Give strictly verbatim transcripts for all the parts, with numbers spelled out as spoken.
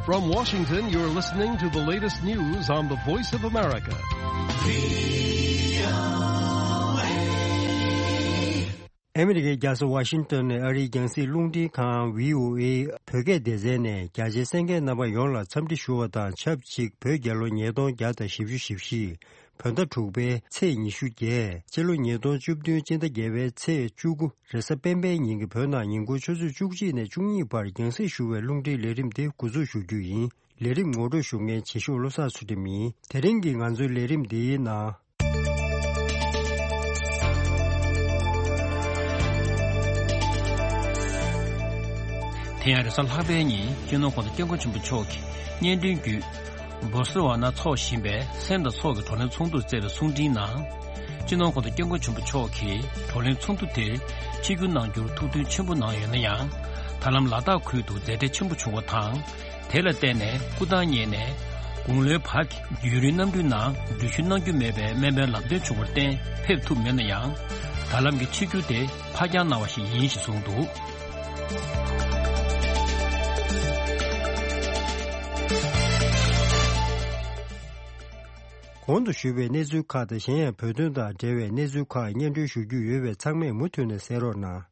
From Washington, you're listening to the latest news on the Voice of America. ཨ་མི་རི་ཀའི་རྒྱལ་ས་ཝ་ཤིང་ཏོན་ནས་ཨ་རིའི་རྒྱང་སྲིང་རླུང་འཕྲིན་ཁང་བྷི་ཨོ་ཨེ་བོད་སྐད་སྡེ་ཚན་ནས་རྒྱ་ཆེའི་གསན་མཁན་རྣམ་པ་ཡོངས་ལ་འཚམས་འདྲི་ཞུ་བ་དང་ཆབས་ཅིག་བོད་རྒྱལ་ལོ་ཉིས་སྟོང་བརྒྱ་དང་བཞི་བཅུ་ཞེ་བཞི། བོད་ཟླ་དྲུག་པའི་ཚེས་ཉི་ཤུ་བརྒྱད། སྤྱི་ལོ་ཉིས་སྟོང་བཅུ་བདུན་སྤྱི་ཟླ་བརྒྱད་པའི་ཚེས་བཅུ་དགུ་རེས་གཟའ་སྤེན་པའི་ཉིན་གྱི་བོད་ནང་ཉིན་གུང་ཆུ་ཚོད་བཅུ་གཅིག་ནས་བཅུ་གཉིས་བར་རྒྱང་སྲིང་ཞུ་བའི་རླུང་འཕྲིན་ལས་རིམ་དེ་འགོ་འཛུགས་ཞུ་རྒྱུ་ཡིན། ལས་རིམ་ངོ་སྤྲོད་ཞུ་མཁན་བྱེད་ཤོག་བློ་བཟང་ཚུལ་ཁྲིམས་ཡིན། དེ་རིང་གི་ང་ཚོའི་ལས་རིམ་འདིའི་ནང་། དེ་ཡང་རེས་གཟའ་ལྷག་པའི་ཉིན་སྤྱི་ནོར་༸གོང་ས་༸སྐྱབས་མགོན་ཆེན་པོ་མཆོག་གིས་སྙན་སྒྲོན་བརྒྱུད། སྦོ་སི་ཝ་ན་འཚོགས་བཞིན་པའི་སེམས་དང་ཚོགས་ཀྱི་བགྲོ་གླེང་ཚོགས་འདུར་བསྩལ་བའི་གསུང་འཕྲིན་ནང་། སྤྱི་ནོར་༸གོང་ས་༸སྐྱབས་མགོན་ཆེན་པོ་མཆོག་གིས་བགྲོ་གླེང་ཚོགས་འདུ་དེར་ཆིབས་བསྒྱུར་གནང་རྒྱུར་ཐུགས་མཐུན་ཆེན་པོ་གནང་ཡོད་ན་ཡང་། ད་ལམ་ལ་དྭགས་ཁུལ་དུ་མཛད་བྲེལ་ཆེན་པོ་བྱུང་བ་དང་། དེ་ལ་བརྟེན་ནས་སྐུ་ཐང་བརྙེས་ནས་དགུང་ལོའི་བར་གྱི་ཡུན་རིང་གནམ་གྲུའི་ནང་འགྲུལ་བཞུད་གནང་རྒྱུ་མེད་པའི་སྨན་པའི་ལམ་སྟོན་བྱུང་བར་བརྟེན་ཕེབས་ཐུབ་མེད་ན་ཡང་། ད་ལམ་གྱི་ཆིབས་བསྒྱུར་དེ་ཕར་འགྱངས་གནང་བ་ཞིག་ཡིན་ཞེས་གསུངས་འདུག། གོང་དུ་ཞུས་པའི་གནས་ཚུལ་ཁག་དང་གཞན་ཡང་བོད་དོན་དང་འབྲེལ་བའི་གནས་ཚུལ་ཁག་སྙན་སྒྲོན་ཞུ་རྒྱུ་ཡོད་པས་ཚང་མས་མུ་མཐུད་ནས་གསན་རོགས་གནང་།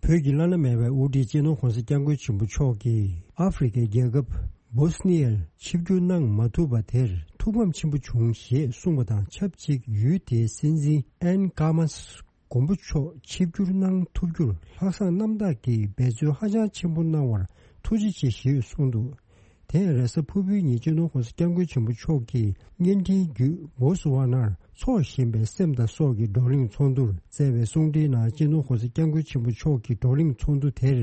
བོད་ཀྱི་བླ་ན་མེད་པའི་དབུ་ཁྲིད་སྤྱི་ནོར་༸གོང་ས་༸སྐྱབས་མགོན་ཆེན་པོ་མཆོག་གིས་ཨ་ཧྥེ་རི་ཁའི་རྒྱལ་ཁབ་སྦོ་སི་ནི་ཡར་ཆིབས་བསྒྱུར་གནང་མ་ཐུབ་པ་དེར་ཐུགས་ཕམ་ཆེན་པོ་བྱུང་ཞེས་གསུངས་པ་དང་ཆབས་ཅིག་ཡུལ་དེའི་སྲིད་འཛིན་ཨན་ཀར་མཱས་མགོན་པོ་མཆོག་ཆིབས་བསྒྱུར་གནང་ཐུབ་རྒྱུར་ལྷག་བསམ་རྣམ་དག་གིས་འབད་བརྩོན་ཧ་ཅང་ཆེན་པོ་གནང་བར་ཐུགས་རྗེ་ཆེ་ཞེས་གསུངས་འདུག། དེ་ཡང་རེས་གཟའ་ཕུར་བུའི་ཉིན་སྤྱི་ནོར་༸གོང་ས་༸སྐྱབས་མགོན་ཆེན་པོ་མཆོག་གིས་བརྙན་འཕྲིན་བརྒྱུད་བོ་སི་ཝ་ནར་འཚོགས་བཞིན་པའི་སེམས་དང་སྲོག་གི་བགྲོ་གླེང་ཚོགས་འདུར་བསྩལ་བའི་གསུང་འཕྲིན་ནང་སྤྱི་ནོར་༸གོང་ས་༸སྐྱབས་མགོན་ཆེན་པོ་མཆོག་གིས་བགྲོ་གླེང་ཚོགས་འདུ་དེར་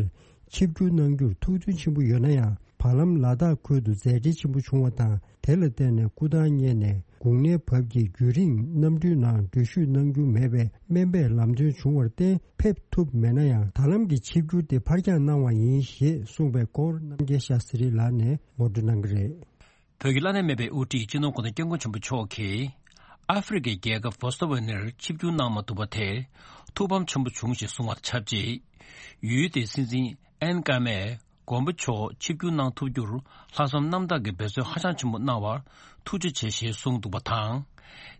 ཆིབས་བསྒྱུར་གནང་རྒྱུར་ཐུགས་མཐུན་ཆེན་པོ་ཡོད་ན་ཡང་། བར་ལམ་ལ་དྭགས་ཁུལ་དུ་མཛད་བྲེལ་ཆེན་པོ་བྱུང་བ་དང་། དེ་ལ་བརྟེན་ནས་སྐུ་ཐང་བརྙེས་ནས་དགུང་ནའི་བབ་ཀྱི་རྒྱུན་རིང་གནམ་གྲུའི་ནང་འགྲུལ་བཞུད་གནང་རྒྱུ་མེད་པའི་སྨན་པས་ལམ་སྟོན་བྱུང་བར་བརྟེན་ཕེབས་ཐུབ་མེད་ན་ཡང་། ད་ལམ་གྱི་ཆིབས་བསྒྱུར་དེ་ཕར་འགྱངས་གནང་བ་ཡིན་ཞེས་གསུངས་པའི་སྐོར་རྣམ་རྒྱལ་ཤཱ་སི་རི་ལགས་ནས་ངོ་སྤྲོད་གནང་གི་རེད། བོད་ཀྱི་བླ་ན་མེད་པའི་དབུ་ཁྲིད་སྤྱི་ནོར་༸གོང་ས་༸སྐྱབས་མགོན་ཆེན་པོ་མཆོག་གིས་ཨ་ཧྥེ་རི་ཁའི་རྒྱལ་ཁབ་བོ་སི་ཝ་ནར་ཆིབས་བསྒྱུར་གནང་མ་ཐུབ་པ་དེར་ཐུགས་ཕམ་ཆེན་པོ་བྱུང་ཞེས་གསུངས་པ་དང་ཆབས་ཅིག་ཡུལ་དེའི་སྲིད་འཛིན་ཨན་ཀར་མས་མགོན་པོ་མཆོག་ཆིབས་བསྒྱུར་གནང་ཐུབ་རྒྱུར་ལྷག་བསམ་རྣམ་དག་གིས་འབད་བརྩོན་ཧ་ཅང་ཆེན་པོ་གནང་བར་ཐུགས་རྗེ་ཆེ་ཞེས་གསུངས་འདུག་པ་དང་།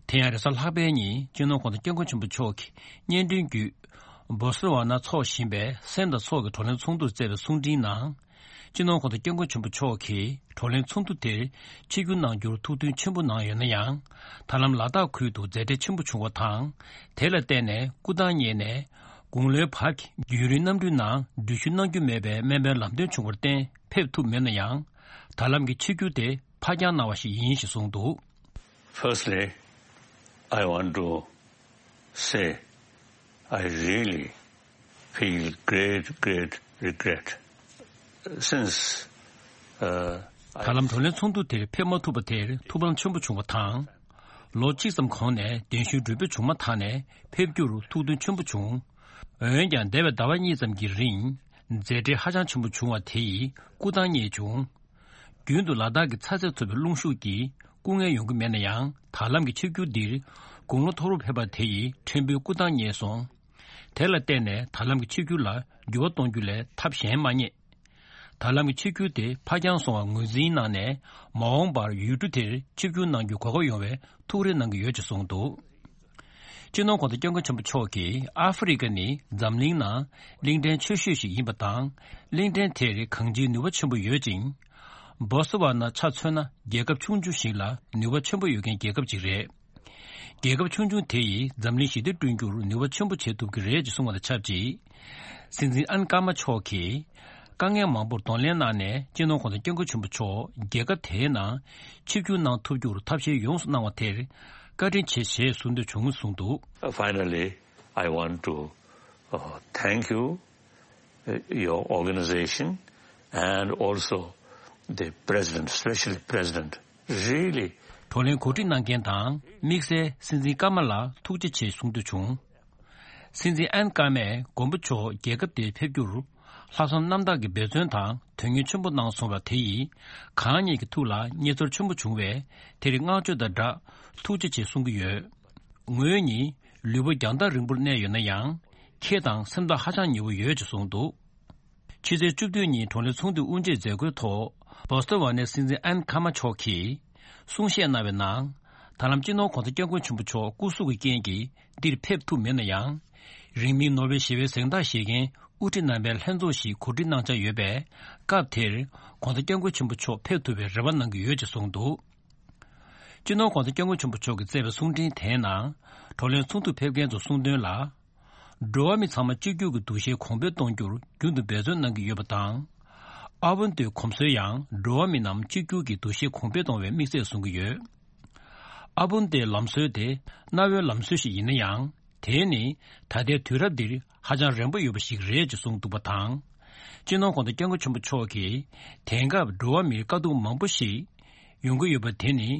དེ་ཡང་རེས་གཟའ་ལྷག་པའི་ཉིན་སྤྱི་ནོར་༸གོང་ས་༸སྐྱབས་མགོན་ཆེན་པོ་མཆོག་གིས་བརྙན་འཕྲིན་བརྒྱུད་བོ་སི་ཝ་ན་འཚོགས་བཞིན་པའི་སེམས་དང་ཚོགས་ཀྱི་བགྲོ་གླེང་ཚོགས་འདུར་བསྩལ་བའི་གསུང་འཕྲིན་ནང་། སྤྱི་ནོར་༸གོང་ས་༸སྐྱབས་མགོན་ཆེན་པོ་མཆོག་གིས་བགྲོ་གླེང་ཚོགས་འདུ་དེར་ཆིབས་བསྒྱུར་གནང་རྒྱུར་ཐུགས་མཐུན་ཆེན་པོ་གནང་ཡོད་ན་ཡང་། ད་ལམ་ལ་དྭགས་ཁུལ་དུ་མཛད་བྲེལ་ཆེན་པོ་བྱུང་བ་དང་། དེ་ལ་བརྟེན་ནས་སྐུ་ཐང་བརྙེས་ནས་དགུང་ལོའི་བར་གྱི་རྒྱུན་རིང་གནམ་གྲུའི་ནང་འགྲུལ་བཞུད་གནང་རྒྱུ་མེད་པའི་སྨན་པའི་ལམ་སྟོན་བྱུང་བར་བརྟེན་ཕེབས་ཐུབ་མེད་ན་ཡང་། ད་ལམ་གྱི་ཆིབས་བསྒྱུར་དེ་ཕར་འགྱངས་གནང་བ་ཞིག་ཡིན་ཞེས་གསུངས་འདུག། Firstly, I want to say I really feel great, great regret. Since, uh, ད་ལམ་བགྲོ་གླེང་ཚོགས་འདུ་དེར་ཕེབས་མ་ཐུབ་པ་དེར་ཐུགས་ཕམ་ཆེན་པོ་བྱུང་བ་དང་། ལོ་གཅིག་ཙམ་གོང་ནས་གདན་ཞུའི་གྲོས་འབུལ་བྱུང་མ་ཐག་ནས་ཕེབས་རྒྱུར་ཐུགས་མཐུན་ཆེན་པོ་བྱུང་། འོན་ཀྱང་འདས་པའི་ཟླ་བ་གཉིས་ཙམ་གྱི་རིང་མཛད་བྲེལ་ཧ་ཅང་ཆེན་པོ་བྱུང་བ་དེ་ཡིས་སྐུ་ཐང་བརྙེས་བྱུང་། རྒྱུན་དུ་ལ་དྭགས་ཀྱི་ཚ་ཚད་མཐོ་བའི་རླུང་ཤུགས་ཀྱིས་སྐུ་ངལ་ཡོང་གི་མེད་ན་ཡང་། ད་ལམ་གྱི་ཆིབས་བསྒྱུར་འདིར་དགུང་ལོ་མཐོ་རུ་ཕེབས་པ་དེ་ཡིས་ཕྲན་བུ་སྐུ་ཐང་བརྙེས་སོང་། དེ་ལ་བརྟེན་ནས་ད་ལམ་གྱི་ཆིབས་བསྒྱུར་ལ་འགྱུར་བ་གཏོང་རྒྱུ་ལས་ཐབས་གཞན་མ་རྙེད། ད་ལམ་གྱི་ཆིབས་བསྒྱུར་དེ་ཕར་འགྱངས་སོང་བར་ངོས་འཛིན་གནང་ནས། མ་འོངས་པར་ཡུལ་གྲུ་དེར་ཆིབས་བསྒྱུར་གནང་རྒྱུའི་གོ་སྐབས་ཡོང་བའི་ཐུགས་རེ་གནང་གི་ཡོད་ཅེས་གསུངས་འདུག། སྤྱི་ནོར་༸གོང་ས་༸སྐྱབས་མགོན་ཆེན་པོ་མཆོག་གིས་ཨ་ཧྥེ་རི་ཁ་ནི་འཛམ་གླིང་ནང་གླིང་ཕྲན་ཆེ་ཤོས་ཤིག་ཡིན་པ་དང་། གླིང་ཕྲན་དེར་གང་ཅིའི་ནུས་པ་ཆེན་པོ་ཡོད་ཅིང་། བོ་སི་ཝ་ན་ཆ་མཚོན་ན་རྒྱལ་ཁབ་ཆུང་ཆུང་ཞིག་ལ་ནུས་པ་ཆེན་པོ་ཡོད་མཁན་རྒྱལ་ཁབ་ཅིག་རེད། རྒྱལ་ཁབ་ཆུང་ཆུང་དེ་ཡིས་འཛམ་གླིང་ཞི་བདེ་བསྐྲུན་རྒྱུར་ནུས་པ་ཆེན་པོ་བྱེད་ཐུབ་ཀྱི་རེད་ཅེས་གསུངས་པ་དང་ཆབས་ཅིག། སྲིད་འཛིན་ཨན་ཀར་མ་མཆོག་གིས་དཀའ་ངལ་མང་པོར་གདོང་ལེན་གནང་ནས། སྤྱི་ནོར་༸གོང་ས་༸སྐྱབས་མགོན་ཆེན་པོ་མཆོག་རྒྱལ་ཁབ་དེའི་ནང་ཆིབས་བསྒྱུར་གནང་ཐུབ་རྒྱུར་ཐབས་ཤེས་ཡོངས་སུ་གནང་བ་དེར་བཀའ་དྲིན་ཆེ་ཞེས་གསུང་འདོད་བྱུང་གསུངས་འདུག། Finally, I want to, uh, thank you, uh, your organization and also the president, specially president, really. བགྲོ་གླེང་གོ་སྒྲིག་གནང་མཁན་དང་དམིགས་བསལ་སྲིད་འཛིན་ཀརྨ་ལགས་ཐུགས་རྗེ་ཆེ་གསུང་འདོད་བྱུང་། སྲིད་འཛིན་ཨན་ཀརྨས་མགོན་པོ་མཆོག་རྒྱལ་ཁབ་དེར་ཕེབས་རྒྱུར་ལྷག་བསམ་རྣམ་དག་གིས་འབད་བརྩོན་དང་དོན་གཉེར་ཆེན་པོ་གནང་སོང་བ་དེ་ཡིས་གང་ཉིད་ཀྱི་ཐུགས་ལ་མཉེས་ཚོར་ཆེན་པོ་བྱུང་བས། དེར་བསྔགས་བརྗོད་དང་སྦྲགས་ཐུགས་རྗེ་ཆེ་གསུང་གི་ཡོད། ངོས་ནི་ལུས་པོ་རྒྱང་ཐག་རིང་པོར་གནས་ཡོད་ན་ཡང་། ཁྱེད་དང་སེམས་ཐག་ཧ་ཅང་ཉེ་བོ་ཡོད་ཅེས་གསུངས་འདུག། ཕྱི་ཚེས་བཅུ་བདུན་ཉིན་བགྲོ་གླེང་ཚོགས་འདུའི་དབུ་འབྱེད་མཛད་སྒོའི་ཐོག་བྷོ་སྟོན་ཝ་ནའི་སྲིད་འཛིན་ཨན་ཁ་མ་མཆོག་གིས་གསུང་བཤད་གནང་བའི་ནང་། ད་ལམ་སྤྱི་ནོར་༧གོང་ས་༧སྐྱབས་མགོན་ཆེན་པོ་མཆོག་སྐུ་གཟུགས་ཀྱི་རྐྱེན་གྱིས་འདིར་ཕེབས་ཐུབ་མེད་ན་ཡང་། རིང་མིན་ནོ་བེལ་ཞི་བའི་གཟེངས་རྟགས་བཞེས་མཁན་དབུ་ཁྲིད་རྣམ་པའི་ལྷན་ཚོགས་ཤིག་གོ་སྒྲིག་གནང་འཆར་ཡོད་པས། སྐབས་དེར་༧གོང་ས་༧སྐྱབས་མགོན་ཆེན་པོ་མཆོག་ཕེབས་ཐུབ་པའི་རེ་བ་གནང་གི་ཡོད་ཅེས་གསུངས་འདུག་སྤྱི་ནོར་༧གོང་ས་༧སྐྱབས་མགོན་ཆེན་པོ་མཆོག་གིས་བསྩལ་བའི་གསུང་འཕྲིན་དེའི་ནང་། བགྲོ་གླེང་ཚོགས་འདུར་ཕེབས་མཁན་ཚོ་གསུངས་དོན་ལ། འགྲོ་བ་མི་ཚང་མ་གཅིག་གྱུར་གྱི་འདུ་ཤེས་གོང་འཕེལ་གཏོང་རྒྱུར་རྒྱུན་དུ་འབད་བརྩོན་གནང་གི་ཡོད་པ་དང་། ཨ་བོན་ཏེའི་གོམས་སྲོལ་ཡང་འགྲོ་བ་མི་རྣམས་གཅིག་གྱུར་གྱི་འདུ་ཤེས་གོང་འཕེལ་གཏོང་བའི་དམིགས་ཚད་བཟུང་གི་ཡོད། ཨ་བོན་ཏེའི་ལམ་སྲོལ་དེ་གནའ་བོའི་ལམ་སྲོལ་ཞིག་ཡིན་ན་ཡང་། དེ་ནི་ད་ལྟའི་དུས་རབས་འདིར་ཧ་ཅང་རན་པོ་ཡོད་པ་ཞིག་རེད་ཅེས་གསུངས་འདུག་པ་དང་། སྤྱི་ནོར་༧གོང་ས་༧སྐྱབས་མགོན་ཆེན་པོ་མཆོག་གིས་དེང་སྐབས་འགྲོ་བ་མིར་དཀའ་སྡུག་མང་པོ་ཞིག་ཡོང་གི་ཡོད་པ་དེ་ནི།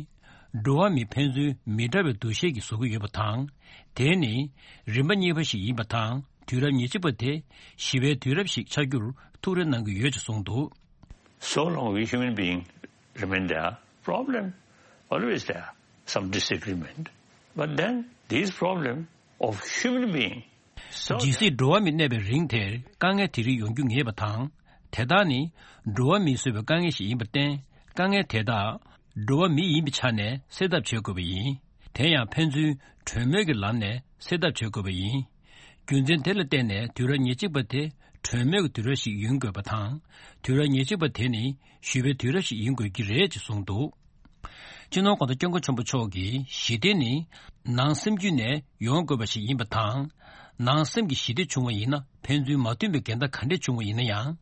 འགྲོ་བ་མི་ཕན་ཚུན་མི་འདྲ་བའི་འདུ་ཤེས་ཀྱིས་བཟོ་གི་ཡོད་པ་དང་། དེ་ནི་རིམ་པ་གཉིས་པ་ཞིག་ཡིན་པ་དང་། དུས་རབས་ཉེར་གཅིག་པ་དེ་ཞི་བའི་དུས་རབས་ཤིག་ཆགས་རྒྱུར་ཐུགས་རེ་གནང་གི་ཡོད་ཅེས་གསུངས་འདུག So long we human being remain there, problem always there, some disagreement. But then these problem of human being, so ཇི་སྲིད་འགྲོ་བ་མི་གནས་པའི་རིང་དེར་དཀའ་ངལ་དེ་རིགས་ཡོང་རྒྱུ་ངེས་པ་དང་། དེ་དག་ནི་འགྲོ་བ་མིས་བཟོས་པའི་དཀའ་ངལ་ཞིག་ཡིན་པར་བརྟེན། དཀའ་ངལ་དེ་དག་འགྲོ་བ་མི་ཡིན་པའི་ཆ་ནས་སེལ་ཐབས་བྱེད་དགོས་པ་ཡིན། དེ་ཡང་ཕན་ཚུན་གྲོས་མོལ་གྱི་ལམ་ནས་སེལ་ཐབས་བྱེད་དགོས་པ་ཡིན། རྒྱུ་མཚན་དེ་ལ་བརྟེན་ནས་དུས་རབས་ཉེར་གཅིག་པ་དེ་གྲོས་མོལ་གྱི་དུས་རབས་ཤིག་ཡིན་དགོས་པ་དང་། དུས་རབས་ཉེར་གཅིག་པ་དེ་ནི་ཞི་བའི་དུས་རབས་ཤིག་ཡིན་དགོས་ཀྱི་རེད་ཅེས་གསུངས་འདུག་སྤྱི་ནོར་༧གོང་ས་༧སྐྱབས་མགོན་ཆེན་པོ་མཆོག་གིས་ཞི་བདེ་ནི་ནང་སེམས་རྒྱུད་ནས་ཡོང་དགོས་པ་ཞིག་ཡིན་པ་དང་། ནང་སེམས་ཀྱི་ཞི་བདེ་བྱུང་བ་ཡིན་ན་ཕན་ཚུན་མ་མཐུན་པའི་འགལ་ཟླ་ག་འདྲས་བྱུང་བ་ཡིན་ན་ཡང་།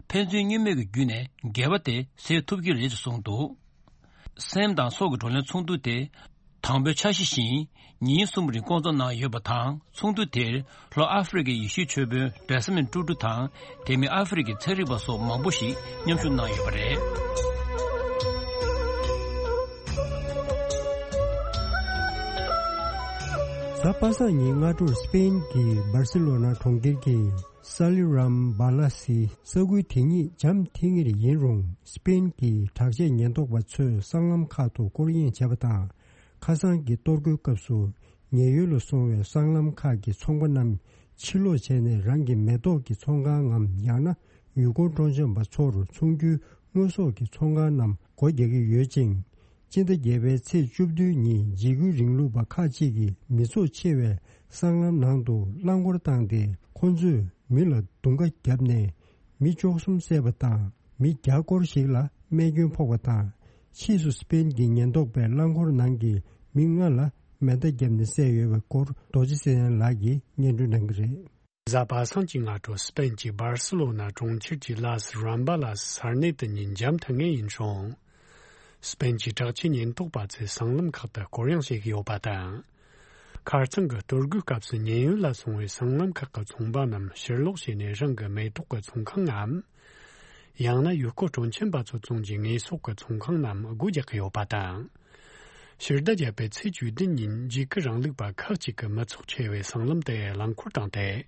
ཕན་ཚུན་གཉིས་མོས་ཀྱི་བརྒྱུད་ནས་འགལ་བ་དེ་སེལ་ཐུབ་ཀྱི་རེད་ཅེས་གསུངས་འདུག་སེམས་དང་སྲོག་གི་བགྲོ་གླེང་ཚོགས་འདུ་དེ་དང་པོའི་འཆར་གཞི་བཞིན་ཉིན་གསུམ་རིང་བསྐོང་ཚོགས་གནང་ཡོད་པ་དང་། ཚོགས་འདུ་དེར་ལྷོ་ཨ་ཧྥེ་རི་ཁའི་ཡེ་ཤུའི་ཆོས་དཔོན་ཌེ་སི་མོན་ཀྲུ་ཀྲུ་དང་། དེ་མིན་ཨ་ཧྥེ་རི་ཁའི་ཚན་རིག་པ་སོགས་མང་པོ་ཞིག་མཉམ་ཞུགས་གནང་ཡོད་པ་རེད། གཟའ་པ་སངས་ཉིན་སྔ་དྲོར་སི་པེན་གྱི་སྦར་སི་ལོ་ན་གྲོང་ཁྱེར་གྱི་སཱ་ལི་རམ་སྦ་ལ་སི་ས་ཁུལ་དེ་ཉིད་འཇམ་ཐིང་ངེར་ཡིན་རུང་། སི་པེན་གྱི་དྲག་ཆས་ཉེན་རྟོག་པ་ཚོས་སྲང་ལམ་ཁག་ཏུ་སྐོར་གཡེང་བྱས་པ་དང་། ཁ་སང་གི་གཏོར་རྒོལ་སྐབས་སུ་ཉེན་གཡོལ་ལ་སོང་བའི་སྲང་ལམ་ཁག་གི་ཚོང་པ་རྣམས་ཕྱིར་ལོག་བྱས་ནས། རང་གི་མེ་ཏོག་གི་ཚོང་ཁང་ངམ། ཡང་ན་ཡུལ་སྐོར་སྤྲོ་འཆམ་པ་ཚོར་འཚོང་རྒྱུའི་དངོས་ཟོག་གི་ཚོང་ཁང་རྣམས་སྒོ་རྒྱག་གི་ཡོད་ཅིང་། སྤྱི་ཟླ་བརྒྱད་པའི་ཚེས་བཅུ་བདུན་ཉིན་འཇིགས་སྐུལ་རིང་ལུགས་པ་ཁག་ཅིག་གིས་མི་ཚོགས་ཆེ་བའི་སྲང་ལམ་ནང་དུ་རླངས་འཁོར་བཏང་སྟེ། ཁོ་ཚོས་མི་ལ་རྡུང་ཁ་བརྒྱབ་ནས་མི་བཅུ་གསུམ་བསད་པ་དང་། མི་བརྒྱ་སྐོར་ཞིག་ལ་རྨས་སྐྱོན་ཕོག་པ་དང་། ཕྱིས་སུ་སི་པེན་གྱི་ཉེན་རྟོག་པས་རླངས་འཁོར་ནང་གི་མི་ལྔ་ལ་མེ་མདའ་བརྒྱབ་ནས་བསད་ཡོད་པའི་སྐོར་རྡོ་རྗེ་ཚེ་རིང་ལགས་ཀྱིས་སྙན་སྒྲོན་གནང་གི་རེད། གཟའ་པ་སངས་ཀྱི་སྔ་དྲོ་སི་པེན་གྱི་སྦར་སི་ལོ་ན་གྲོང་ཁྱེར་གྱི་ལ་སི་རམ་བྷ་ལ་སི་ས་གནས་དེ་ཉིད་འཇམ་ཐིང་ངེ་ཡིན་རུང་། སི་པེན་གྱི་དྲག་ཆས་ཉེན་རྟོག་པ་ཚོས་སྲང་ལམ་ཁག་ཏུ་སྐོར་གཡེང་བྱེད་ཀྱི་ཡོད་པ་དང་། ཁ་རྩང་གི་གཏོར་རྒོལ་སྐབས་སུ་ཉེན་གཡོལ་ལ་སོང་བའི་སྲང་ལམ་ཁག་གི་ཚོང་པ་རྣམས་ཕྱིར་ལོག་བྱས་ནས། རང་གི་མེ་ཏོག་གི་ཚོང་ཁང་ངམ། ཡང་ན་ཡུལ་སྐོར་སྤྲོ་འཆམ་པ་ཚོ་བཙོང་རྒྱུའི་དངོས་ཟོག་གི་ཚོང་ཁང་རྣམས་སྒོ་རྒྱག་གི་ཡོད་པ་དང་། ཕྱི་ཟླ་བརྒྱད་པའི་ཚེས་བཅུ་བདུན་ཉིན་འཇིགས་སྐུལ་རིང་ལུགས་པ་ཁག་ཅིག་གིས་མི་ཚོགས་ཆེ་བའི་སྲང་ལམ་དེ་རླངས་འཁོར་བཏང་སྟེ།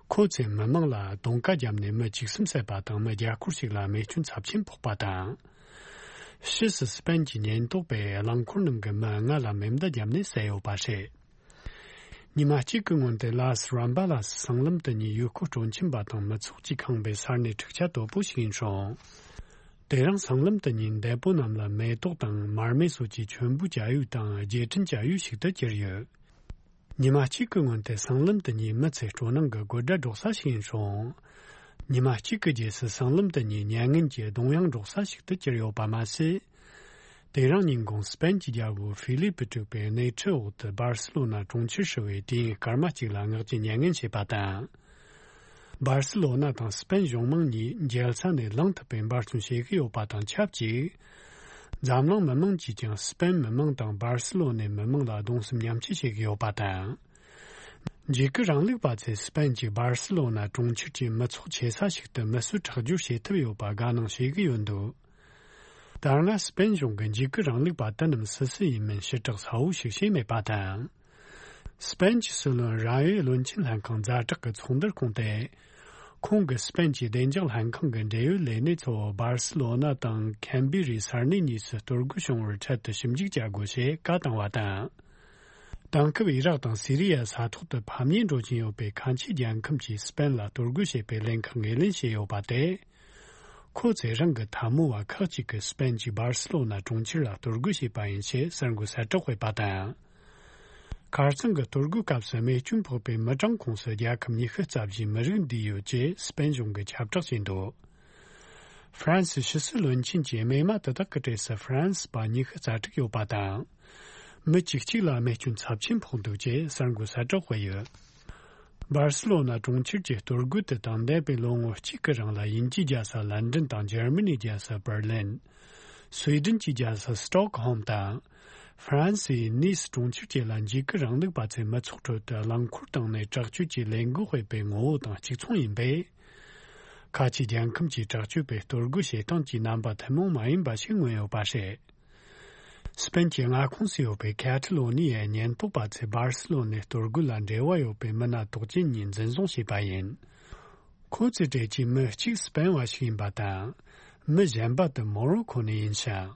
ཁོ་ཚོས་མི་མང་ལ་རྡུང་ཁ་བརྒྱབ་ནས་མི་བཅུ་གསུམ་བསད་པ་དང་། མི་བརྒྱ་སྐོར་ཞིག་ལ་རྨས་སྐྱོན་ཚབས་ཆེན་ཕོག་པ་དང་། ཕྱིས་སུ་སི་པན་གྱི་ཉེན་རྟོག་པས་རླངས་འཁོར་ནང་གི་མི་ལྔ་ལ་མེ་མདའ་བརྒྱབ་ནས་བསད་ཡོད་པ་རེད། ཉི་མ་གཅིག་གི་སྔོན་དུ་ལ་སི་རམ་པ་ལ་སི་སྲང་ལམ་དེ་ཉིད་ཡུལ་སྐོར་སྤྲོ་འཆམ་པ་དང་མི་ཚོགས་ཀྱིས་ཁེངས་པའི་ས་གནས་འཁྲུག་ཆ་དོད་པོ་ཞིག་ཡིན་རུང་། དེ་རིང་སྲང་ལམ་དེ་ཉིད་འདས་པོ་རྣམས་ལ་མེ་ཏོག་དང་མར་མེ་སོགས་ཀྱི་མཆོད་འབུལ་བྱ་ཡུལ་དང་རྗེས་དྲན་བྱ་ཡུལ་ཞིག་ཏུ་གྱུར་ཡོད། ཉི་མ་གཅིག་གི་སྔོན་དུ་སྲང་ལམ་དེ་ཉིད་མི་ཚོའི་སྤྲོ་སྣང་གི་དགོད་སྒྲ་སྒྲོག་ས་ཞིག་ཡིན་རུང་། ཉི་མ་གཅིག་གི་རྗེས་སུ་སྲང་ལམ་དེ་ཉིད་མྱ་ངན་གྱི་གདུང་དབྱངས་སྒྲོག་ས་ཞིག་ཏུ་གྱུར་ཡོད་པ་མ་ཟད། དེ་རིང་ཉིན་གུང་སི་པན་གྱི་རྒྱལ་པོ་ཧྥི་ལི་པི་དྲུག་པའི་སྣེ་ཁྲིད་འོག་ཏུ་སྦར་སི་ལོ་ན་གྲོང་ཁྱེར་ཧྲིལ་བོའི་དུས་ཡུན་སྐར་མ་གཅིག་ལ་ངག་གཅིག་མྱ་ངན་བྱས་པ་དང་། སྦར་སི་ལོ་ན་དང་སི་པན་གཞུང་མང་གཉིས་མཇལ་ས་ནས་ལངས་ཐུབ་པའི་འབད་བརྩོན་བྱེད་ཀྱི་ཡོད་པ་དང་ཆབས་ཅིག་འཛམ་གླིང་མི་མང་གིས་ཀྱང་སི་པན་མི་མང་དང་སྦར་སི་ལོ་ནའི་མི་མང་ལ་གདུང་སེམས་མཉམ་སྐྱེད་བྱེད་ཀྱི་ཡོད་པ་དང་། འཇིགས་སྐུལ་རིང་ལུགས་པ་ཚོས་སི་པན་གྱི་སྦར་སི་ལོ་ན་གྲོང་ཁྱེར་གྱི་མི་ཚོགས་ཆེ་ས་ཞིག་ཏུ་མི་གསོད་ཁྲག་སྦྱོར་བྱེད་ཐུབ་ཡོད་པ་དགའ་སྣང་བྱེད་ཀྱི་ཡོད་འདུག་ད་སྔ་སི་པན་གཞུང་གིས་འཇིགས་སྐུལ་རིང་ལུགས་པ་དེ་རྣམས་སུ་སུ་ཡིན་མིན་ཞིབ་ཕྲ་གསལ་བོ་ཞིག་བྱས་མེད་པ་དང་། སི་པན་གྱི་སྲིད་བློན་རང་ཡོད་བློན་ཆེན་ལྷན་ཁང་ཛ་དྲག་གི་ཚོགས་འདུར་ཁོངས་ཏེ། ཁོང་གིས་སི་པན་གྱི་བདེ་འཇགས་ལྷན་ཁང་གི་འབྲེལ་ཡོད་ལས་སྣེ་ཚོ་སྦར་སི་ལོ་ན་དང་ཁེམ་བི་རི་ས་གནས་གཉིས་སུ་གཏོར་རྒོལ་བྱུང་བར་འཕྲལ་དུ་ཞིབ་འཇུག་བྱ་དགོས་ཞེས་བཀའ་བཏང་བ་དང་། དེང་སྐབས་ཨི་རག་དང་སི་རི་ཡ་ས་ཐོག་ཏུ་ཕམ་ཉེས་འགྲོ་བཞིན་ཡོད་པའི་ཁ་ཆེ་རྒྱལ་ཁམས་ཀྱིས་སི་པན་ལ་གཏོར་རྒོལ་བྱེད་པའི་ལན་ཁག་ངོས་ལེན་བྱས་ཡོད་པ་དེ། ཁོ་ཚོས་རང་གི་འཐབ་མོ་བ་ཁག་ཅིག་གིས་སི་པན་གྱི་སྦར་སི་ལོ་ན་གྲོང་ཁྱེར་ལ་གཏོར་རྒོལ་བྱས་པ་ཡིན་ཞེས་གསར་འགོད་གསལ་བསྒྲགས་སྤེལ་བ་དང་། ཁ་རྩང་གི་གཏོར་རྒོལ་སྐབས་སུ་རྨས་སྐྱོན་ཕོག་པའི་མི་གྲངས་ཁོངས་སུ་རྒྱལ་ཁབ་ཉི་ཤུ་རྩ་བཞིའི་མི་རིགས་འདུས་ཡོད་ཅེས་སི་པན་གཞུང་གིས་ཁྱབ་བསྒྲགས་བྱས་འདུག་ཧྥ་རན་སི་ཕྱི་སྲིད་བློན་ཆེན་གྱིས་རྨས་མ་དེ་དག་གི་གྲས་སུ་ཧྥ་རན་སི་པ་ཉི་ཤུ་རྩ་དྲུག་ཡོད་པ་དང་། མི་བཅུ་གཅིག་ལ་རྨས་སྐྱོན་ཚབས་ཆེན་ཕོག་འདུག་ཅེས་གསར་འགོད་གསལ་བསྒྲགས་སྤེལ་ཡོད། སྦར་སི་ལོ་ན་གྲོང་ཁྱེར་གྱི་གཏོར་རྒོལ་དེ་དང་འདས་པའི་ལོ་ངོ་གཅིག་གི་རིང་ལ་དབྱིན་ཇིའི་རྒྱལ་ས་ལན་ཀྲན་དང་འཇར་མ་ནིའི་རྒྱལ་ས་པར་ལིན། སུའེ་ཏེན་གྱི་རྒྱལ་ས་སི་ཏོག་ཧོམ་དང་། ཧྥ་རན་སིའི་ནིས་གྲོང་ཁྱེར་བཅས་ལ་འཇིགས་སྐུལ་རིང་ལུགས་པ་ཚོས་མི་ཚོགས་ཁྲོད་དུ་རླངས་འཁོར་བཏང་ནས་དྲག་སྤྱོད་ཀྱི་ལས་འགུལ་སྤེལ་བའི་ངོ་བོ་དང་གཅིག་མཚུངས་ཡིན་པས། ཁ་ཆེ་རྒྱལ་ཁམས་ཀྱིས་དྲག་སྤྱོད་པའི་གཏོར་རྒོལ་བྱེད་སྟངས་ཀྱི་རྣམ་པ་ཐུན་མོང་མ་ཡིན་པ་ཞིག་མངོན་ཡོད་པ་རེད། སི་པན་གྱི་མངའ་ཁོངས་སུ་ཡོད་པའི་ཁ་ཐ་ལོ་ནི་ཡའི་ཉེན་རྟོག་པ་ཚོས་སྦར་སི་ལོ་ནའི་གཏོར་རྒོལ་ལ་འབྲེལ་བ་ཡོད་པའི་མི་སྣ་དོགས་ཅན་གཉིས་འཛིན་བཟུང་བྱས་པ་ཡིན། ཁོ་ཚོའི་གྲས་ཀྱི་མི་གཅིག་སི་པན་བ་ཞིག་ཡིན་པ་དང་། མི་གཞན་པ་དེ་མོ་རོ་ཁོ་ནས་ཡིན་ཞིང་།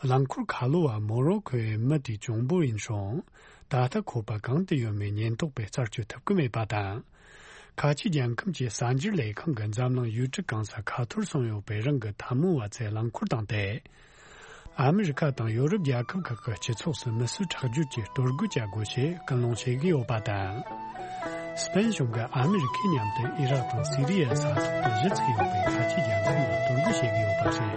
རླངས་འཁོར་ཁ་ལོ་བ་མོ་རོ་ཁོའི་མི་དེའི་གཅུང་པོ་ཡིན་རུང་། ད་ལྟ་ཁོ་པ་གང་དུ་ཡོད་མེད་ཉེན་རྟོག་པས་རྩད་གཅོད་ཐུབ་ཀྱི་མེད་པ་དང་། ཁ་ཆེ་རྒྱལ་ཁམས་ཀྱི་གསར་འགྱུར་ལས་ཁང་གི་འཛམ་གླིང་ཡུལ་གྲུ་གང་སར་ཁ་ཐོར་སོང་ཡོད་པའི་རང་གི་འཐབ་མོ་བ་ཚོས་རླངས་འཁོར་བཏང་སྟེ། ཨ་མི་རི་ཁ་དང་ཡོ་རོབ་རྒྱལ་ཁབ་ཁག་གི་སྤྱི་ཚོགས་སུ་མི་གསོད་ཁྲག་སྦྱོར་གྱི་གཏོར་རྒོལ་བྱ་དགོས་ཞེས་སྐུལ་སློང་བྱེད་ཀྱི་ཡོད་པ་དང་། སི་པན་གཞུང་གིས་ཨ་མི་རི་ཁའི་མཉམ་དུ་ཨི་རག་དང་སི་རི་ཡའི་ས་ཐོག་ཏུ་གཞི་ཚུགས་ཡོད་པའི་ཁ་ཆེ་རྒྱལ་ཁབ་ལ་གཏོར་རྒོལ་བྱེད་ཀྱི་ཡོད་པ་རེད།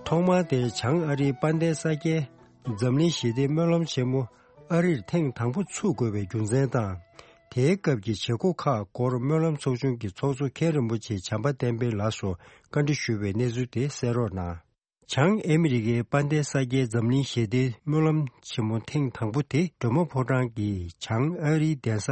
ཐོག་མར་དེར་བྱང་ཨ་རིའི་དཔལ་ལྡན་ས་སྐྱའི་འཛམ་གླིང་ཞི་བདེའི་སྨོན་ལམ་ཆེན་མོ་ཨ་རིར་ཐེངས་དང་པོ་ཚུགས་དགོས་པའི་རྒྱུ་མཚན་དང་། དེའི་སྐབས་ཀྱི་བྱེད་སྒོ་ཁག་སྐོར་སྨོན་ལམ་ཚོགས་ཆུང་གི་ཚོགས་གཙོ་མཁན་རིན་པོ་ཆེ་བྱམས་པ་བསྟན་འཕེལ་ལགས་སུ་བཀའ་འདྲི་ཞུས་པའི་གནས་ཚུལ་དེ་གསན་རོགས་གནང་། བྱང་ཨ་མི་རི་ཀའི་དཔལ་ལྡན་ས་སྐྱའི་འཛམ་གླིང་ཞི་བདེའི་སྨོན་ལམ་ཆེན་མོ་ཐེངས་དང་པོ་དེ་སྒྲོལ་མ་ཕོ་བྲང་གི་བྱང་ཨ་རིའི་གདན་ས་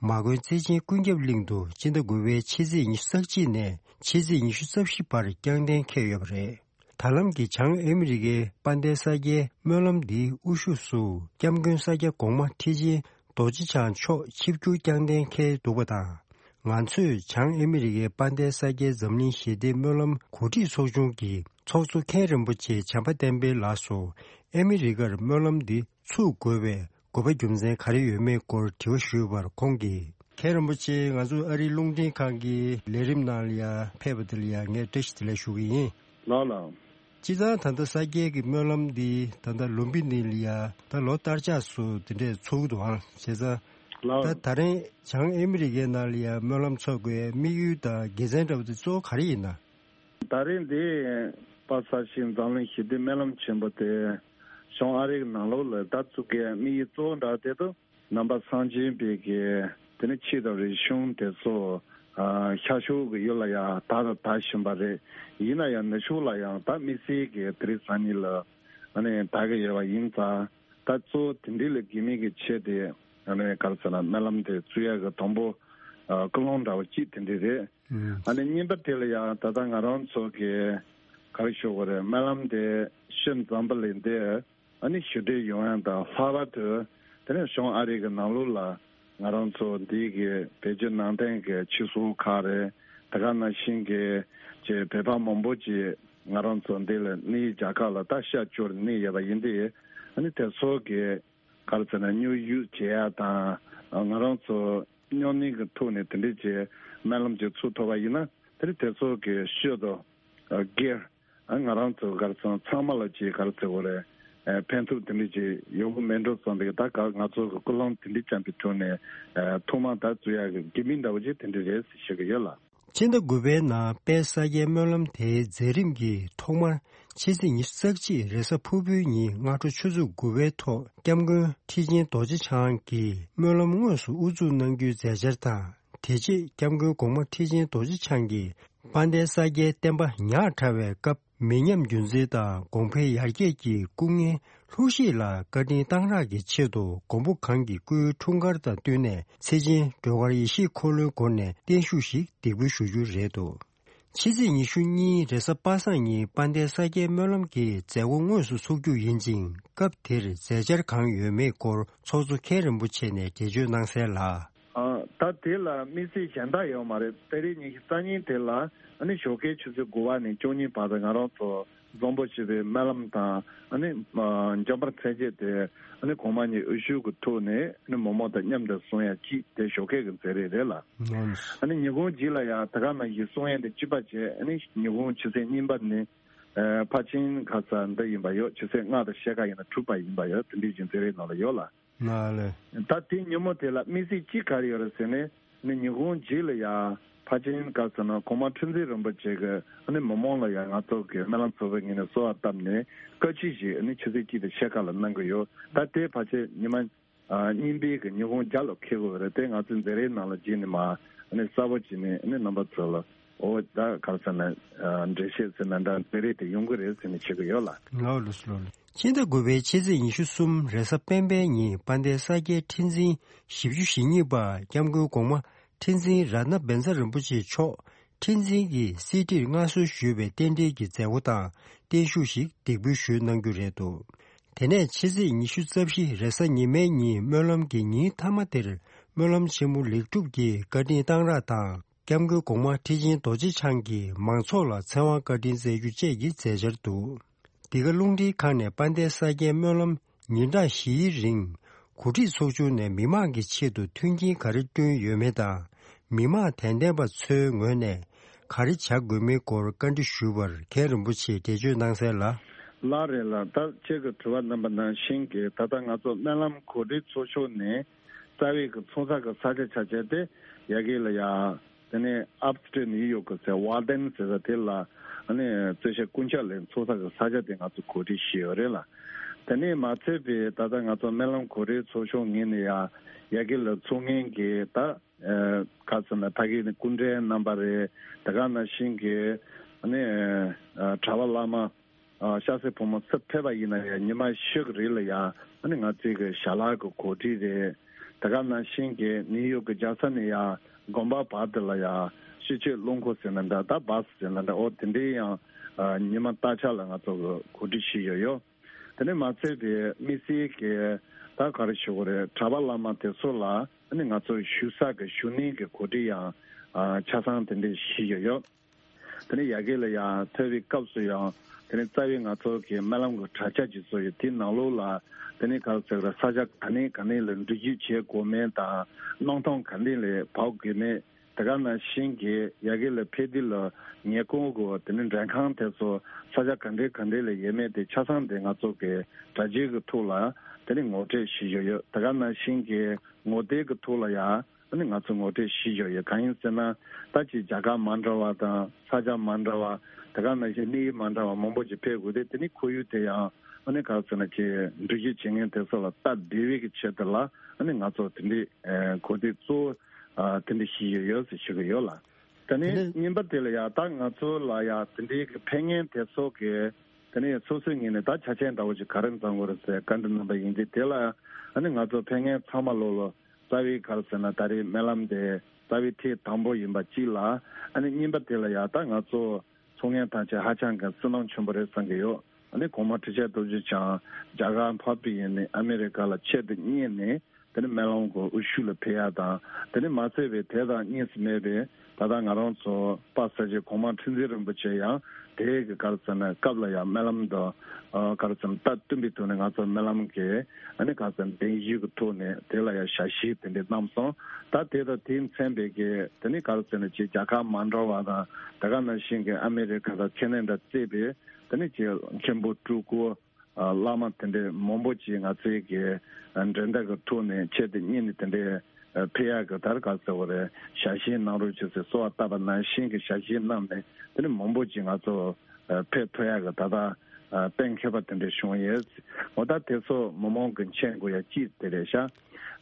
མ་དགོན་བརྩེ་ཆེན་ཀུན་ཁྱབ་གླིང་དུ་སྤྱི་ཟླ་དགུ་པའི་ཕྱི་ཚེས་ཉི་ཤུ་རྩ་གཅིག་ནས་ཕྱི་ཚེས་ཉི་ཤུ་རྩ་བཞི་བར་བསྐྱངས་གཏན་འཁེལ་ཡོད་པ་རེད། ད་ལམ་གྱི་བྱང་ཨ་མི་རི་ཀའི་དཔལ་ལྡན་ས་སྐྱའི་སྨོན་ལམ་འདིའི་དབུ་བཞུགས་སུ་སྐྱབས་མགོན་ས་སྐྱ་གོང་མ་ཁྲི་ཆེན་རྡོ་རྗེ་འཆང་མཆོག་ཆིབས་བསྒྱུར་བསྐྱངས་གཏན་འཁེལ་འདུག་པ་དང་། ང་ཚོས་བྱང་ཨ་མི་རི་ཀའི་དཔལ་ལྡན་ས་སྐྱའི་འཛམ་གླིང་ཞི་བདེའི་སྨོན་ལམ་གོ་སྒྲིག་ཚོགས་ཆུང་གི་ཚོགས་གཙོ་མཁན་རིན་པོ་ཆེ་བྱམས་པ་བསྟན་འཕེལ་ལགས་སུ་ཨ་མི་རི་ཀར་སྨོན་ལམ་འདི་ཚུགས་དགོས་པའི་དགོས་པ་རྒྱུ་མཚན་ག་རེ་ཡོད་མེད་སྐོར་དྲི་བ་ཞུས་པར་ཁོང་གིས། མཁན་རིན་པོ་ཆེ། ང་ཚོ་ཨ་རིའི་རླུང་འཕྲིན་ཁང་གི་ལས་རིམ་ནང་ལ་ཡང་ཕེབས་པ་དེ་ལ་ཡང་ངས་བཀྲ་ཤིས་བདེ་ལེགས་ཞུ་གི་ཡིན། ལགས་ལགས། སྤྱིར་བཏང་ད་ལྟ་ས་སྐྱའི་གི་སྨོན་ལམ་འདི་ད་ལྟ་ལུམ་བི་ནི་ལ་ཡང་ད་ལོ་ལྟར་ཆགས་སུ་དེ་འདྲས་ཚོགས་ཀྱི་འདུག་ཨང་། བྱས་ཙང་ལགས། ད་ད་རིང་བྱང་ཨ་མི་རི་ཀའི་ནང་ལ་ཡང་སྨོན་ལམ་ཚོགས་དགོས་དམིགས་ཡུལ་དང་དགེ་མཚན་འདྲ་བོ་དེ་གཙོ་བོ་ག་རེ་ཡིན་ན། ད་རིང་འདི་པ་ས་ཤིང་འཛམ་གླིང་ཞི་བདེ་སྨོན་ལམ་ཆེན་པོ་དེ་བྱང་ཨ་རི་གི་ནང་ལོགས་ལ་ད་བཙུགས་མཁན་དམིགས་ཡུལ་གཙོ་བོ་འདྲ་དེ་དུ། ནང་པ་སངས་རྒྱས་པའི་གི་དེ་ནི་ཆོས་དང་རིག་གཞུང་དེ་ཚོ་ཨ་ཤར་ཕྱོགས་ཀྱི་ཡུལ་ལ་ཡང་དར་དང་དར་བཞིན་པ་རེད། ཡིན་ན་ཡང་ནུབ་ཕྱོགས་ལ་ཡང་ད་དམིགས་བསལ་གྱི་དེ་རིང་སང་ཉིན་ལ་ཨ་ནི་དར་གྱི་ཡོད་པ་ཡིན་ཙང་། ད་གཙོ་བོ་དེ་འདྲའི་ལ་དགོས་མིན་གྱི་ཆེད་དེ་ཨ་ནི་ག་རེ་ཟེར་ན་སྨོན་ལམ་དེ་བཙུགས་ཡག་གི་དང་པོ་ཨ་ཀུན་སློང་འདྲ་བོ་གཅིག་དེ་འདྲ་རེད། ཨ་ནི་གཉིས་པ་དེ་ལ་ཡང་ད་ལྟ་ང་རང་ཚོ་གི་ག་རེ་ཞུ་དགོས་རེད། སྨོན་ལམ་དེ་ཤུལ་ཙམ་པ་ལས་འདས། ཨ་ནི་ཞི་བདེ་ཡོང་ཡག་དང་། ལྷག་པར་དུ་དེ་ནས་བྱང་ཨ་རི་གི་ནང་ལོགས་ལ་ང་རང་ཚོ་འདི་གི་བོད་བརྒྱུད་ནང་བསྟན་གྱི་ཆོས་ཚོགས་ཁག་རེད། དེ་ག་ནང་བཞིན་གྱི་ཅིག་བོད་པ་མང་པོ་ཅིག་ང་རང་ཚོ་འདི་ལ་གནས་རྒྱ་གར་ལ་ད་ཤར་ཕྱོགས་ལ་གནས་ཡོད་པ་ཡིན་དུས། ཨ་ནི་དེ་ཚོ་གི་ག་རེ་ཟེར་ན་མཉམ་ཞུགས་བྱེད་ཡག་དང་། ང་རང་ཚོ་མཉམ་གནས་ཀྱི་ཐོག་ནས་དེ་འདྲས་ཅིག་སྨོན་ལམ་ཅིག་ཚུགས་ཐུབ་པ་ཡིན་ན། དེ་ནི་དེ་ཚོ་གི་ཤུལ་དུ་སྒེར། ང་རང་ཚོ་ག་རེ་ཟེར་ན་ཚང་མ་ལ་ཅིག་ག་རེ་ཟེར་དགོས་རེད། ཕན་ཐོགས་དེ་འདྲ་ཅིག་ཡོང་གི་མེད་འགྲོ་བསམ་པའི་ད་ག་ང་ཚོ་གི་ཀུན་སློང་དེ་འདྲ་ཅན་པའི་ཐོག་ནས་ཐོག་མར་ད་བཙུགས་ཡག་གི་དགོས་དམིགས་འདྲ་བོ་ཅིག་དེ་འདྲ་རེད་ཟེར་ཞུ་གི་ཡོད་ལགས། ཕྱི་ཟླ་དགུ་པའི་ནང་དཔལ་ས་སྐྱའི་སྨོན་ལམ་དེའི་མཛད་རིམ་གྱི་ཐོག་མར་ཕྱི་ཚེས་ཉི་ཤུ་རྩ་གཅིག་རེས་གཟའ་ཕུར་བུའི་ཉིན་སྔ་དྲོ་ཆུ་ཚོད་དགུ་པའི་ཐོག་སྐྱབས་མགོན་ཁྲི་ཆེན་རྡོ་རྗེ་འཆང་གིས་སྨོན་ལམ་དངོས་སུ་དབུ་འཛུགས་གནང་རྒྱུའི་མཛད་འཆར་དང་། དེ་རྗེས་སྐྱབས་མགོན་གོང་མ་ཁྲི་ཆེན་རྡོ་རྗེ་འཆང་གིས་དཔལ་ལྡན་ས་སྐྱའི་བསྟན་པ་ཉག་ཕྲ་བའི་སྐབས། མི་ཉམས་རྒྱུན་འཛིན་དང་གོང་འཕེལ་ཡར་རྒྱས་ཀྱི་སྐུ་ངལ་ལྷུག་བཞེས་ལ་བཀའ་དྲིན་གཏང་རག་གི་ཆེད་དུ་མགོན་པོ་གང་གི་སྐུའི་འཁྲུངས་སྐར་དང་བསྟུན་ནས་ཚེ་ཆེན་སྒྲོལ་དཀར་ཡེ་ཤེས་འཁོར་ལོའི་སྒོ་ནས་བརྟན་བཞུགས་ཤིག་འདེགས་འབུལ་ཞུ་རྒྱུ་རེད་འདུག། ཕྱི་ཚེས་ཉི་ཤུ་གཉིས་རེས་གཟའ་པ་སངས་ཉིན་དཔལ་ལྡན་ས་སྐྱའི་སྨོན་ལམ་གྱི་མཛད་སྒོ་དངོས་སུ་ཚུགས་རྒྱུ་ཡིན་ཅིང་། སྐབས་དེར་མཛད་འཆར་གང་ཡོད་མེད་སྐོར་ཚོགས་གཙོ་མཁན་རིན་པོ་ཆེ་ནས་འགྲེལ་བརྗོད་གནང་གསལ་ལ། ད་དེ་ལ་དམིགས་བསལ་གཞན་དག་ཡོད་མ་རེད། ཏ་རིག་ཉི་ཤུ་རྩ་གཉིས་དེ་ལ་ཨ་ནི་ཞོགས་ཀའི་ཆུ་ཚོད་དགུ་པ་ནས་བཅུ་གཉིས་བར་དུ་ང་རང་ཚོ་འཛོམས་པོ་བྱེད་པའི་སྨོན་ལམ་དང་ཨ་ནི་འཇམ་དཔལ་མཚན་བཅས་དེ་ཨ་ནི་གོང་མ་ཉིད་འོད་ཞུ་གི་ཐོག་ནས་ཨ་ནི་མི་མང་དང་མཉམ་དུ་གསུང་ཡ་གཅིག་དེ་ཞོགས་ཀའི་གི་མཛད་རིམ་རེད་ལ། ཨ་ནི་ཉིན་གུང་རྗེས་ལ་ཡང་ད་ག་ནང་བཞིན་གསུང་ཡ་དེ་གཅིག་པ་བྱས། ཨ་ནི་ཉིན་གུང་ཆུ་ཚོད་གཉིས་པ་ནས་ཕར་ཕྱིན་ག་ས་འདི་ཡིན་པ་ཡོད། ཆུ་ཚོད་ལྔ་དང་ཕྱེད་ཀ་ཡིན་ན་དྲུག་པ་ཡིན་པ་ཡོད། དེ་འདྲའི་བཞིན་མཛད་རིམ་ནང་ལ་ཡོད་ལ། ང་ལ། ད་དེ་ཉིན་མོ་དེ་ལ་དམིགས་བསལ་གཅིག་ག་རེ་ཡོད་རེད་ཟེར་ནས། ནི་ཉིན་གུང་རྗེས་ལ་ཡ་ཕ་ཆེན་ག་ཟེར་ན་གོང་མ་ཁྲི་འཛིན་རིན་པོ་ཆེ་གི་ཨ་ནི་མི་མང་ལ་ཡ་ང་ཚོ་གི་སྨོན་ལམ་ཚོགས་པའི་ངོས་ནས་གསོལ་བ་བཏབ་ནས་བཀའ་ཆོས་ཤིག་ཨ་ནི་ཆུ་ཚོད་གཅིག་དང་ཕྱེད་ཀ་ལ་གནང་གི་ཡོད། ད་དེ་ཕ་ཆེན་ཉི་མ་ཨ་གཉིས་པའི་གི་ཉིན་གུང་རྒྱབ་ལ་འཁེལ་དགོས་རེད། དེ་ང་ཚོའི་མཛད་རིམ་ནང་ལ་བརྗེས་ནས་མ་ཨ་ནི་གསལ་པོ་བྱས་ནས་ཨ་ནི་རྣམ་པ་ཚོ་ལ་འོ་ད་ག་ཟེར་ན་འགྲེལ་བཤད་ཟེར་ན་འདྲ་མཛད་རིམ་དེ་ཡོང་གི་རེད་ཟེར་ནས་བྱེད་ཀྱི་ཡོད་ལ། ལགས་ལགས་སོ་ལགས། ཕྱི་ཟླ་དགུ་པའི་ཕྱི་ཚེས་ཉི་ཤུ་གསུམ་རེས་གཟའ་སྤེན་པའི་ཉིན་དཔལ་ལྡན་ས་སྐྱའི་ཁྲི་འཛིན་བཞི་བཅུ་ཞེ་གཉིས་པ་སྐྱབས་མགོན་གོང་མ་ཁྲི་འཛིན་རཏྣ་བཛྲ་རིན་པོ་ཆེ་མཆོག་ཁྲི་འཛིན་གྱི་གསེར་ཁྲིར་མངའ་གསོལ་ཞུས་པའི་རྟེན་འབྲེལ་གྱི་མཛད་སྒོ་དང་བརྟན་བཞུགས་ཤིག་འདེགས་འབུལ་ཞུས་གནང་རྒྱུ་རེད་འདུག་དེ་ནས་ཕྱི་ཚེས་ཉི་ཤུ་རྩ་བཞི་རེས་གཟའ་ཉི་མའི་ཉིན་སྨོན་ལམ་གྱི་ཉིན་མཐའ་མ་དེར་སྨོན་ལམ་ཆེན་མོ་ལེགས་གྲུབ་ཀྱི་བཀའ་དྲིན་གཏང་རག་དང་། སྐྱབས་མགོན་གོང་མ་ཁྲི་ཆེན་རྡོ་རྗེ་འཆང་གིས་མང་ཚོགས་ལ་ཚེ་དབང་བཀའ་དྲིན་སྩལ་རྒྱུ་བཅས་ཀྱི་མཛད་འཆར་འདུག་འདི་ག་རླུང་འཕྲིན་ཁང་ནས་དཔལ་ལྡན་ས་སྐྱའི་སྨོན་ལམ་ཉིན་གྲངས་བཞིའི་རིང་གོ་སྒྲིག་ཚོགས་ཆུང་ནས་མི་མང་གི་ཆེད་དུ་མཐུན་རྐྱེན་ག་རེ་བསྐྲུན་ཡོད་མེད་དང་། མི་མང་དད་ལྡན་པ་ཚོའི་ངོས་ནས་ག་རེ་བྱ་དགོས་མིན་སྐོར་བཀའ་འདྲི་ཞུས་པར་མཁན་རིན་པོ་ཆེས་འགྲེལ་བརྗོད་གནང་གསལ་ལ། ལགས་རེད་ལགས། ད་ཁྱེད་ཀྱི་དྲི་བ་གནང་པ་ནང་བཞིན་གྱི་ད་ལྟ་ང་ཚོ་སྨོན་ལམ་གོ་སྒྲིག་ཚོགས་ཆུང་ནས་རྩ་བའི་གི་ཚོགས་ས་གི་ས་ཆ་ཆ་བྱས་ཏེ་ཡ་གི་ལ་ཡ། དེ་ནས་ཨབ་སི་ཊེཊ་ནིའུ་ཡོག་གི་ཟེར་ཝཱལ་ཌེན་ཟེར་ས་དེ་ལ་ཨ་ནི་རྩོད་བཤེར་རྐུབ་ཀྱག་ལས་ཚོགས་ས་གི་ས་ཆ་དེ་ང་ཚོ་གོ་སྒྲིག་བྱས་ཡོད་རེད་ལ། དེ་ནས་མ་ཚད་པའི་ད་ལྟ་ང་ཚོ་སྨོན་ལམ་གོ་སྒྲིག་ཚོགས་ཆུང་ངོས་ནས་ཡ་ཡ་གི་ལ་ཚོགས་ངན་གྱི་ད་ཁ་ཚོན་ལ་ཕ་གི་ནི་སྐུ་མགྲོན་རྣམ་པ་རེད། དེ་ག་ནང་བཞིན་གྱི་ཨ་ནི་གྲྭ་པ་བླ་མ། ཨ་ཤ་སེ་ཕོ་མོ་སུ་ཕེབས་པ་ཡིན་ན་ཡང་ཉི་མ་བཞི་གི་རིང་ལ་ཡང་ཨ་ནི་ང་ཚོའི་གི་ཞལ་ལག་གི་གོ་སྒྲིག་རེད། དེ་ག་ནང་བཞིན་གྱི་ནིའུ་ཡོག་གི་རྒྱལ་ས་ནས་ཡང་དགོན་པ་བར་དུ་ལ་ཡང་ཤི་ཆོས་རླུང་འཁོར་ཟེར་ན་འདྲ། ད་བཱ་སི་ཟེར་ན་འདྲ། འོ་དེ་འདྲའི་ཡང་ཨ་ཉི་མ་སྟག་ཆ་ལ་ང་ཚོ་གི་གོ་སྒྲིག་བྱས་ཡོད་ཡོད། དེ་ནས་མ་ཚད་པའི་དམིགས་བསལ་གྱི་ད་ག་རེ་ཞུ་དགོས་རེད། གྲྭ་པ་བླ་མ་དེ་ཚོ་ལ་ཨ་ནི་ང་ཚོ་བཞུགས་ས་གི་བཞུགས་གནས་ཀྱི་གོ་སྒྲིག་ཡང་ཨ་ཆ་ཚང་དེ་འདྲ་བྱས་ཡོད་ཡོད། དེ་ནས་ཡ་གི་ལ་ཡང་ཐོས་པའི་སྐབས་སུ་ཡང་དེ་ནས་རྩ་བའི་ང་ཚོ་གི་སྨོན་ལམ་གྱི་དྲ་རྒྱ་ཅིག་བཟོ་ཡོད། དེའི་ནང་ལོགས་ལ་དེ་ནས་ག་རེ་ཟེར་ར་ས་ཆ་ག་ནས་ག་ནས་ལ་འགྲུལ་བཞུད་བྱེད་དགོས་མིན་དང་གནམ་ཐང་ག་ནས་ལ་བབས་དགོས་མིན། དེ་ག་ནང་བཞིན་གྱི་ཡ་གི་ལ་ཕེབས་དུས་ལ་ཉེ་འཁོར་གྱི་དེ་ནས་མགྲོན་ཁང་དེ་ཚོ་ས་ཆ་ག་འདྲས་ག་འདྲས་ལ་ཡོད་མེད་དེ་ཆ་ཚང་དེ་ང་ཚོ་གི་དྲ་རྒྱའི་གི་ཐོག་ལ་དེ་ནས་ངོ་སྤྲོད་བྱེད་བཞིན་ཡོད། དེ་ག་ནང་བཞིན་གྱི་ངོ་དེབ་གི་ཐོག་ལ་ཡང་ཨ་ནི་ང་ཚོ་ངོ་སྤྲོད་བྱེད་བཞིན་ཡོད། གང་ཡིན་ཟེར་ན་ད་ཅིག་རྒྱལ་ཁབ་མ་འདྲ་བ་དང་ས་ཆ་མ་འདྲ་བ་དེ་ག་ནང་བཞིན་གནས་ཡུལ་མ་འདྲ་བ་མང་པོ་ཅིག་ཕེབས་དགོས་ཏེ། དེ་ནི་ཁོར་ཡུག་དེ་ཡང་ཨ་ནི་ག་རེ་ཟེར་ན་ཅིག་འགྲུལ་བཞུད་བྱེད་མཁན་དེ་ཚོ་ལ་སྟབས་བདེ་བའི་གི་ཆེད་དུ་ལ་ཨ་ནི་ང་ཚོ་དེ་འདྲའི་གོ་སྒྲིག་གཙོ་བོ་དེ་འདྲ་བྱེད་ཀྱི་ཡོད་ཟེར་ཞུ་གི་ཡོད་ལ། ད་ནི་གཉིས་པ་དེ་ལ་ཡང་ད་ང་ཚོ་ལ་ཡང་དེ་འདྲའི་གི་ཕེབས་མཁན་དེ་ཚོ་གི་དེ་ནས་སོ་སོའི་ངོས་ནས་ད་ཆ་རྐྱེན་འདྲ་བོ་ཅིག་ག་རེ་འཛོམས་དགོས་རེད་ཟེར་བཀའ་འདྲི་གནང་པ་ཡིན་དུས། དེ་ལ་ཨ་ནི་ང་ཚོ་ཕེབས་མཁན་ཚང་མ་ལོ་ལོ་རྩ་བའི་ག་རེ་ཟེར་ན་ད་རེས་སྨོན་ལམ་དེ་རྩ་བའི་ཐེངས་དང་པོ་ཡིན་པ་གཅིག་ལ། ཨ་ནི་གཉིས་པ་དེ་ལ་ཡང་ད་ང་ཚོ་ཚོགས་མཁན་ཐམས་ཅད་ཧ་ཅང་གི་བསོད་ནམས་ཆེན་པོ་རེད་བསམ་གྱི་ཡོད། ཨ་ནི་གོང་མ་ཁྲི་ཆེན་རྡོ་རྗེ་འཆང་རྒྱ་གར་འཕགས་པའི་ཡུལ་ནས་ཨ་མེ་རི་ཀ་ལ་ཆེད་དུ་གཉེར་ནས་དེ་ནི་སྨོན་ལམ་གྱི་དབུ་བཞུགས་ལ་ཕེབས་ཡ་དང་། དེ་ནི་མ་ཚད་པའི་དེ་དང་གཉིས་སུ་མེད་པའི་ད་ལྟ་ང་རང་ཚོ་དཔལ་ས་སྐྱའི་གོང་མ་ཁྲི་འཛིན་རིན་པོ་ཆེ་ཡང་དེའི་གི་ག་རེ་ཟེར་ན་སྐབས་ལ་ཡང་སྨོན་ལམ་དང་ག་རེ་ཟེར་ན་སྟབས་བསྟུན་པའི་ཐོག་ནས་ང་ཚོ་སྨོན་ལམ་གྱི་ཨ་ནི་ག་རེ་ཟེར་ན་གདན་ཞུ་གི་ཐོག་ནས་དེ་ལ་ཡང་ཞལ་བཞེས་དེ་འདྲ་གནང་སོང་། ད་དེ་དང་དེས་མཚོན་པའི་གི་དེ་ནི་ག་རེ་ཟེར་ན་ཅིག་རྒྱལ་ཁབ་མ་འདྲ་བ་དང་དེ་ག་ནང་བཞིན་གྱི་ཨ་མེ་རི་ཁ་དང་ཁེ་ན་ཌ་བརྩིས་པའི་དེ་ནི་ཅིག་མཁན་པོ་སྤྲུལ་སྐུ་བླ་མ་དེ་འདྲའི་མང་པོ་ཅིག་ང་ཚོའི་གི་འགྲན་ཟླ་གི་ཐོག་ནས་ཆེད་དུ་གཉེར་ནས་དེ་འདྲའི་ཕེབས་ཡག་གི་ད་རེས་ག་ཟེར་བ་རེད། ཞལ་བཞེས་གནང་རོགས་བྱེད་ཟེར་གསོལ་བ་བཏབ་པ་ནང་བཞིན་གྱི་ཞལ་བཞེས་གནང་ནས་དེ་ནས་མང་པོ་ཅིག་ང་ཚོ་ཕེབས་ཐུབ་ཡག་གི་ད་ལྟ་གཏན་འཁེལ་བ་དེ་འདྲ་བྱུང་ཡོད། འོ་ད་དེ་ཚོ་མི་མང་གི་མཁྱེན་དགོས་ཡ་གཅིག་དེ་རེད་ཤག་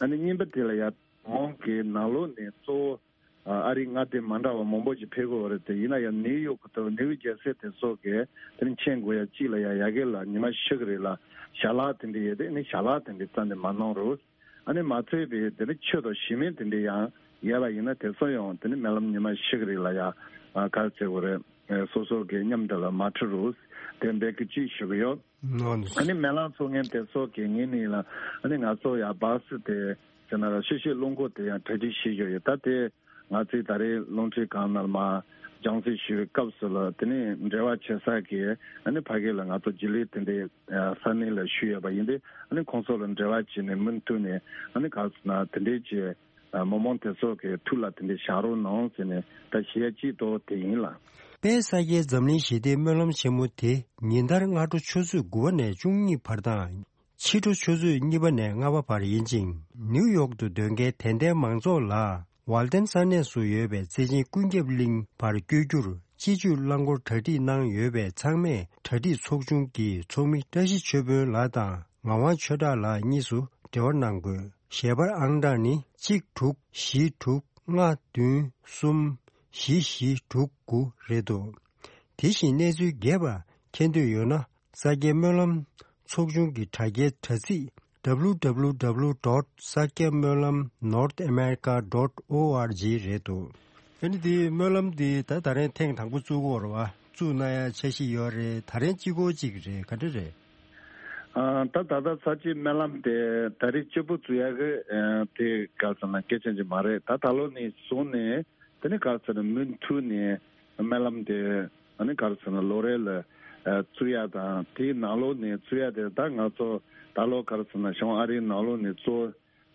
ཨ་ནི་གཉིས་པ་དེ་ལ་ཡ་མི་མང་གི་ནང་ལོགས་ནས་གཙོ་བོ་ཨ་རིའི་མངའ་སྡེ་མ་འདྲ་བ་མང་པོ་ཞིག་ཕེབས་དགོས་པ་རེད་དེ། ཡིན་ན་ཡང་ནིའུ་ཡོག་གི་ཐོག་ནིའུ་རྒྱལ་སའི་དེ་ཚོ་གི་དེ་ནི་མཁྱེན་དགོས་ཡ་གཅིག་ལ་ཡ་ཡ་གི་ལ་ཉི་མ་བཞི་གི་རིང་ལ་ཞལ་ལག་དེ་འདྲ་ཡོད་དེ་ནི་ཞལ་ལག་དེ་འདྲ་རྩ་ནས་མ་གནང་རོགས། ཨ་ནི་མ་ཚད་པའི་དེ་ནི་ཆོས་དང་ཞི་མོལ་དེ་འདྲ་ཡང་ཡོད་པ་ཡིན་ན་དེ་ཚོ་ཡང་དེ་ནི་སྨོན་ལམ་ཉི་མ་བཞི་གི་རིང་ལ་ཡ་ག་རེ་ཟེར་དགོས་རེད། སོ་སོ་གི་མཉམ་དུ་ལ་མ་ཁྲིད་རོགས། དེ་འབད་གི་གཅིག་ཞུ་གི་ཡོད། ཨ་ནི་སྨོན་ལམ་ཚོགས་མཁན་དེ་ཚོ་གི་ངོས་ནས་ལ་ཨ་ནི་ང་ཚོ་ཡ་བཱ་སི་དེ་ ཟེར་ན་ཤེས་བྱའི་རླུང་འཁོར་དེ་ཡང་གྲ་སྒྲིག་བྱེད་བཞིན་ཡོད། ད་དེ་ང་ཚོས་ད་རེས་རླུང་འཕྲིན་ཁང་ནང་མར་སྦྱང་བརྩོན་ཞུ་བའི་སྐབས་སུ་ལ་དེ་ནས་འབྲེལ་བ་བྱེད་ས་གི་ཨ་ནི་ཕ་གི་ལ་ང་ཚོ་རྗེས་ལུས་དེ་འདྲའི་ས་གནས་ལ་ཞུས་ཡོད་པ་ཡིན་ཏེ། ཨ་ནི་ཁོང་ཚོ་ལ་འབྲེལ་བ་བྱས་ནས་མུ་མཐུད་ནས་ཨ་ནི་ག་རེ་ཟེར་ན་དེ་འདྲའི་གི་མི་མང་དེ་ཚོ་གི་ཐུགས་ལ་དེ་འདྲའི་བཞག་རོགས་གནང་ཟེར་ནས་ད་ཞུ་ཡ་གཅིག་ཏུ་དེ་ཡིན་ལ། དཔལ་ས་སྐྱའི་འཛམ་གླིང་ཞི་བདེའི་སྨོན་ལམ་ཆེན་མོ་དེ་ཉིན་ལྟར་སྔ་དྲོ་ཆུ་ཚོད་དགུ་པ་ནས་བཅུ་གཉིས་བར་དང་། ཕྱི་དྲོ་ཆུ་ཚོད་གཉིས་པ་ནས་ལྔ་པ་བར་ཡིན་ཅིང་། ནིའུ་ཡོག་ཏུ་སྡོད་མཁན་དད་ལྡན་མང་ཚོགས་ལ་ཝལ་ཏན་ས་གནས་སུ་ཡོད་པའི་རྩེ་ཆེན་ཀུན་ཁྱབ་གླིང་བར་བསྐྱོད་རྒྱུར་སྤྱི་སྤྱོད་རླངས་འཁོར་གྲ་སྒྲིག་གནང་ཡོད་པས། ཚང་མས་གྲ་སྒྲིག་ཚོགས་ཆུང་གི་ཚོགས་མི་བཀྲ་ཤིས་ཆོས་དཔོན་ལགས་དང་ངག་དབང་ཆོས་གྲགས་ལགས་གཉིས་སུ་འབྲེལ་བ་གནང་དགོས། ཞལ་པར་ཨང་གྲངས་ནི་གཅིག་དྲུག་བཞི་དྲུག་ལྔ་བདུན་གསུམ་བཞི་བཞི་དྲུག་དགུ་རེད་འདུག་དེ་བཞིན་གནས་ཚུལ་རྒྱས་པ་མཁྱེན་འདོད་ཡོད་ན། ས་སྐྱའི་སྨོན་ལམ་ཚོགས་ཆུང་གི་དྲ་རྒྱའི་དྲ་ཚིགས་W W W dot sakyamolam north america dot org རེད་འདུག་ཨ་ནི་དེ་སྨོན་ལམ་དེ་ད་ད་རེས་ཐེངས་དང་པོ་བཙུགས་ཀྱི་ཡོད་རེད་བ། བཙུགས་གནང་ཡ་འཆར་གཞི་ཡོད་རེད། ད་རེས་གཅིག་པོ་གཅིག་རེད། ག་འདྲ་རེད། ཨ། ད་ད་ལྟ་ས་སྐྱའི་སྨོན་ལམ་དེ་ད་རེས་གཅིག་པོ་བཙུགས་ཡ་གི་ཨ་དེ་ག་ཟེར་ན་གལ་ཆེན་ཅིག་མ་རེད། ད་ད་ལོ་ནས་བཟུང་ནས་དེ་ནས་ག་ཟེར་ན་མུ་མཐུད་ནས་སྨོན་ལམ་དེ་ཨ་ནི་ག་ཟེར་ན་ལོ་རེ་ལ་ཨ་བཙུགས་ཡ་དང་། དེའི་ནང་ལོགས་ནས་བཙུགས་ཡ་དེ་ད་ང་ཚོ་ད་ལོ་ག་ཟེར་ན་བྱང་ཨ་རིའི་ནང་ལོགས་ནས་གཙོ་བོ་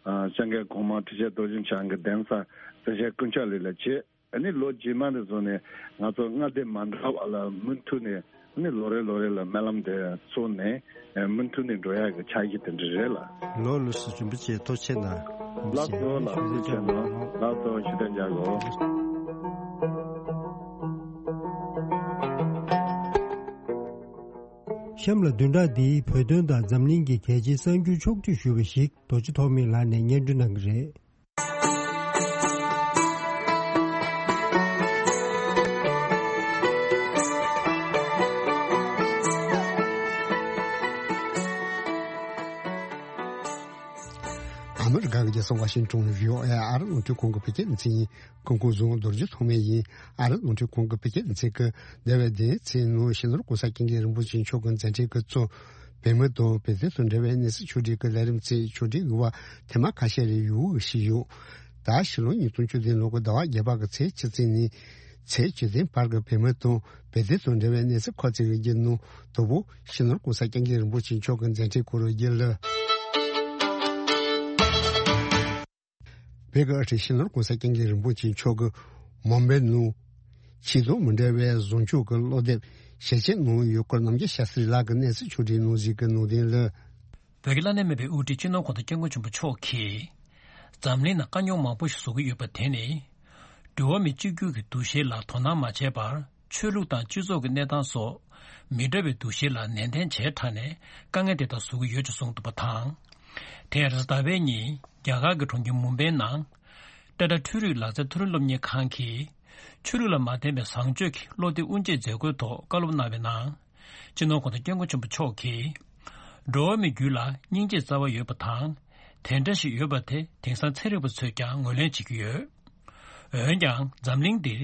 ཨ་སྐྱབས་མགོན་གོང་མ་ཁྲི་ཆེན་རྡོ་རྗེ་འཆང་གི་གདན་ས་རྩེ་ཤར་ཀུན་ཁྱབ་གླིང་ལ་བྱས། ཨ་ནི་ལོ་རྗེས་མ་ནས་བཟུང་ནས་ང་ཚོ་མངའ་སྡེ་མ་འདྲ་བ་ལ་མུ་མཐུད་ནས་ཨ་ནི་ལོ་རེ་ལོ་རེ་ལ་སྨོན་ལམ་དེ་བཙུགས་ནས་མུ་མཐུད་ནས་འགྲོ་ཡག་གི་འཆར་གཞི་དེ་འདྲ་རེད་ལ། ལགས་ལགས་སོ། རིན་པོ་ཆེ་ཐུགས་རྗེ་ཆེ་གནང་། ལགས་སོ་ལགས་སོ། ཐུགས་རྗེ་ཆེ་གནང་། ལགས་སོ། ཞུ་དོན་རྒྱག་གོ། གཤམ་ལ་བདུན་ཕྲག་འདིའི་བོད་དོན་དང་འཛམ་གླིང་གི་གལ་ཆེའི་གསར་འགྱུར་ཕྱོགས་བསྡུས་ཞུས་པ་ཞིག་རྡོ་རྗེ་ཐོགས་མེད་ལགས་ནས་སྙན་སྒྲོན་གནང་གི་རེད། ཨ་མི་རི་ཀ་གི་རྒྱལ་ས་ཝ་ཤིང་ཏོན་བྷི་ཨོ་ཨེ་ཨ་རི་རླུང་འཕྲིན་ཁང་གི་བོད་སྐད་སྡེ་ཚན་ཡིན། སྐུ་ཁམས་བཟང་། རྡོ་རྗེ་ཐོགས་མེད་ཡིན། ཨ་རི་རླུང་འཕྲིན་ཁང་གི་བོད་སྐད་སྡེ་ཚན་གྱིས་འདས་པའི་ཟླ་ཚེས་ནང་སྤྱི་ནོར་༸གོང་ས་༸སྐྱབས་མགོན་རིན་པོ་ཆེ་མཆོག་གི་མཛད་འཕྲིན་གྱི་གཙོ། བོད་མི་དང་བོད་དོན་དང་འབྲེལ་བའི་གནས་ཚུལ་ཕྱོགས་སྒྲིག་གི་ལས་རིམ་ཚོས་ཕྱོགས་སྒྲིག་ཡོད་པ་ཐེངས་མ་ཁ་ཤས་རེ་ཡོད་ཞུས་ཡོད། ད་ཕྱི་ལོ་ཉིས་སྟོང་བཅུ་བདུན་ལོ་གི་ཟླ་བ་བརྒྱད་པ་གི་ཚེས་བཅུ་བདུན་ནས་ཚེས་བཅུ་བདུན་བར་གྱི་བོད་མི་དང་བོད་དོན་དང་འབྲེལ་བའི་གནས་ཚུལ་ཁག་ཅིག་གི་བརྒྱུད་ནང་དང་པོ་སྤྱི་ནོར་༸གོང་ས་༸སྐྱབས་མགོན་རིན་པོ་ཆེ་མཆོག་གི་མཛད་འཕྲིན་སྐོར་བརྗོད་ལ། བོད་ཀྱི་དབུ་ཁྲིད་སྤྱི་ནོར་༸གོང་ས་༸སྐྱབས་མགོན་རིན་པོ་ཆེ་མཆོག་གིས་མུམ་བྷེ་ནང་ཆེས་དང་མི་འདྲ་བའི་བཟང་སྤྱོད་ཀྱི་སློབ་དེབ་ཞལ་ཕྱེ་གནང་ཡོད་སྐོར་རྣམ་རྒྱལ་ཤཱ་སྟྲི་ལགས་ཀྱིས་གནས་ཚུལ་ཕྱོགས་སྒྲིག་གནང་གཞི་གི་ནང་དོན་ལ། བོད་ཀྱི་བླ་ན་མེད་པའི་དབུ་ཁྲིད་སྤྱི་ནོར་༸གོང་ས་༸སྐྱབས་མགོན་ཆེན་པོ་མཆོག་གིས་འཛམ་གླིང་ནང་དཀའ་རྙོག་མང་པོ་ཞིག་བཟོ་གི་ཡོད་པ་དེ་ནི། འགྲོ་བ་མི་གཅིག་གྱུར་གྱི་འདུ་ཤེས་ལ་དོ་སྣང་མ་བྱས་པར། ཆོས་ལུགས་དང་སྤྱི་ཚོགས་ཀྱི་གནས་སྟངས་སོགས་མི་འདྲ་བའི་འདུ་ཤེས་ལ་ནན་ཏན་བྱས་དྲགས་ནས་དཀའ་ངལ་དེ་དག་བཟོ་གི་ཡོད་ཅེས་གསུངས་འདུག་པ་དང་། དེར་ཟླ་བའི་ཉིན་རྒྱ་གར་གྱི་གྲོང་ཁྱེར་མུམ་བྷེ་ནང་། ཊ་ཊ་འཕྲུལ་རིག་ལག་རྩལ་མཐོ་རིམ་སློབ་གཉེར་ཁང་གིས་ཆོས་ལུགས་ལ་མ་བརྟེན་པའི་བཟང་སྤྱོད་ཀྱི་བློ་གཏད་དབུ་འབྱེད་མཛད་སྒོའི་ཐོག་བཀའ་སློབ་གནང་བའི་ནང་། སྤྱི་ནོར་༸གོང་ས་༸སྐྱབས་མགོན་ཆེན་པོ་མཆོག་གིས། འགྲོ་བ་མིའི་རྒྱུད་ལ་སྙིང་རྗེའི་རྩ་བ་ཡོད་པ་དང་། དེ་འདྲ་ཞིག་ཡོད་པ་དེ་དེང་སང་ཚན་རིག་པ་ཚོས་ཀྱང་ངོས་ལེན་བྱེད་ཀྱི་ཡོད། འོན་ཀྱང་འཛམ་གླིང་འདིར།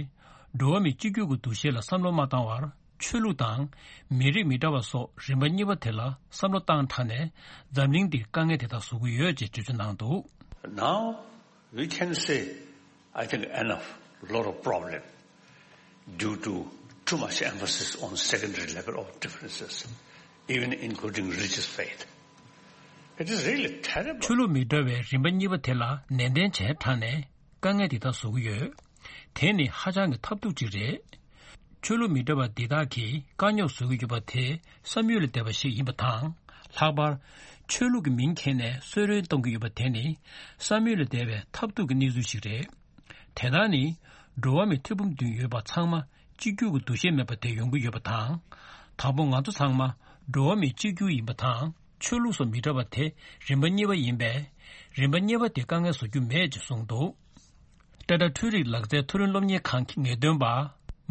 འགྲོ་བ་མི་གཅིག་གྱུར་གྱི་འདུ་ཤེས་ལ་བསམ་བློ་མ་བཏང་བར། ཆོས་ལུགས་དང་། མི་རིགས་མི་འདྲ་བ་སོགས་རིམ་པ་གཉིས་པ་དེ་ལ་བསམ་བློ་བཏང་དྲགས་ནས། འཛམ་གླིང་འདིར་དཀའ་ངལ་དེ་དག་བཟོ་གི་ཡོད་ཅེས་འགྲེལ་བརྗོད་གནང་འདུག Now, we can say, I think, enough, lot of problem due to too much emphasis on secondary level of differences, even including religious faith. It is really terrible. ཆོས་ལུགས་མི་འདྲ་བའི་རིམ་པ་གཉིས་པ་དེ་ལ་ནན་ཏན་བྱས་དྲགས་ནས་དཀའ་ངལ་འདི་དག་བཟོ་གི་ཡོད། དེ་ནི་ཧ་ཅང་གི་ཐབས་སྡུག་ཅིག་རེད། ཆོས་ལུགས་མི་འདྲ་བ་འདི་དག་གིས་དཀའ་རྙོག་བཟོ་གི་ཡོད་པ་དེ་བསམ་ཡུལ་ལས་འདས་པ་ཞིག་ཡིན་པ་དང་། ལྷག་པར། ཆོས་ལུགས་ཀྱི་མིང་འཁྱེར་ནས་གསོད་རོན་གཏོང་གི་ཡོད་པ་དེ་ནི་བསམ་ཡུལ་ལས་འདས་པའི་ཐབས་སྡུག་གི་གནས་ཚུལ་ཞིག་རེད། དེ་དག་ནི་འགྲོ་བ་མི་ཐེར་འབུམ་བདུན་ཡོད་པ་ཚང་མ་གཅིག་གྱུར་གྱི་འདུ་ཤེས་མེད་པ་དེ་ཡོང་གི་ཡོད་པ་དང་། དང་པོ་ང་ཚོ་ཚང་མ་འགྲོ་བ་མི་གཅིག་གྱུར་ཡིན་པ་དང་། ཆོས་ལུགས་སོགས་མི་འདྲ་བ་དེ་རིམ་པ་གཉིས་པ་ཡིན་པས། རིམ་པ་གཉིས་པ་དེ་དཀའ་ངལ་བཟོ་རྒྱུ་མེད་ཅེས་གསུངས་འདུག་ཊ་ཊ་འཕྲུལ་རིག་ལག་རྩལ་མཐོ་རིམ་སློབ་གཉེར་ཁང་གི་ངེས་སྟོན་པ་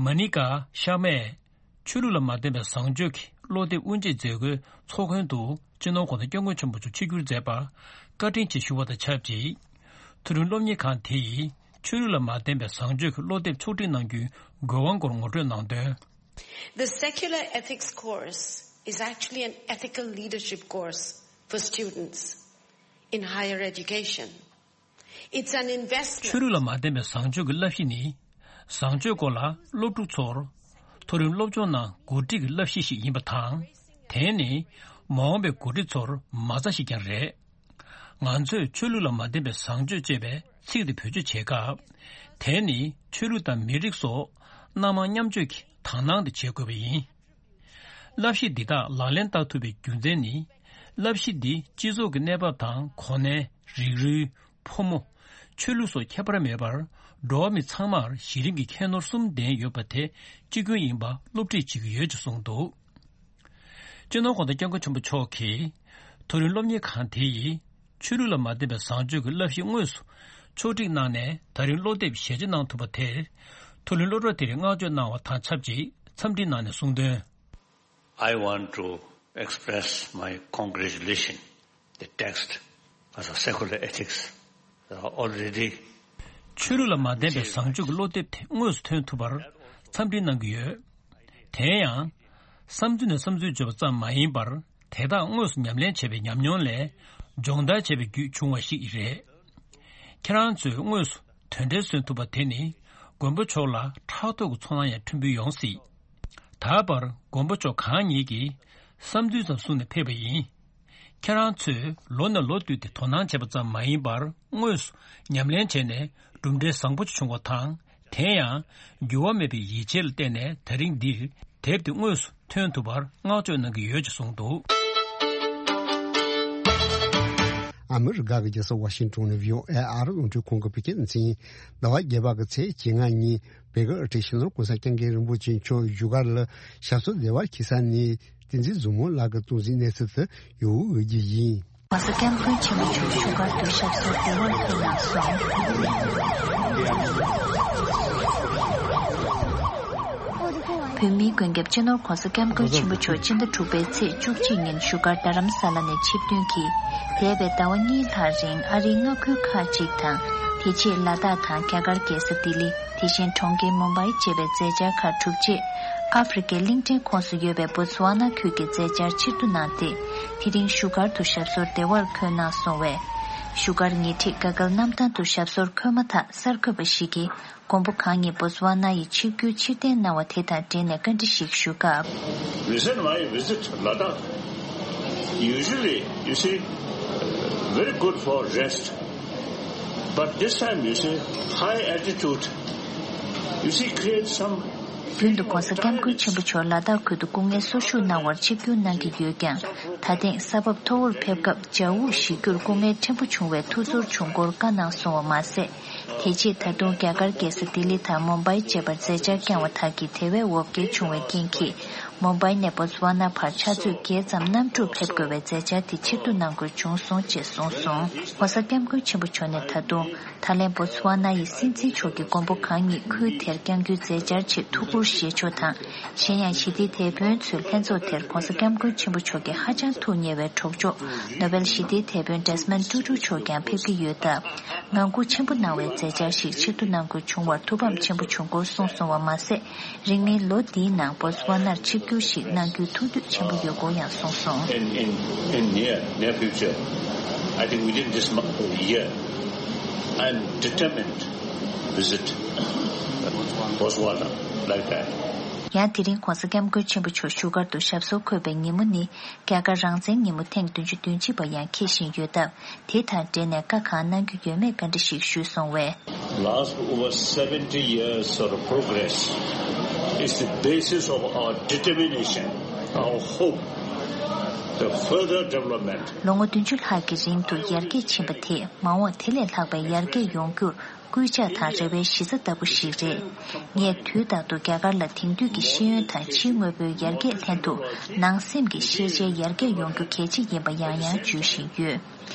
མ་ནི་ཀ་ཤར་མས། ཆོས་ལུགས་ལ་མ་བརྟེན་པའི་བཟང་སྤྱོད་ཀྱི་བློ་གཏད་དབུ་འབྱེད་མཛད་སྒོའི་ཚོགས་མགོན་དུ་སྤྱི་ནོར་༸གོང་ས་༸སྐྱབས་མགོན་ཆེན་པོ་མཆོག་ཆིབས་བསྒྱུར་མཛད་པར་བཀའ་དྲིན་ཆེ་ཞུ་བ་དང་ཆབས་ཅིག་མཐོ་རིམ་སློབ་གཉེར་ཁང་དེ་ཡིས་ཆོས་ལུགས་ལ་མ་བརྟེན་པའི་བཟང་སྤྱོད་ཀྱི་བློ་གཏད་ཕྱོགས་སྒྲིག་གནང་རྒྱུའི་དགོས་དབང་སྐོར་ངོ་སྤྲོད་གནང་དོན། The secular ethics course is actually an ethical leadership course for students in higher education. It's an investment. ཆོས་ལུགས་ལ་མ་བརྟེན་པའི་བཟང་སྤྱོད་ཀྱི་བསླབ་གཞི་ནི། བཟང་སྤྱོད་སྐོར་ལ་སློབ་ཕྲུག་ཚོར་མཐོ་རིམ་སློབ་སྦྱོང་ནང་འགོ་ཁྲིད་ཀྱི་བསླབ་གཞི་ཞིག་ཡིན་པ་དང་། དེ་ནི་མ་འོངས་པའི་འགོ་ཁྲིད་ཚོར་མ་རྩ་ཞིག་ཀྱང་རེད། ང་ཚོས་ཆོས་ལུགས་ལ་མ་བརྟེན་པའི་བཟང་སྤྱོད་ཅེས་པའི་ཚིག་དེ་བེད་སྤྱོད་བྱེད་སྐབས། དེ་ནི་ཆོས་ལུགས་དང་མི་རིགས་སོགས་སྣ་མང་མཉམ་སྤྱོད་ཀྱི་དག་སྣང་དེ་བྱེད་དགོས་པ་ཡིན། བསླབ་གཞི་འདི་དག་ལག་ལེན་བསྟར་ཐུབ་པའི་རྒྱུ་མཚན་ནི། བསླབ་གཞི་འདི་སྤྱི་ཚོགས་ཀྱི་གནས་བབ་དང་གོ་གནས། རིགས་རུས། ཕོ་མོ། ཆོས་ལུགས་སོགས་ཁྱད་པར་མེད་པར། འགྲོ་བ་མི་ཚང་མར་གཞི་རིམ་གྱི་ཁྱད་ནོར་གསུམ་ལྡན་ཡོད་པ་དེ་གཅིག་མཐུན་ཡིན་པ་སློབ་ཁྲིད་བྱེད་ཀྱི་ཡོད་ཅེས་གསུངས་འདུག་སྤྱི་ནོར་༸གོང་ས་༸སྐྱབས་མགོན་ཆེན་པོ་མཆོག་གིས། མཐོ་རིམ་སློབ་གཉེར་ཁང་དེ་ཡིས། ཆོས་ལུགས་ལ་མ་བརྟེན་པའི་བཟང་སྤྱོད་ཀྱི་བསླབ་གཞི་དངོས་སུ་ཕྱོགས་སྒྲིག་གནང་ནས། ད་རིང་སློབ་དེབ་ཞལ་ཕྱེ་གནང་ཐུབ་པ་དེར། མཐོ་རིམ་སློབ་གྲྭ་དེར་བསྔགས་བརྗོད་གནང་བ་དང་ཆབས་ཅིག་འཚམས་འདྲི་གནང་ནས་གསུངས་དོན། I want to express my congratulation. The text as a secular ethics are already. ཆོས་ལུགས་ལ་མ་བརྟེན་པའི་བཟང་སྤྱོད་ཀྱི་སློབ་དེབ་དེ་དངོས་སུ་ཐོན་ཐུབ་པར་འཚམས་འདྲི་གནང་གི་ཡོད། དེ་ཡང་། བསམ་ཚུལ་ནས་བསམ་ཚུལ་བརྗོད་པ་ཙམ་མ་ཡིན་པར། དེ་དག་དངོས་སུ་ཉམས་ལེན་བྱས་པའི་ཉམས་མྱོང་ལས། སྦྱོང་བརྡར་བྱས་པའི་བརྒྱུད་བྱུང་བ་ཞིག་རེད། ཁྱེད་རང་ཚོས་དངོས་སུ་དོན་འབྲེལ་སོན་ཐུབ་པ་དེ་ནི། མགོན་པོ་མཆོག་ལ་ཕྲག་དོག་གི་ཚོར་སྣང་ཡང་ཕྲན་བུ་ཡོང་སྲིད། ད་བར་མགོན་པོ་མཆོག་གང་ཉིད་ཀྱིས་བསམ་ཚུལ་ཙམ་གསུངས་ནས་ཕེབས་པ་ཡིན། ཁྱེད་རང་ཚོས་ལོ་ནས་ལོ་བསྟུད་དེ་དོ་སྣང་བྱས་པ་ཙམ་མ་ཡིན་པར། དངོས་སུ་ཉམས་ལེན་བྱས་ནས་གྲུབ་འབྲས་བཟང་པོ་ཞིག་བྱུང་བ་དང་། དེ་ཡང་། འགྱུར་བ་མེད་པའི་ཡིད་ཆེས་ལ་བརྟེན་ནས། ད་རིང་འདིར་དེབ་དེ་དངོས་སུ་ཐོན་ཐུབ་པར་བསྔགས་བརྗོད་གནང་གི་ཡོད་ཅེས་གསུངས་འདུག་ཨ་མི་རི་ཀ་གི་རྒྱལ་ས་ཝ་ཤིང་ཏོན་ནས་བྷི་ཨོ་ཨེ་ཨ་རི་རླུང་འཕྲིན་ཁང་གི་བོད་སྐད་སྡེ་ཚན། ཟླ་བ་བརྒྱད་པ་གི་ཚེས་བཅོ་ལྔ་ཉིན། བོད་ཀྱི་ཨ་རི་ཕྱི་ནང་གོང་ས་སྐྱབས་མགོན་རིན་པོ་ཆེ་མཆོག་བཞུགས་སྒར་ལ་ཞབས་སོར་བདེ་བར་འཁྱིལ་ས་ནས། བསྟན་འཛིན་བཟང་མོ་ལགས་ཀྱིས་གཏོང་ཟིན་གནས་ཚུལ་དེ་ཡོད་འོས་ཀྱི་ཡིན། གོང་ས་སྐྱབས་མགོན་ཆེན་པོ་མཆོག་བཞུགས་སྒར་དུ་ཞབས་སོར་བདེ་བར་འཁྱིལ་གནང་སོང་། བོད་མིའི་མགོན་སྐྱབས་སྤྱི་ནོར་༸གོང་ས་༸སྐྱབས་མགོན་ཆེན་པོ་མཆོག་སྤྱི་ཟླ་དྲུག་པའི་ཚེས་བཅུ་གཅིག་ཉིན་བཞུགས་སྒར་རྡ་རམ་ས་ལ་ནས་ཆིབས་ཐོན་གྱིས། འདས་པའི་ཟླ་བ་གཉིས་ལྷག་རིང་ཨ་རིའི་མངའ་ཁུལ་ཁག་ཅིག་དང་། དེ་རྗེས་ལ་དྭགས་དང་རྒྱ་གར་རྒྱལ་ས་ལྡི་ལི། དེ་བཞིན་གྲོང་ཁྱེར་མུམ་བྷའི་བཅས་པའི་མཛད་འཆར་ཁག་གྲུབ་རྗེས། ཨ་ཧྥེ་རི་ཁའི་གླིང་ཕྲན་ཁོངས་སུ་ཡོད་པའི་བོ་ཙི་ཝ་ན་ཁུལ་གྱི་མཛད་འཆར་ཕྱིར་བསྡུ་གནང་སྟེ། དེ་རིང་བཞུགས་སྒར་དུ་ཞབས་སོར་བདེ་བར་འཁོད་གནང་སོང་བས། བཞུགས་སྒར་ཉེ་འཁྲིས་དགའ་སྐལ་གནམ་ཐང་དུ་ཞབས་སོར་འཁོད་མ་ཐག་གསར་འགོད་པ་ཞིག་གིས། མགོན་པོ་གང་ཉིད་བོ་ཙི་ཝ་ན་ཡི་ཆིབས་བསྒྱུར་ཕྱིར་འཐེན་གནང་བ་དེ་དང་འབྲེལ་ནས་བཀའ་འདྲི་ཞིག་ཞུས་སྐབས། Reason why I visit Ladakh, usually, you see, very good for rest. But this time, you see, high altitude, you see, create some རྒྱུན་དུ་༸གོང་ས་༸སྐྱབས་མགོན་ཆེན་པོ་མཆོག་ལ་དྭགས་ཁུལ་དུ་སྐུ་ངལ་གསོ་བཞུགས་གནང་བར་ཆིབས་བསྒྱུར་གནང་གི་ཡོད་ཀྱང་། ད་ཐེངས་ས་བབ་མཐོ་བོར་ཕེབས་སྐབས་ཇ་འུག་བཞེས་རྒྱུར་སྐུ་ངལ་ཕྲན་བུ་བྱུང་བའི་ཐུགས་ཚོར་བྱུང་སྐོར་བཀའ་གནང་སོང་བ་མ་ཟད། དེ་རྗེས་ད་དུང་རྒྱ་གར་རྒྱལ་ས་ལྡི་ལི་དང་མུམ་བྷའི་བཅས་པར་མཛད་འཆར་བསྐྱངས་པ་དག་གིས་དེ་བས་འོ་བརྒྱལ་བྱུང་བའི་རྐྱེན་གྱིས། མུམ་བྷའི་ནས་བོ་ཙི་ཝ་ན་བར་ཕྱག་ཚོད་བརྒྱད་ཙམ་གནམ་གྲུར་ཕེབས་དགོས་པའི་མཛད་འཆར་དེ་ཕྱིར་བསྡུ་གནང་དགོས་བྱུང་སོང་ཅེས་གསུངས་སོང་། ༸གོང་ས་༸སྐྱབས་མགོན་ཆེན་པོ་མཆོག་ནས་ད་དུང་། ད་ལན་བོ་ཙི་ཝ་ན་ཡི་སྲིད་འཛིན་མཆོག་གིས་མགོན་པོ་གང་ཉིད་ཁུལ་དེར་བསྐྱང་རྒྱུའི་མཛད་འཆར་ཆེད་ཐུགས་ཁུར་བཞེས་ཕྱོགས་དང་། གཞན་ཡང་ཞི་བདེའི་དེད་དཔོན་ཚོའི་ལྷན་ཚོགས་དེར་༸གོང་ས་༸སྐྱབས་མགོན་ཆེན་པོ་མཆོག་གི་ཧ་ཅང་ཐུགས་མཉེས་པའི་གྲོགས་མཆོག་ནོ་བེལ་ཞི་བདེའི་དེད་དཔོན་ཌེ་སི་མོན་ཊུ་ཊུ་མཆོག་ཀྱང་ཕེབས་ཀྱི་ཡོད་སྟབས། ངང་སྒུག་ཆེན་པོ་གནང་བའི་མཛད་འཆར་ཞིག་ཕྱིར་བསྡུ་གནང་དགོས་བྱུང་བར་ཐུགས་ཕམ་ཆེན་པོ་བྱུང་སྐོར་གསུངས་སོང་བ་མ་ཟད། རིང་མིན་ལོ་འདིའི་ནང་བོ་ཙི་ཝ་ནར་ཆིབས་བསྒྱུར་ཞིག་གནང་རྒྱུའི་ཐུགས་འདོད་ཆེན་པོ་ཡོད་སྐོར་ཡང་གསུངས་སོང་། In, in, in near, near future, I think within this month, year, I'm determined to visit Botswana like that. ཡང་དེ་རིང་༸གོང་ས་༸སྐྱབས་མགོན་ཆེན་པོ་མཆོག་བཞུགས་སྒར་དུ་ཞབས་སོར་འཁོད་པའི་ཉིན་མོ་ནི། རྒྱ་གར་རང་བཙན་ཉིན་མོ་ཐེངས་བདུན་ཅུ་དོན་གཅིག་པ་ཡང་འཁེལ་བཞིན་ཡོད་སྟབས། དེ་དང་འབྲེལ་ནས་བཀའ་གང་གནང་རྒྱུ་ཡོད་མེད་བཀའ་འདྲི་ཞིག་ཞུས་སོང་བས། Last over seventy years of progress is the basis of our determination, our hope, the further development. ལོ་ངོ་བདུན་ཅུ་ལྷག་གི་རིང་དུ་ཡར་རྒྱས་ཕྱིན་པ་དེས་མ་འོངས་དེ་ལས་ལྷག་པའི་ཡར་རྒྱས་ཡོང་རྒྱུར། སྐུལ་ལྕག་དང་རེ་བའི་གཞི་རྩ་ལྟ་བུ་ཞིག་རེད། ངས་དུས་རྟག་ཏུ་རྒྱ་གར་ལ་དེང་དུས་ཀྱི་ཤེས་ཡོན་དང་ཕྱིའི་དངོས་པོའི་ཡར་རྒྱས་ལྷན་དུ་ནང་སེམས་ཀྱི་ཤེས་བྱའི་ཡར་རྒྱས་ཡོང་རྒྱུ་གལ་ཆེ་ཡིན་པ་ཡང་ཡང་བརྗོད་བཞིན་ཡོད།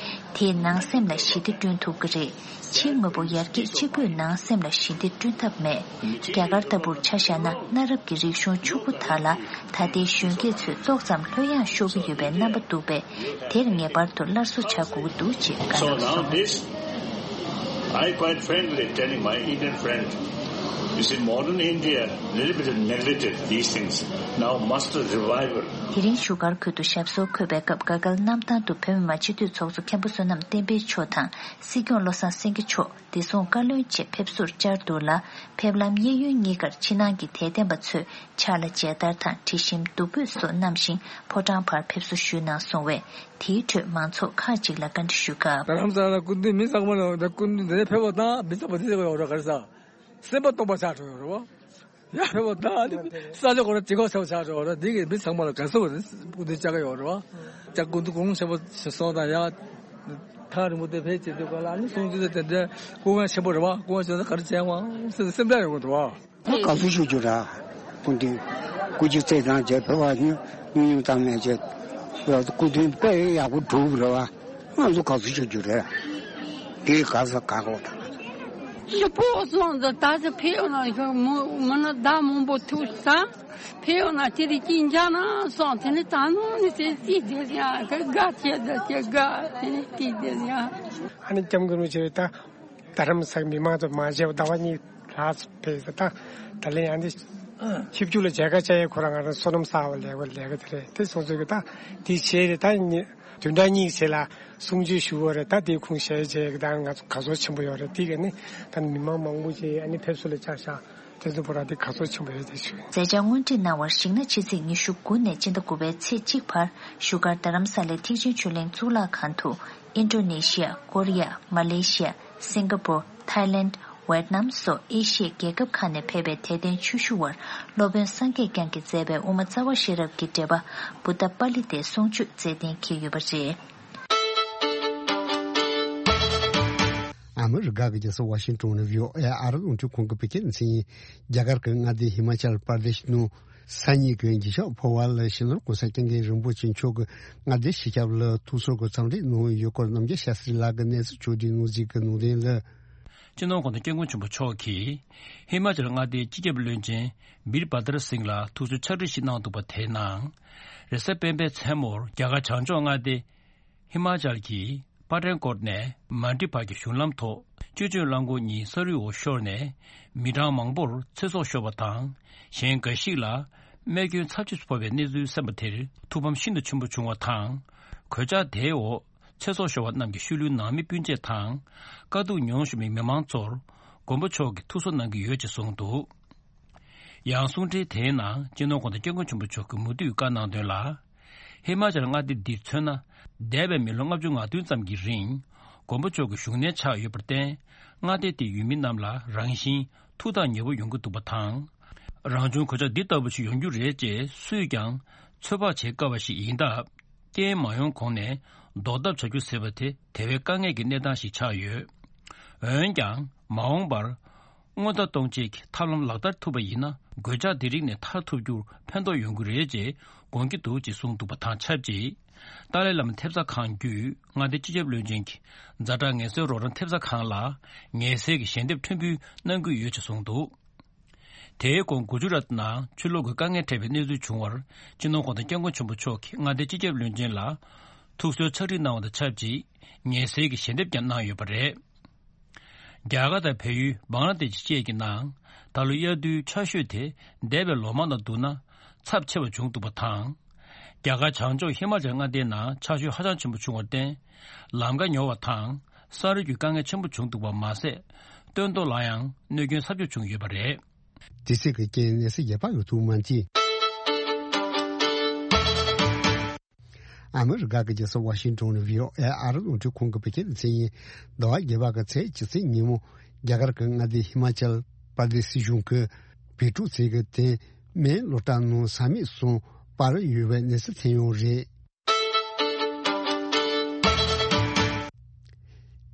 དེས་ནང་སེམས་ལ་ཞི་བདེ་བསྐྲུན་ཐུབ་ཀྱི་རེད། ཕྱིའི་དངོས་པོ་ཡར་རྒྱས་གཅིག་པུས་ནང་སེམས་ལ་ཞི་བདེ་བསྐྲུན་ཐབས་མེད། རྒྱ་གར་ལྟ་བུར་ཆ་བཞག་ན་གནའ་རབས་ཀྱི་རིག་གཞུང་ཕྱུག་པོ་དག་ལ་ད་ལྟའི་གཞོན་སྐྱེས་ཚོས་ཏོག་ཙམ་ལྷོད་ཡངས་ཤོར་གྱི་ཡོད་པའི་རྣམ་པ་འདུག་པས། དེར་ངེས་པར་དུ་སླར་གསོ་བྱ་དགོས་ཀྱི་འདུག་ཅེས་བཀའ་གནང་སོང་། So now this, I quite frankly telling my Indian friend, You see, modern India, little bit neglected these things. Now must revival. དེ་རིང་བཞུགས་སྒར་ཁུལ་དུ་ཞབས་སོར་འཁོད་པའི་སྐབས་དགའ་སྐལ་གནམ་ཐང་དུ་བོད་མི་མང་སྤྱི་འཐུས་ཚོགས་གཙོ་མཁན་པོ་བསོད་ནམས་བསྟན་འཕེལ་མཆོག་དང་སྲིད་སྐྱོང་བློ་བཟང་སེང་གེ་མཆོག་བདེ་སྲུང་བཀའ་བློན་བཅས་ཕེབས་བསུར་བཅར་འདུག་ལ། ཕེབས་ལམ་གཡས་གཡོན་གཉིས་ཀར་ཕྱི་ནང་གི་དད་ལྡན་པ་ཚོས་ཕྱག་ལ་མཇལ་དར་དང་དྲི་ཞིམ་བདུག་སྤོས་སོགས་བསྣམས་ཤིང་ཕོ་བྲང་བར་ཕེབས་བསུ་ཞུས་གནང་སོང་བས། དེའི་ཁྲོད་མང་ཚོགས་ཁག་ཅིག་ལ་བཀའ་འདྲི་ཞུས་སྐབས། རྡ་རམ་ས་ལ་སྐུ་མདུན་མི་ཚང་མ་ལ་སྐུ་མདུན་འདི་ནས་ཕེབས་པ་དང་མི་ཚང་མ་འདི་ཚོ་ཡོད་རེད། ག་རེ་ཟ། སེམས་པ་སྟོང་པ་ཆགས་འགྲོ་ཡོད་རེད་བ། ཡ་ཕེབས་པ་དང་ཨ་ནི་ས་ཆ་ཁོ་ར་དྲི་གོ་ཆེ་བ་ཆགས་འགྲོ་བ་རེད། འདི་གི་མི་ཚང་མ་ལ་དགའ་བསུ་བ་རེད། སྐུ་མདུན་བཅར་ག་ཡོད་རེད་བ། ཅག་སྐུ་མདུན་དགོངས་ཆེན་པོ་ཞིག་སོང་དང་ཡ། ཐག་རིང་པོ་དེ་ཕེབས་བྱེད་དུས་ག་ལ་ཨ་ནི་གསུང་ཆོས་དེ་དེ་འདྲ་སྐུ་ངལ་ཆེན་པོ་རེད་བ། སྐུ་ངལ་ཆེ་ན་ག་རེ་བྱས་ཝང་སེམས་སེམས་པ་ཡོང་གི་འདུག་བ། དགའ་བསུ་ཞུ་རྒྱུ་ར། སྐུ་མདུན་སྐུ་མཁྱེན་བརྩེ་དང་བཅས་ཕེབས་པ་ཉུང་ཉུང་ཙམ་མེད་ཅེས། སྐུ་མདུན་དཔེ་ཡག་པོ་གྲུབ་རེད་བ། ང་ཚོ་དགའ་བསུ་ཞུ་རྒྱུ་རེད། དེ་དགའ་ས་དགའ་གོ་དང་། ལི་པོ་སོང་ཙང་ད་ཆ་ཕེབས་ཡོང་ན་མི་ན་ཟླ་མང་པོ་ཐུག་ས་ཕེབས་ཡོང་ན་དེ་རིགས་ཀྱིས་འཇག་ན་སོང་དེ་ནི་ད་ནོ་ནི་དེ་ཅི་བསྡད་ཡང་ག་དགའ་ཆེ་ད་ཆེ་དགའ་དེ་ནི་ཅི་བསྡད་ཡང་། ཨ་ནི་སྐྱབས་མགོན་རིན་པོ་ཆེ་ད། རྡ་རམ་ས་གི་མི་མང་ཚོ་མ་བརྗེད་པ་ཟླ་བ་གཉིས་ལྷག་ཙམ་ཕེབས་ད། ད་ལན་ཡང་འདི་ཆིབས་བསྒྱུར་ལ་མཇལ་ཁ་བཅར་ཡས་ཁོ་རང་ང་རང་བསོད་ནམས་བསགས་པ་ལས་པ་ལས་ཀ་དེ་རེད། དེ་སོང་ཚོད་ཀྱི་ད་དེ་བྱས་རེད། ད་ཉི་བདུན་ཕྲག་གཉིས་ཀྱི་ཚེ་ལ་གསུང་ཆོས་ཞུ་བ་རེད། ད་དེ་ཁུངས་བཤད་བྱས་ཀྱི་ད་ང་ཚོ་དགའ་ཚོར་ཆེན་པོ་ཡོད་རེད། དེ་ག་ནི་ད་མི་མང་མང་པོ་ཅིག་ཨ་ནི་ཕེབས་བསུ་ལ་བཅར་ཤག་དེ་ཚོ་བོ་ར་དེ་དགའ་ཚོར་ཆེན་པོ་ཡོད་དེ་ཞུ། མཛད་འཆར་སྔོན་ཁྲིད་གནང་བར་གཞིགས་ན་ཕྱི་ཚེས་ཉི་ཤུ་དགུ་ནས་སྤྱི་ཟླ་དགུ་པའི་ཚེས་གཅིག་བར་བཞུགས་སྒར་རྡ་རམ་ས་ལའི་ཐེག་ཆེན་ཆོས་གླིང་གཙུག་ལག་ཁང་དུ་ཨིན་ཌོ་ནེ་ཤི་ཡ། ཀོ་རི་ཡ། མ་ལེ་ཤི་ཡ། སིང་ག་པུར། ཐའི་ལེནྜ། ཝེད་ནམ་སོགས་ཨེ་ཤི་ཡའི་རྒྱལ་ཁབ་ཁག་ནས་ཕེབས་པའི་དད་ལྡན་ཆོས་ཞུ་བར་སློབ་དཔོན་སངས་རྒྱས་བསྐྱངས་ཀྱིས་མཛད་པའི་དབུ་མ་རྩ་བ་ཤེས་རབ་ཀྱི་འགྲེལ་པ་བུདྡྷ་པཱ་ལི་ཏའི་གསུང་ཆོས་སྩལ་གཏན་འཁེལ་ཡོད་པ་རེད། ཨ་མི་རི་ཀ་གི་རྒྱལ་ས་ཝ་ཤིང་ཏོན་ནས་བྷི་ཨོ་ཨེ་ཨ་རི་རླུང་འཕྲིན་ཁང་གིས་བོད་སྐད་ནས་མཚན་ཉིན། རྒྱ་གར་གྱི་མངའ་སྡེ་ཧི་མ་ཅལ་པར་དེཤ་ནང་ས་གཉིས་ཀྱི་འགྱིག་ཤག་ཕོ་བ་ལ་ཕྱི་ནང་གོང་ས་སྐྱབས་མགོན་རིན་པོ་ཆེ་མཆོག་གིས་མངའ་སྡེ་སྤྱི་ཁྱབ་ལ་ཐུགས་གསོ་གི་འཚམས་འདྲི་གནང་ཡོད་སྐོར་རྣམ་རྒྱལ་ཤཱ་སྟྲི་ལགས་ཀྱིས་གནས་ཚུལ་ཕྱོགས་བསྒྲིགས་གནང་གཟིགས་ཀྱི་གནང་དོན་ལ། སྤྱི་ནོར་༸གོང་ས་༸སྐྱབས་མགོན་ཆེན་པོ་མཆོག་གིས་ཧི་མ་ཅལ་མངའ་སྡེའི་སྤྱི་ཁྱབ་བློན་ཆེན་བིར་བྷ་དར་སིང་ལ་ཐུགས་གསོའི་ཕྱག་བྲིས་ཤིག་གནང་འདུག་པ། དེའི་ནང་རེས་གཟའ་སྤེན་པའི་མཚན་མོར་རྒྱ་གར་བྱང་ཕྱོགས་མངའ་སྡེ་ཧི་མ་ཅལ་གྱི་པ་ཏན་ཀོཊ་ནས་མན་ཌི་བར་གྱི་གཞུང་ལམ་ཐོག་བཅུད་བཅོས་རླངས་འཁོར་གཉིས་ས་རུད་འོག་ཤོར་ནས་མི་གྲངས་མང་པོར་ཚེ་སྲོག་ཤོར་བ་དང་། གཞན་འགའ་ཞིག་ལ་རྨས་སྐྱོན་ཚབས་ཆེ་ཕོག་པའི་གནས་ཚུལ་གསན་པ་དེར་ཐུགས་ཕམ་ཤིན་ཏུ་ཆེན་པོ་བྱུང་བ་དང་། གོད་ཆག་དེའི་འོག་ཚེ་སྲོག་ཤོར་བ་རྣམས་ཀྱི་ཤུལ་ལུས་ནང་མི་སྤུན་མཆེད་དང་། དཀའ་སྡུག་མྱོང་བཞིན་པའི་མི་མང་ཚོར་མགོན་པོ་མཆོག་གིས་ཐུགས་གསོ་གནང་གི་ཡོད་ཅེས་གསུངས་འདུག། ཡང་གསུང་འཕྲིན་དེའི་ནང་སྤྱི་ནོར་༸གོང་ས་༸སྐྱབས་མགོན་ཆེན་པོ་མཆོག་གིས་མུ་མཐུད་བཀའ་གནང་དོན་ལ། ཧི་མ་ཅལ་མངའ་སྡེ་འདིར་མཚོན་ན། འདས་པའི་མི་ལོ་ལྔ་བཅུ་ང་བདུན་ཙམ་གྱི་རིང་མགོན་པོ་མཆོག་གི་བཞུགས་གནས་ཆགས་ཡོད་པར་བརྟེན། མངའ་སྡེ་དེའི་ཡུལ་མི་རྣམས་ལ་རང་བཞིན་ཐུགས་ཐག་ཉེ་པོ་ཡོང་གི་འདུག་པ་དང་། རང་བྱུང་གོད་ཆག་འདི་ལྟ་བུ་ཞིག་ཡོང་རྒྱུ་རེད་ཅེས་སུས་ཀྱང་ཚོད་དཔག་བྱེད་དཀའ་བ་ཞིག་ཡིན་སྟབས། རྐྱེན་མ་ཡོང་གོང་ནས་ཟློག་ཐབས་བྱ་རྒྱུ་ཟེར་བ་དེ་དེ་བས་དཀའ་ངལ་གྱི་གནས་སྟངས་ཤིག་ཆགས་ཡོད། འོན་ཀྱང་མ་འོངས་པར་སྔོན་བརྡ་གཏོང་བྱེད་ཀྱི་ཐབས་ལམ་ལག་བསྟར་ཐུབ་པ་ཡིན་ན། གོད་ཆག་འདི་རིགས་ནས་ཐར་ཐུབ་རྒྱུར་ཕན་ཐོགས་ཡོང་གི་རེད་ཅེས་དགོངས་ཀྱི་འདུག་ཅེས་གསུངས་འདུག་པ་དང་ཆབས་ཅིག། ཏཱ་ལའི་བླ་མ་ཐེབས་རྩ་ཁང་བརྒྱུད་མངའ་སྡེ་སྤྱི་ཁྱབ་བློན་ཆེན་གྱིས་ཛ་དྲག་ངལ་གསོའི་རོགས་རམ་ཐེབས་རྩ་ཁང་ལ་ངལ་སེལ་གྱི་ཞལ་འདེབས་ཕྲན་བུ་གནང་གི་ཡོད་ཅེས་གསུངས་འདུག། དེའི་གོང་གུ་ཇུ་རཱཏ་ནང་ཆུ་ལོག་གི་དཀའ་ངལ་འཕྲད་པའི་གནས་ཚུལ་བྱུང་བར། སྤྱི་ནོར་༸གོང་ས་༸སྐྱབས་མགོན་ཆེན་པོ་མཆོག་གིས་མངའ་སྡེའི་སྤྱི་ཁྱབ་བློན་ཆེན་ལ་ཐུགས་གསོའི་ཕྱག་བྲིས་གནང་བ་དང་ཆབས་ཅིག། ངལ་སེལ་གྱི་ཞལ་འདེབས་ཀྱང་གནང་ཡོད་པ་རེད། རྒྱ་གར་དང་བལ་ཡུལ་བང་ལ་དེ་ཤི་བཅས་ཀྱི་ནང་ད་ལོ་དབྱར་དུས་ཆར་ཞོད་དེ་འདས་པའི་ལོ་མང་དང་བསྡུར་ན་ཚབས་ཆེ་བ་བྱུང་འདུག་པ་དང་། རྒྱ་གར་བྱང་ཕྱོགས་ཧི་མ་ཅལ་མངའ་སྡེའི་ནང་ཆར་ཞོད་ཧ་ཅང་ཆེན་པོ་བྱུང་བར་བརྟེན། ལམ་ཁ་ཉོ་བ་དང་ས་རུད་ཀྱི་དཀའ་ངལ་ཆེན་པོ་བྱུང་འདུག་པ་མ་ཟད། སྟོན་ཐོག་ལ་ཡང་གནོད་སྐྱོན་ཚབས་ཆེ་བྱུང་ཡོད་པ་རེད། དེ་སྲིད་ཀྱི་རྐྱེན་གནས་ཚུལ་རྒྱས་པ་ཡོད་ཐུབ་མ་མཆིས། ཨ་མི་རི་ཀ་གི་རྒྱལ་ས་ཝ་ཤིང་ཏོན་ནས་བྷི་ཨོ་ཨེ་ཨ་རི་རླུང་འཕྲིན་ཁང་གིས་བོད་སྐད་ལ་མཚན་ཉིན་ཟླ་བ་བརྒྱད་པ་གི་ཚེས་བཅུ་ཚེས་ཉིན་མོ་རྒྱ་གར་གྱི་མངའ་སྡེ་ཧི་མ་ཅལ་པར་དེ་སི་གཞུང་གི་བོད་ཕྲུག་ཚོས་ཀྱི་དེ་སྨན་སློབ་གྲྭ་ནང་ས་མིག་གསུམ་སྤར་ཡོད་པའི་གནས་ཚུལ་ཐོན་ཡོད་རེད།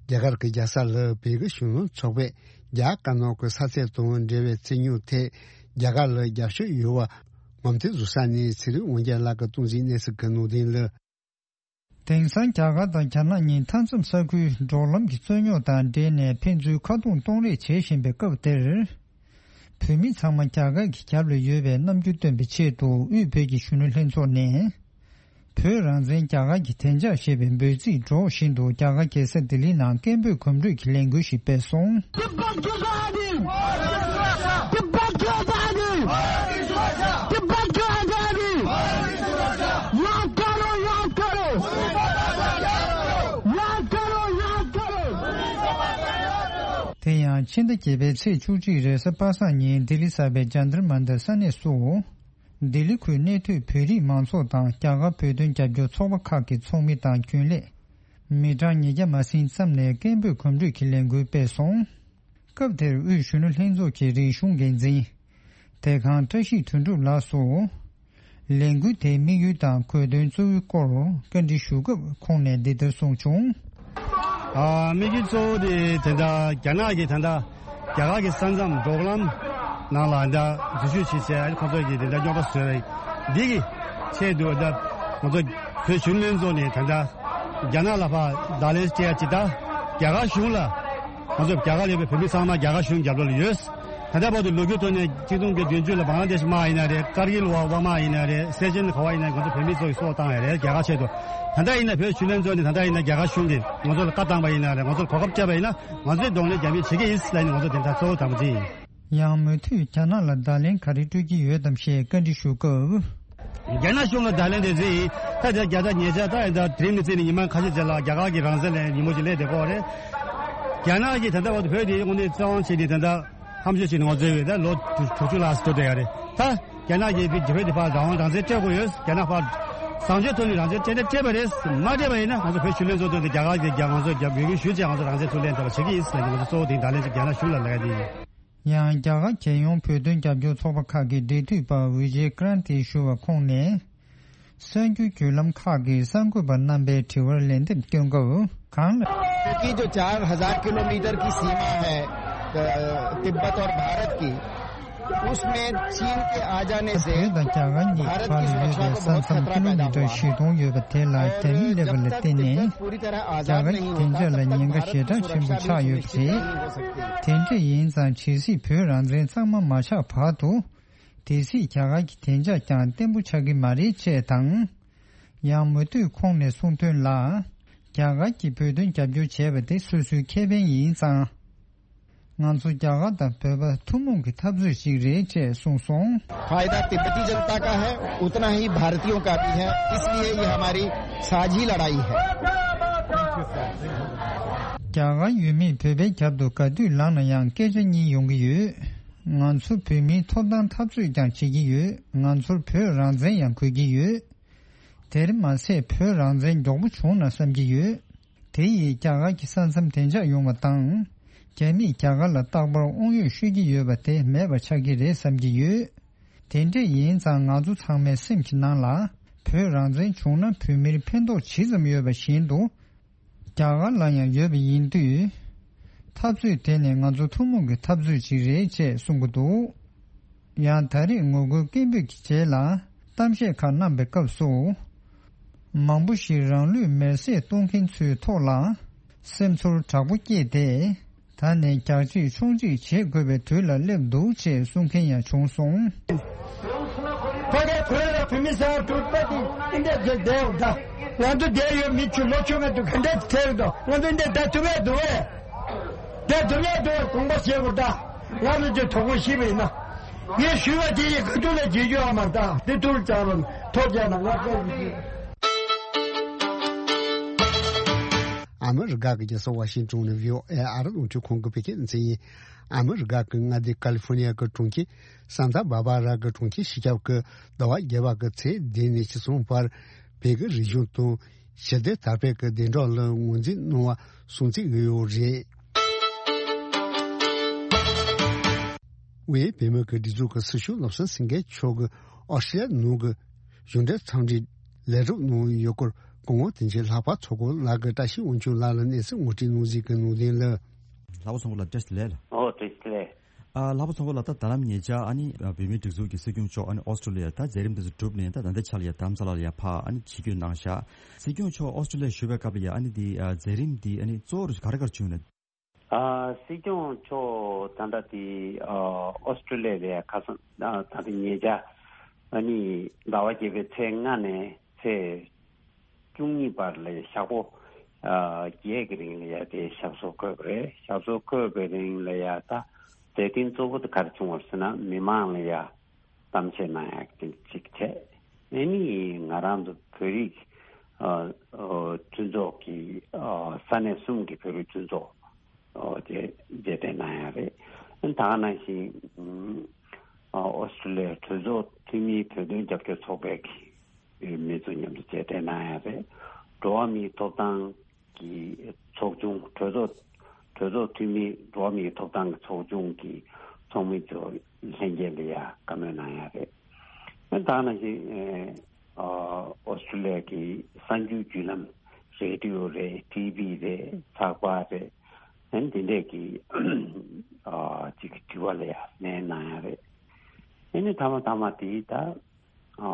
རྒྱ་གར་གྱི་རྒྱལ་ས་ལ་བོད་ཀྱི་གཞོན་ནུ་ཚོགས་པས་རྒྱ་དཀར་ནག་གི་ས་མཚམས་དང་འབྲེལ་བའི་རྩོད་རྙོག་ཐད་རྒྱ་གར་ལ་རྒྱབ་སྐྱོར་ཡོད་པ་ངོམ་ཐེངས་བཟོ་ས་ནས་ཚེ་རིང་དབང་རྒྱལ་ལགས་ཀྱིས་གཏོང་ཟིན་གནས་ཚུལ་གྱི་ནང་དོན་ལ། དེང་སང་རྒྱ་གར་དང་རྒྱ་ནག་གཉིས་མཐའ་མཚམས་ས་ཁུལ་འབྲོག་ལམ་གྱི་རྩོད་རྙོག་དང་འབྲེལ་ནས་ཕན་ཚུན་ཁ་རྡུང་གཏོང་རེས་བྱེད་བཞིན་པའི་སྐབས་འདིར། བོད་མི་ཚང་མ་རྒྱ་གར་གྱི་རྒྱབ་ལ་ཡོད་པའི་རྣམ་འགྱུར་སྟོན་པའི་ཆེད་དུ་དབུས་བོད་ཀྱི་གཞོན་ནུ་ལྷན་ཚོགས་ནས། བོད་རང་བཙན་རྒྱ་གར་གྱི་བདེ་འཇགས་ཞེས་པའི་འབོད་ཚིག་སྒྲོག་བཞིན་དུ་རྒྱ་གར་རྒྱལ་ས་ལྡི་ལི་ནང་སྐད་འབོད་གོམ་བགྲོད་ཀྱི་ལས་འགུལ་ཞིག་སྤེལ་སོང་། དེ་ཡང་ཕྱི་ཟླ་བརྒྱད་པའི་ཚེས་བཅུ་གཅིག་རེས་གཟའ་པ་སངས་ཉིན་ལྡི་ལི་གསར་པའི་ཇཱན་ཏར་མན་ཏར་ས་གནས་སུ། ལྡི་ལི་ཁུལ་གནས་སྡོད་བོད་རིགས་མང་ཚོགས་དང་རྒྱ་གར་བོད་དོན་རྒྱབ་སྐྱོར་ཚོགས་པ་ཁག་གི་ཚོགས་མི་དང་རྒྱུན་ལས། མི་གྲངས་ཉིས་བརྒྱ་མ་ཟིན་ཙམ་ནས་སྐད་འབོད་གོམ་བགྲོད་ཀྱི་ལས་འགུལ་སྤེལ་སོང་། སྐབས་དེར་དབུས་གཞོན་ནུ་ལྷན་ཚོགས་ཀྱི་རིག་གཞུང་འགན་འཛིན། དེ་ཁང་བཀྲ་ཤིས་དོན་གྲུབ་ལགས་སུ། ལས་འགུལ་དེའི་དམིགས་ཡུལ་དང་དགོས་དོན་གཙོ་བོའི་སྐོར་བཀའ་འདྲི་ཞུ་སྐབས་ཁོང་ནས་འདི་ལྟར་གསུངས་བྱུང་། ཨ། དམིགས་ཡུལ་གཙོ་བོ་དེ་དེ་འདྲ་རྒྱ་ནག་གིས་ད་ལྟ་རྒྱ་གར་གྱི་ས་མཚམས་འབྲོག་ལམ་ནང་ལ་ད་འཛུལ་ཞུགས་བྱེད་བྱས་ཁོ་ཚོ་གིས་དེ་འདྲ་རྙོག་དྲ་བཟོས་པ་འདི་གི་ཆེད་དུ་ད་ང་ཚོ་བོད་གཞོན་ལྷན་ཚོགས་ནས་ད་ལྟ་རྒྱ་ནག་ལ་ཕར་བརྡ་ལན་སྤྲད་ཡ་ཅིག་ད་རྒྱ་གར་གཞུང་ལ་ང་ཚོ་རྒྱ་གར་ཡོད་པའི་བོད་མི་ཚང་མ་རྒྱ་གར་གཞུང་རྒྱབ་ལོགས་ལ་ཡོད། ད་ལྟ་བར་དུ་ལོ་རྒྱུས་ཐོག་ནས་ཆིག་སྟོང་དགུ་བརྒྱ་བདུན་ཅུ་ལ་བང་ལ་དེཤ་དམག་ཡིན་ན་རེད། ཀར་གིལ་བར་དམག་ཡིན་ན་རེད། སེ་ཆེན་ག་བ་ཡིན་ན་ང་ཚོ་བོད་མི་ཚོ་ཡི་སྲོག་བཏང་ཡ་རེད་རྒྱ་གར་ཆེད་དུ། ད་ལྟ་ཡིན་ན་བོད་གཞོན་ལྷན་ཚོགས་ནས་ད་ལྟ་ཡིན་ན་རྒྱ་གར་གཞུང་གིས་ང་ཚོ་ལ་བཀའ་བཏང་པ་ཡིན་ན་རེད། ང་ཚོར་གོ་སྐབས་སྤྲད་པ་ཡིན་ན་ང་ཚོས་གདོང་ལེན་རྒྱ་མིས་བྱེད་ཀྱི་ཡིན་ལབ་ནས་ང་ཚོ་དེ་འདྲ་གཙོ་བོ་དམ་བཅའ་ཡིན། ཡང་མུ་མཐུད་རྒྱ་ནག་ལ་བརྡ་ལན་ག་རེ་སྤྲོད་ཀྱི་ཡོད་དམ་ཞེས་བཀའ་འདྲི་ཞུ་སྐབས། རྒྱ་ནག་གཞུང་ལ་བརྡ་ལན་དེ་ཚོ་ཡིན། ད་ལྟ་རྒྱ་ད་ཉེ་ཆར་ད་ཡིན་ད་དེ་རིང་ནས་བརྩིས་ནས་ཉི་མ་ཁ་ཤས་རྗེས་ལ་རྒྱ་གར་གྱི་རང་བཙན་ལ་ཉིན་མོ་ཞིག་སླེབས་བསྡད་ཀྱི་ཡོད་རེད། རྒྱ་ནག་གིས་ད་ལྟ་བར་དུ་བོད་དེ་དངོས་གནས་བཙན་དབང་བྱས་ནས་ད་ལྟ་ཧམ་བཤད་བྱས་ནས་ང་ཚོའི་འོས་ད་ལོ་དྲུག་ཅུ་ལྷག་ཙམ་འགྲོ་བསྡད་ཡོད་རེད། ད་རྒྱ་ནག་གིས་བོད་དེ་ཕར་རང་དབང་རང་བཙན་སྤྲད་དགོས་ཡོད། རྒྱ་ནག་ཕར་བཟང་སྤྱོད་ཐོག་ནས་རང་བཙན་སྤྲད་ན་སྤྲད་པ་རེད། མ་སྤྲད་པ་ཡིན་ན་ང་ཚོ་བོད་གཞོན་ལྷན་ཚོགས་ཐོག་ནས་རྒྱ་གར་གྱི་རྒྱ་ང་ཚོ་རྒྱ་འབོད་སྐུལ་ཞུས་བྱས་ང་ཚོ་རང་བཙན་ཚུར་ལེན་ཐུབ་པ་བྱེད་ཀྱི་ཡིན་ཟེར་ནས་ང་ཚོ་གཙོ་བོ་དེ་བརྡ་ལན་ཅིག་རྒྱ་ནག་གཞུང་ལ་ལབ་ཡ་དེ་ཡིན། ཡང་རྒྱ་གར་རྒྱལ་ཡོངས་བོད་དོན་རྒྱབ་སྐྱོར་ཚོགས་པ་ཁག་གི་འབྲེལ་མཐུད་པ་ཝི་ཇེ་ཀྲན་ཏི་ཞུ་བ་ཁོང་ནས། གསར་འགྱུར་བརྒྱུད་ལམ་ཁག་གི་གསར་འགོད་པ་རྣམ་པའི་དྲི་བར་ལན་འདེབས་སྐྱོན་སྐབས་གང་ལ། क्योंकि जो चार हज़ार किलोमीटर की सीमा है, अ, तिब्बत और भारत की, उसमें चीन के आ जाने से བོད་དང་རྒྱ་གར་གཉིས་བར་ལ་ཡོད་པའི་ས་མཚམས་ཀི་ལོ་མི་ཊར་བཞི་སྟོང་ཡོད་པ་དེ་ལ་རྒྱ་མི་སླེབས་པ་ལ་བརྟེན་ནས་རྒྱ་གར་གྱི་བདེ་འཇགས་ལ་ཉེན་ཁ་ཞེ་དྲག་ཆེན་པོ་ཆགས་ཡོད་པ་རེད། དེ་འདྲ་ཡིན་ཙང་ཇི་སྲིད་བོད་རང་བཙན་གཙང་མ་མ་ཆགས་བར་དུ། དེ་སྲིད་རྒྱ་གར་གྱི་བདེ་འཇགས་ཀྱང་བརྟན་པོ་ཆགས་ཀྱི་མ་རེད་ཅེས་དང་། ཡང་མུ་མཐུད་ཁོང་ནས་གསུངས་དོན་ལ། རྒྱ་གར་གྱིས་བོད་དོན་རྒྱབ་སྐྱོར་བྱས་པ་དེ་སོ་སོའི་ཁེ་ཕན་ཡིན་ཙང་། ང་ཚོ་རྒྱ་གར་དང་བོད་པ་ཐུན་མོང་གི་འཐབ་རྩོད་ཅིག་རེད་ཅེས་གསུངས་སོང་། फायदा तिब्बती जनता का है, उतना ही भारतीयों का भी है, इसलिए ये हमारी साझी लड़ाई है। རྒྱ་གར་ཡུལ་མིས་བོད་པའི་རྒྱབ་ཏུ་ག་དུས་ལངས་ན་ཡང་སྐད་ཆ་གཉིས་ཡོང་གི་ཡོད། ང་ཚོ་བོད་མིའི་ཐོབ་ཐང་འཐབ་རྩོད་ཀྱང་བྱེད་ཀྱི་ཡོད། ང་ཚོར་བོད་རང་བཙན་ཡང་དགོས་ཀྱི་ཡོད། དེར་མ་ཟད་བོད་རང་བཙན་མགྱོགས་པོ་བྱུང་ན་བསམ་གྱི་ཡོད། དེ་ཡིས་རྒྱ་གར་གྱི་ས་མཚམས་བདེ་འཇགས་ཡོང་བ་དང་། རྒྱ་མིས་རྒྱ་གར་ལ་རྟག་པར་དབང་ཡོད་ཤོད་ཀྱི་ཡོད་པ་དེ་མེད་པ་ཆགས་ཀྱི་རེད་བསམ་གྱི་ཡོད། དེ་འདྲས་ཡིན་ཙང་ང་ཚོ་ཚང་མའི་སེམས་ཀྱི་ནང་ལ་བོད་རང་བཙན་བྱུང་ན་བོད་མིར་ཕན་ཐོགས་ཇི་ཙམ་ཡོད་པ་བཞིན་དུ། རྒྱ་གར་ལ་ཡང་ཡོད་པ་ཡིན་དུས། འཐབ་རྩོད་དེ་ནི་ང་ཚོ་ཐུན་མོང་གི་འཐབ་རྩོད་ཅིག་རེད་ཅེས་གསུང་གི་འདུག་ཡང་ད་རེས་ངོ་རྒོལ་སྐད་འབོད་ཀྱི་རྗེས་ལ་གཏམ་བཤད་ཁག་གནང་པའི་སྐབས་སུ། མང་པོ་ཞིག་རང་ལུས་མེར་སྲེག་གཏོང་མཁན་ཚོའི་ཐོག་ལ་སེམས་ཚོར་དྲག་པོ་སྐྱེས་ཏེ། ད་ནས་རྒྱག་གཅིག་མཆོང་གཅིག་བྱེད་དགོས་པའི་དུས་ལ་སླེབས་འདུག་ཅེས་གསུང་མཁན་ཡང་བྱུང་སོང་། ཕ་གའི་བོད་ལ་བོད་མི་ཟེར་བ་གྲུབ་པ་དེ་འདི་འདྲ་བསྡད་འདུག་ད་ང་ཚོ་བསྡད་ཡོད་མི་ཆུ་ལོ་ཆུང་ང་དུ་ག་འདྲ་ཐེབས་འདུག་ང་ཚོ་འདི་བསྡད་ཐུབ་ཡས་འདུག་བས། བསྡད་ཐུབ་ཡས་འདུག་བས་དགོངས་པ་བཞེས་དགོས་ད། ང་ཚོ་ཚོས་དོ་དགོང་ཤི་བ་ཡིན་ན། ངས་ཞུས་པ་དེ་ཡི་ཁ་ཐུག་ལ་བྱེད་རྒྱུ་ཨ་མ་ད་འདི་ཐུག་ལ་བཅར་རོགས་ཐོ་བཅར་ན་ང་ཚོ་ཡི་ཤི། ཨ་མི་རི་ཀ་གི་རྒྱལ་ས་ཝ་ཤིང་ཏོན་ནས་བྷི་ཨོ་ཨེ་ཨ་རི་རླུང་འཕྲིན་ཁང་གི་བོད་སྐད་སྡེ་ཚན་ཡིན། ཨ་མི་རི་ཀ་གི་མངའ་སྡེ་ཀ་ལི་ཧྥོ་ནི་ཡ་གི་གྲོང་ཁྱེར་སན་ཏཱ་བྷར་བྷ་ར་གི་གྲོང་ཁྱེར་སྤྱི་ཁྱབ་ཀྱི་ཟླ་བ་བརྒྱད་པ་གི་ཚེས་བདུན་ནས་ཉི་ཤུ་བར་བོད་ཀྱི་རིག་གཞུང་དང་ཞི་བདེ་དར་སྤེལ་གྱི་བདེན་གྲོགས་ལ་ངོས་འཛིན་གནང་བ་སྲུང་བརྩི་གི་ཡོད་རེད། དབུས་བོད་མི་གི་སྒྲིག་འཛུགས་ཀྱི་སྲི་ཞུ་བློ་བཟང་སེང་གེ་མཆོག་གིས་ཨོ་སི་ཀྲི་ལི་ཡ་ནང་གི་གཞུང་འབྲེལ་འཚམས་འདྲིའི་ལས་རོགས་གནང་ཡོད་སྐོར་སྐུ་ངོ་དོན་གཅོད་ལྷག་པ་མཚོ་སྐོར་ལགས་ཀྱིས་བཀྲ་ཤིས་དབང་ཕྱུག་ལགས་ལ་གནས་ཚུལ་ངོ་སྤྲོད་གནང་གཟིགས་ཀྱི་གནང་དོན་ལ། ལྷག་པ་མཚོ་སྐོར་ལགས་བཀྲ་ཤིས་བདེ་ལེགས། ཨོ་བཀྲ་ཤིས་བདེ་ལེགས། ཨ་ལྷག་པ་མཚོ་སྐོར་ལགས་ད་ད་ལམ་ཉེ་ཆར་ཨ་ནི་བོད་མིའི་སྒྲིག་འཛུགས་ཀྱི་སྲིད་སྐྱོང་མཆོག་ཨ་ནི་ཨོ་སི་ཀྲི་ལི་ཡ་ད་མཛད་རིམ་དེ་ཚོ་གྲུབ་ནས་ད་ད་ལྟའི་ཆ་ལ་ཡ་དྷ་རམ་ས་ལ་ལ་ཡ་ཕ་ཨ་ནི་ཆིབས་བསྒྱུར་གནང་བཞག་སྲིད་སྐྱོང་མཆོག་ཨོ་སི་ཀྲི་ལི་ཡ་བཞུགས་པའི་སྐབས་ལ་ཡ་ཨ་ནི་དེ་མཛད་རིམ་དེ་ཨ་ནི་གཙོ་བོ་ག་རེ་ག་རེ་བྱུང་ཡོད་ན། ཨ་སྲིད་སྐྱོང་མཆོག་ད་ལྟ་དེ་ཨ་ཨོ་སི་ཀྲི་ལི་ཡ་ལ་ཡ་ཁ་སང་ཨ་ད་ལྟ་ཉེ་ཆར་ཨ་ནི་ཟླ་བ་བརྒྱད་པའི་ཚེས་ལྔ་ནས་ཚེས་ བཅུ་གཉིས་བར་ལ་ཞག་པོ་ཨ་བརྒྱད་ཀྱི་རིང་ལ་ཡ་དེ་ཞབས་སོར་འཁོད་པ་རེད། ཞབས་སོར་འཁོད་པའི་རིང་ལ་ཡ་ད་མཛད་འཕྲིན་གཙོ་བོ་དེ་ག་རེ་བྱུང་བ་ཟེར་ན། མི་མང་ལ་ཡ་གཏམ་བཤད་གནང་ཡག་དེ་གཅིག་བྱས། ཨ་ནི་ང་རང་ཚོ་བོད་རིགས་ཨ་ཨ་མཐུན་ཚོགས་ཀྱི་ཨ་ས་གནས་གསུམ་གྱི་བོད་རིགས་མཐུན་ཚོགས་ཨོ་དེ་མཇལ་འཕྲད་གནང་ཡག་རེད། ད་ག་ནང་བཞིན་ཨ་ཨོ་སི་ཀྲུ་ལི་ཡའི་གྲོས་ཚོགས་འཐུས་མིའི་བོད་དོན་རྒྱབ་སྐྱོར་ཚོགས་པའི་གི་མི་ཚོ་མཉམ་དུ་མཇལ་འཕྲད་གནང་ཡག་རེད། འགྲོ་བ་མིའི་ཐོབ་ཐང་གི་ཚོགས་ཆུང་གྲོས་ཚོགས་གྲོས་ཚོགས་འཐུས་མི་འགྲོ་བ་མིའི་ཐོབ་ཐང་གི་ཚོགས་ཆུང་གི་ཚོགས་མི་ཚོ་ལྷན་རྒྱས་ལ་ཡ་བཀའ་མོལ་གནང་ཡག་རེད། ད་ག་ནང་བཞིན་ཨ་ཨོ་སི་ཀྲུ་ལི་ཡ་གི་གསར་འགྱུར་བརྒྱུད་ལམ་རེ་ཌི་ཡོ་རེད། ཊི་ཝི་རེད། ཚགས་པར་རེད། ཨན་དེ་འདྲས་ཀྱི་ཨ་ཅིག་དྲི་བ་ལ་ཡ་ལན་གནང་ཡག་རེད། ཨ་ནི་མཐའ་མ་མཐའ་མ་དེ་ད་ཨ་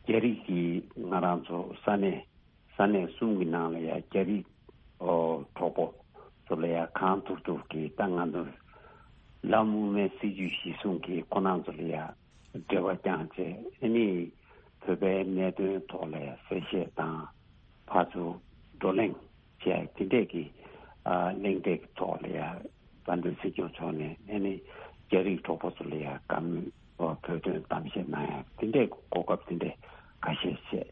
རྒྱ་རིགས་ཀྱི་ང་རང་ཚོ་ས་གནས་ས་གནས་གསུམ་གྱི་ནང་ལ་ཡ་རྒྱ་རིགས་ཨོ་གྲོགས་པོ་ཚོ་ལ་ཡ་གང་ཐུབ་ཐུབ་ཀྱིས་ད་ང་ཚོ་ལམ་དབུ་མའི་སྲིད་བྱུས་གཞིར་བཟུང་གིས་ཁོ་རང་ཚོ་ལ་ཡ་འབྲེལ་བ་བསྐྱངས་བྱས། ཨ་ནི་བོད་པའི་གནད་དོན་ཐོག་ལ་ཡ་གསལ་བཤད་དང་། ཕར་ཚུར་བགྲོ་གླེང་བྱས། དེ་འདྲས་ཀྱི་ཨ་གླེང་སྟེགས་ཐོག་ལ་ཡ་དཔལ་ལྡན་སྲིད་སྐྱོང་མཆོག་ནས་ཨ་ནི་རྒྱ་རིགས་གྲོགས་པོ་ཚོ་ལ་ཡ་བཀའ་མོལ་བོད་དོན་གཏམ་བཤད་གནང་ཡག་དེ་འདྲས་གོ་སྐབས་དེ་འདྲས་ཁ་ཤས་བྱས།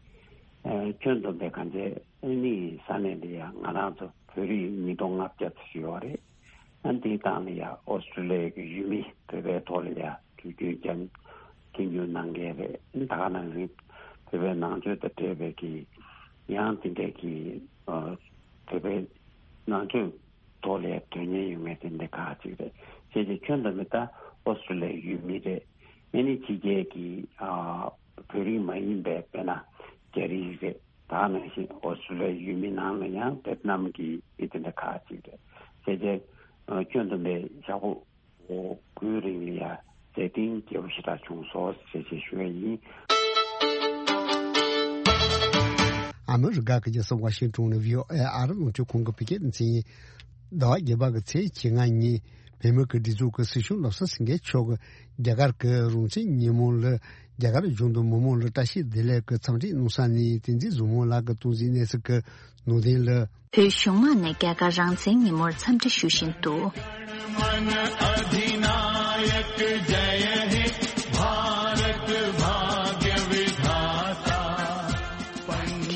ཨ་ཁྱོན་བསྡོམས་པའི་གང་བྱས་ཨ་ནི་ས་གནས་འདི་ཡ་ང་རང་ཚོ་བོད་རིགས་ཉིས་སྟོང་ལྔ་བརྒྱ་ཙམ་ཡོད་རེད། ཨ་འདིའི་སྟེང་ལ་ཡ་ཨོ་སི་ཀྲུ་ལི་ཡ་གི་ཡུལ་མི་བོད་པའི་ཐོག་ལ་ཡ་དུས་རྒྱུན་བརྒྱ་མཐུན་འགྱུར་གནང་མཁན་རེད། ད་ག་ནང་བཞིན་བོད་པའི་ནང་ཆོས་དང་འབྲེལ་བའི་གི་ཡང་དེ་འདྲའི་གི་ཨ་བོད་པའི་ནང་ཆོས་ཐོག་ལ་དོན་གཉེར་ཡོད་མཁན་དེ་འདྲ་ཁག་ཅིག་རེད། བྱས་ཙང་ཁྱོན་བསྡོམས་པ་ད་ཨོ་སི་ཀྲུ་ལི་ཡའི་ཡུལ་མི་རེད། ཨ་ནི་ཕྱི་རྒྱལ་གྱི་ཨ་བོད་རིགས་མ་ཡིན་པའི་དཔེར་ན་རྒྱ་རིགས་རེད། ད་ག་ནང་བཞིན་ཨོ་སི་ཀྲུ་ལི་ཡའི་ཡུལ་མི་ནང་ལ་ཡང་ཝེ་ཏི་ནམ་གྱི་མི་དེ་འདྲ་ཁག་ཅིག་རེད། བྱས་ཙང་ཨ་ཁྱོན་བསྡོམས་པའི་ཞག་པོ་དགུའི་རིང་ལ་ཡ་མཛད་འཕྲིན་རྒྱས་པོ་ཞེ་དྲག་བྱུང་སོང་ཞེས་ཞུ་ཡ་ཡིན། ཨ་མི་རི་ཀ་གི་རྒྱལ་ས་ཝ་ཤིང་ཏོན་ནས་ཝི་ཨོ་ཨེ་ཨ་རི་རླུང་འཕྲིན་ཁང་གི་བོད་སྐད་སྡེ་ཚན་ཡིན། ཟླ་བ་བརྒྱད་པ་གི་ཚེས་བཅོ་ལྔ་ཉིན་བོད་མི་གི་སྒྲིག་འཛུགས་ཀྱི་སྲིད་སྐྱོང་བློ་བཟང་སེང་གེ་མཆོག་གིས་རྒྱ་གར་གྱི་རང་བཙན་ཉིན་མོ་ལ་རྒྱ་གར་ལྗོངས་མི་མང་ལ་བཀྲ་ཤིས་བདེ་ལེགས་ཀྱི་འཚམས་འདྲི་གནང་ས་ནས་བསྟན་འཛིན་བཟང་མོ་ལགས་ཀྱིས་གཏོང་གཟིགས་གནང་ས་གི་ནང་དོན་ལ། བོད་གཞུང་མང་ནས་རྒྱ་གར་རང་བཙན་ཉིན་མོར་འཚམས་འདྲི་ཞུ་བཞིན་འདུག།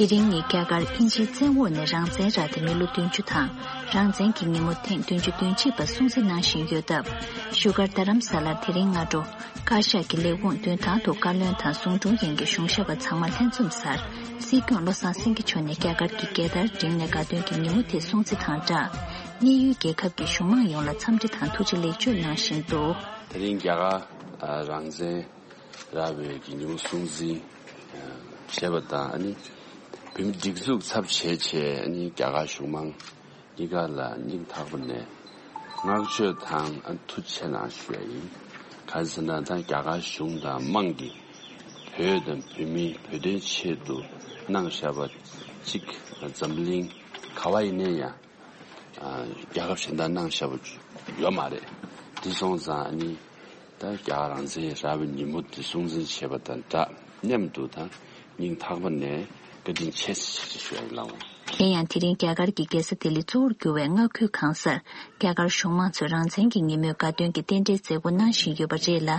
དེ་རིང་ནི་རྒྱ་གར་དབྱིན་ཇིའི་བཙན་འོག་ནས་རང་བཙན་རག་སྟེ་མི་ལོ་བདུན་ཅུ་དང་། རང་བཙན་གྱི་ཉིན་མོ་ཐེངས་བདུན་ཅུ་དོན་གཅིག་པ་སྲུང་བརྩི་གནང་བཞིན་ཡོད་སྟབས། བཞུགས་སྒར་རྡ་རམ་ས་ལར་དེ་རིང་སྔ་དྲོ། བཀའ་ཤག་གི་ལས་ཁུངས་མདུན་ཐང་དུ་བཀའ་བློན་དང་ཟུང་དྲུང་ཡན་གྱི་གཞུང་ཞབས་པ་ཚང་མ་ལྷན་འཛོམས་སར། སྲིད་སྐྱོང་བློ་བཟང་སེང་གེ་མཆོག་ནས་རྒྱ་གར་གྱི་རྒྱལ་དར་བསྒྲེངས་ནས་དགའ་སྟོན་གྱི་ཉིན་མོ་དེ་སྲུང་བརྩི་དང་སྦྲགས། གནས་ཡུལ་རྒྱལ་ཁབ་ཀྱི་གཞུང་མང་ཡོངས་ལ་འཚམས་འདྲི་དང་ཐུགས་རྗེ་ལེགས་བརྗོད་གནང་བཞིན་འདུག། དེ་རིང་རྒྱ་གར་རང་བཙན་རག་པའི་གི་ཉིན་མོ་སྲུང་བརྩི་བྱས་པ་དང་། ཨ་ནི་བོད་མི་སྒྲིག་འཛུགས་ཚབ་བྱས་བྱས། ཨ་ནི་རྒྱ་གར་གཞུང་མང་གཉིས་ཀ་ལ་སྙིང་ཐག་པ་ནས་བསྔགས་བརྗོད་དང་ཐུགས་རྗེ་ཆེ་གནང་ཞུ་ཡ་ཡིན། གང་ཟེར་ན་ད་རྒྱ་གར་གཞུང་དང་དམངས་ཀྱིས་བོད་དང་བོད་མིའི་བོད་དོན་ཆེད་དུ་གནང་བཞག་པ་གཅིག་འཛམ་གླིང་ག་བ་ཡིན་ན་ཡང་རྒྱལ་ཁབ་གཞན་དག་གནང་བཞག་པ་ཡོད་མ་རེད། དེ་སོང་ཙང་ཨ་ནི་ད་རྒྱ་གར་རང་བཙན་རག་པའི་ཉིན་མོ་དེ་སྲུང་བརྩི་བྱས་པ་དང་སྦྲགས། མཉམ་དུ་དང་སྙིང་ཐག་པ་ནས་བཀའ་དྲིན་ཆེ་ཞེས་ཞུ་ཡ་ཡིན་ལགས། གཞན་ཡང་དེ་རིང་རྒྱ་གར་གྱི་རྒྱལ་ས་ལྡི་ལི་གཙོ་བོར་གྱུར་བའི་མངའ་ཁུལ་གང་སར་རྒྱ་གར་གཞུང་མང་ཚོས་རང་བཙན་གྱི་ཉིན་མོའི་དགའ་སྟོན་གྱི་རྟེན་འབྲེལ་མཛད་སྒོ་གནང་བཞིན་ཡོད་པ་རེད་ལ།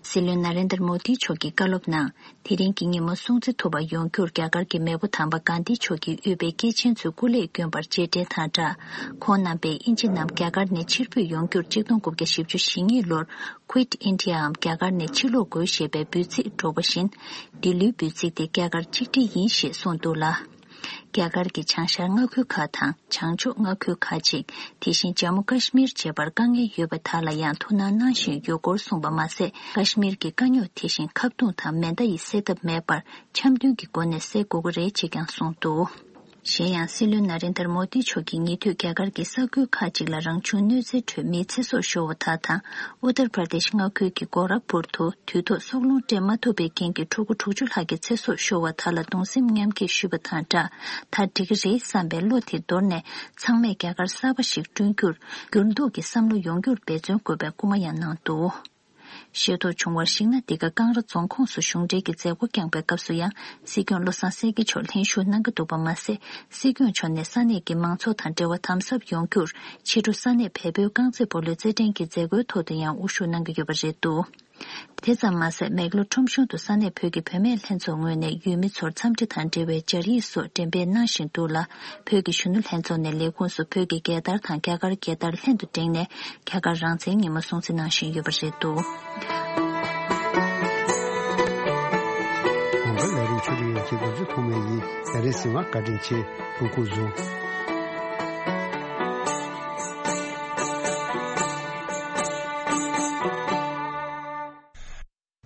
སྲིད་བློན་ན་རེན་དར་མོ་དི་མཆོག་གིས་བཀའ་སློབ་ནང་། དེ་རིང་གི་ཉིན་མོ་སྲུང་བརྩི་ཐུབ་པ་ཡོང་རྒྱུར་རྒྱ་གར་གྱི་མེས་པོ་དམ་པ་གྷན་དྷི་མཆོག་གིས་དབུས་པའི་སྐྱེས་ཆེན་ཚོས་སྐུ་ལས་བསྐྱོན་པར་རྗེས་དྲན་དང་སྦྲགས། ཁོང་རྣམ་པས་དབྱིན་ཇི་རྣམས་རྒྱ་གར་ནས་ཕྱིར་འབུད་ཡོང་རྒྱུར་གཅིག་སྟོང་དགུ་བརྒྱ་བཞི་བཅུ་ཞེ་གཉིས་ལོར་Quit India འམ་རྒྱ་གར་ནས་ཕྱིར་ལོག་དགོས་ཞེས་པའི་འབོད་ཚིག་སྒྲོག་པ་བཞིན། འདི་ལོའི་འབོད་ཚིག་དེ་རྒྱ་གར་གཅིག་སྒྲིལ་ཡིན་ཞེས་གསུངས་འདུག་ལ། རྒྱ་གར་གྱི་བྱང་ཤར་མངའ་ཁུལ་ཁག་དང་བྱང་ཕྱོགས་མངའ་ཁུལ་ཁག་ཅིག། དེ་བཞིན་ཇམ་མུ་ཀ་ཤི་མིར་བཅས་པར་དཀའ་ངལ་ཡོད་པ་དག་ལ་ཡང་ཐུགས་སྣང་གནང་བཞིན་ཡོད་སྐོར་གསུངས་པ་མ་ཟད། ཀ་ཤི་མིར་གྱི་དཀའ་རྙོག་དེ་བཞིན་ཁ་རྡུང་དང་མེ་མདའ་ཡིས་སེལ་ཐབས་མེད་པར། འཆམ་མཐུན་གྱི་སྒོ་ནས་སེལ་དགོས་ཀྱི་རེད་ཅེས་ཀྱང་གསུངས་འདུག། གཞན་ཡང་སྲིད་བློན་ན་རེན་དར་མོ་དི་མཆོག་གིས་ཉེ་དུས་རྒྱ་གར་གྱི་ས་ཁུལ་ཁག་ཅིག་ལ་རང་བྱུང་གནོད་འཚེའི་ཁྲོད་མིའི་ཚེ་སྲོག་ཤོར་བ་དག་དང་། ཨུ་ཏར་པར་དེཤ་མངའ་ཁུལ་གྱི་གོ་རག་པུར་དུ་དུས་ཐོག་སྲོག་རླུང་སྤྲད་མ་ཐུབ་པའི་རྐྱེན་གྱིས་ཕྲུ་གུ་དྲུག་ཅུ་ལྷག་གི་ཚེ་སྲོག་ཤོར་བ་དག་ལ་གདུང་སེམས་མཉམ་སྐྱེད་ཞུས་པ་དང་སྦྲགས། ད་འགྲིག་གི་རེད་བསམ་པའི་བློ་དེ་དོར་ནས། ཚང་མས་རྒྱ་གར་གསར་པ་ཞིག་བསྐྲུན་རྒྱུར་འགྱུར་ལྡོག་གི་བསམ་བློ་ཡོང་རྒྱུར་འབད་བརྩོན་དགོས་པའི་སྐུལ་མ་ཡང་གནང་འདུག། ཤེས་རྟོགས་བྱུང་བར་གཞིགས་ན། འདི་ག་ཀང་ར་རྫོང་ཁོངས་སུ་གཞུང་འབྲེལ་གྱི་མཛད་སྒོ་བསྐྱངས་པའི་སྐབས་སུ་ཡང་། སྲིད་སྐྱོང་བློ་བཟང་སེང་གེ་མཆོག་ལྷན་ཞུགས་གནང་གི་འདུག་པ་མ་ཟད། སྲིད་སྐྱོང་མཆོག་ནས་ས་གནས་ཀྱི་མང་ཚོགས་དང་འབྲེལ་བ་དམ་ཟབ་ཡོང་རྒྱུར། ཕྱི་དྲོ་ས་གནས་བལ་པོའི་རྐང་རྩེད་སྤོ་ལོའི་རྩེད་འགྲན་གྱི་མཛད་སྒོའི་ཐོག་ཏུ་ཡང་དབུ་བཞུགས་གནང་གི་ཡོད་པ་རེད་འདུག་དེ་ཙམ་མ་ཟད། མེག་ལོར་ཁྲོམ་གཞུང་དུ་ས་གནས་བོད་ཀྱི་བུད་མེད་ལྷན་ཚོགས་ངོས་ནས་ཡུལ་མི་ཚོར་འཚམས་འདྲི་དང་འབྲེལ་བའི་སྦྱར་ཡིག་སོགས་འགྲེམས་སྤེལ་གནང་བཞིན་འདུག་ལ། བོད་ཀྱི་གཞོན་ནུ་ལྷན་ཚོགས་ནས་ལས་ཁུངས་སུ་བོད་ཀྱི་རྒྱལ་དར་དང་རྒྱ་གར་རྒྱལ་དར་ལྷན་དུ་བསྒྲེངས་ནས། རྒྱ་གར་རང་བཙན་ཉིན་མོ་སྲུང་བརྩི་གནང་བཞིན་ཡོད་པ་རེད་འདུག་གོང་གི་ལས་རིམ་ཆོས་སྒྲིག་ཡོད་ཀྱི་འགོ་འཛུགས་ཐོག་མའི་ཡིན། ལས་རིམ་གསན་པར་བཀའ་དྲིན་ཆེ། སྐུ་ཁམས་བཟང་།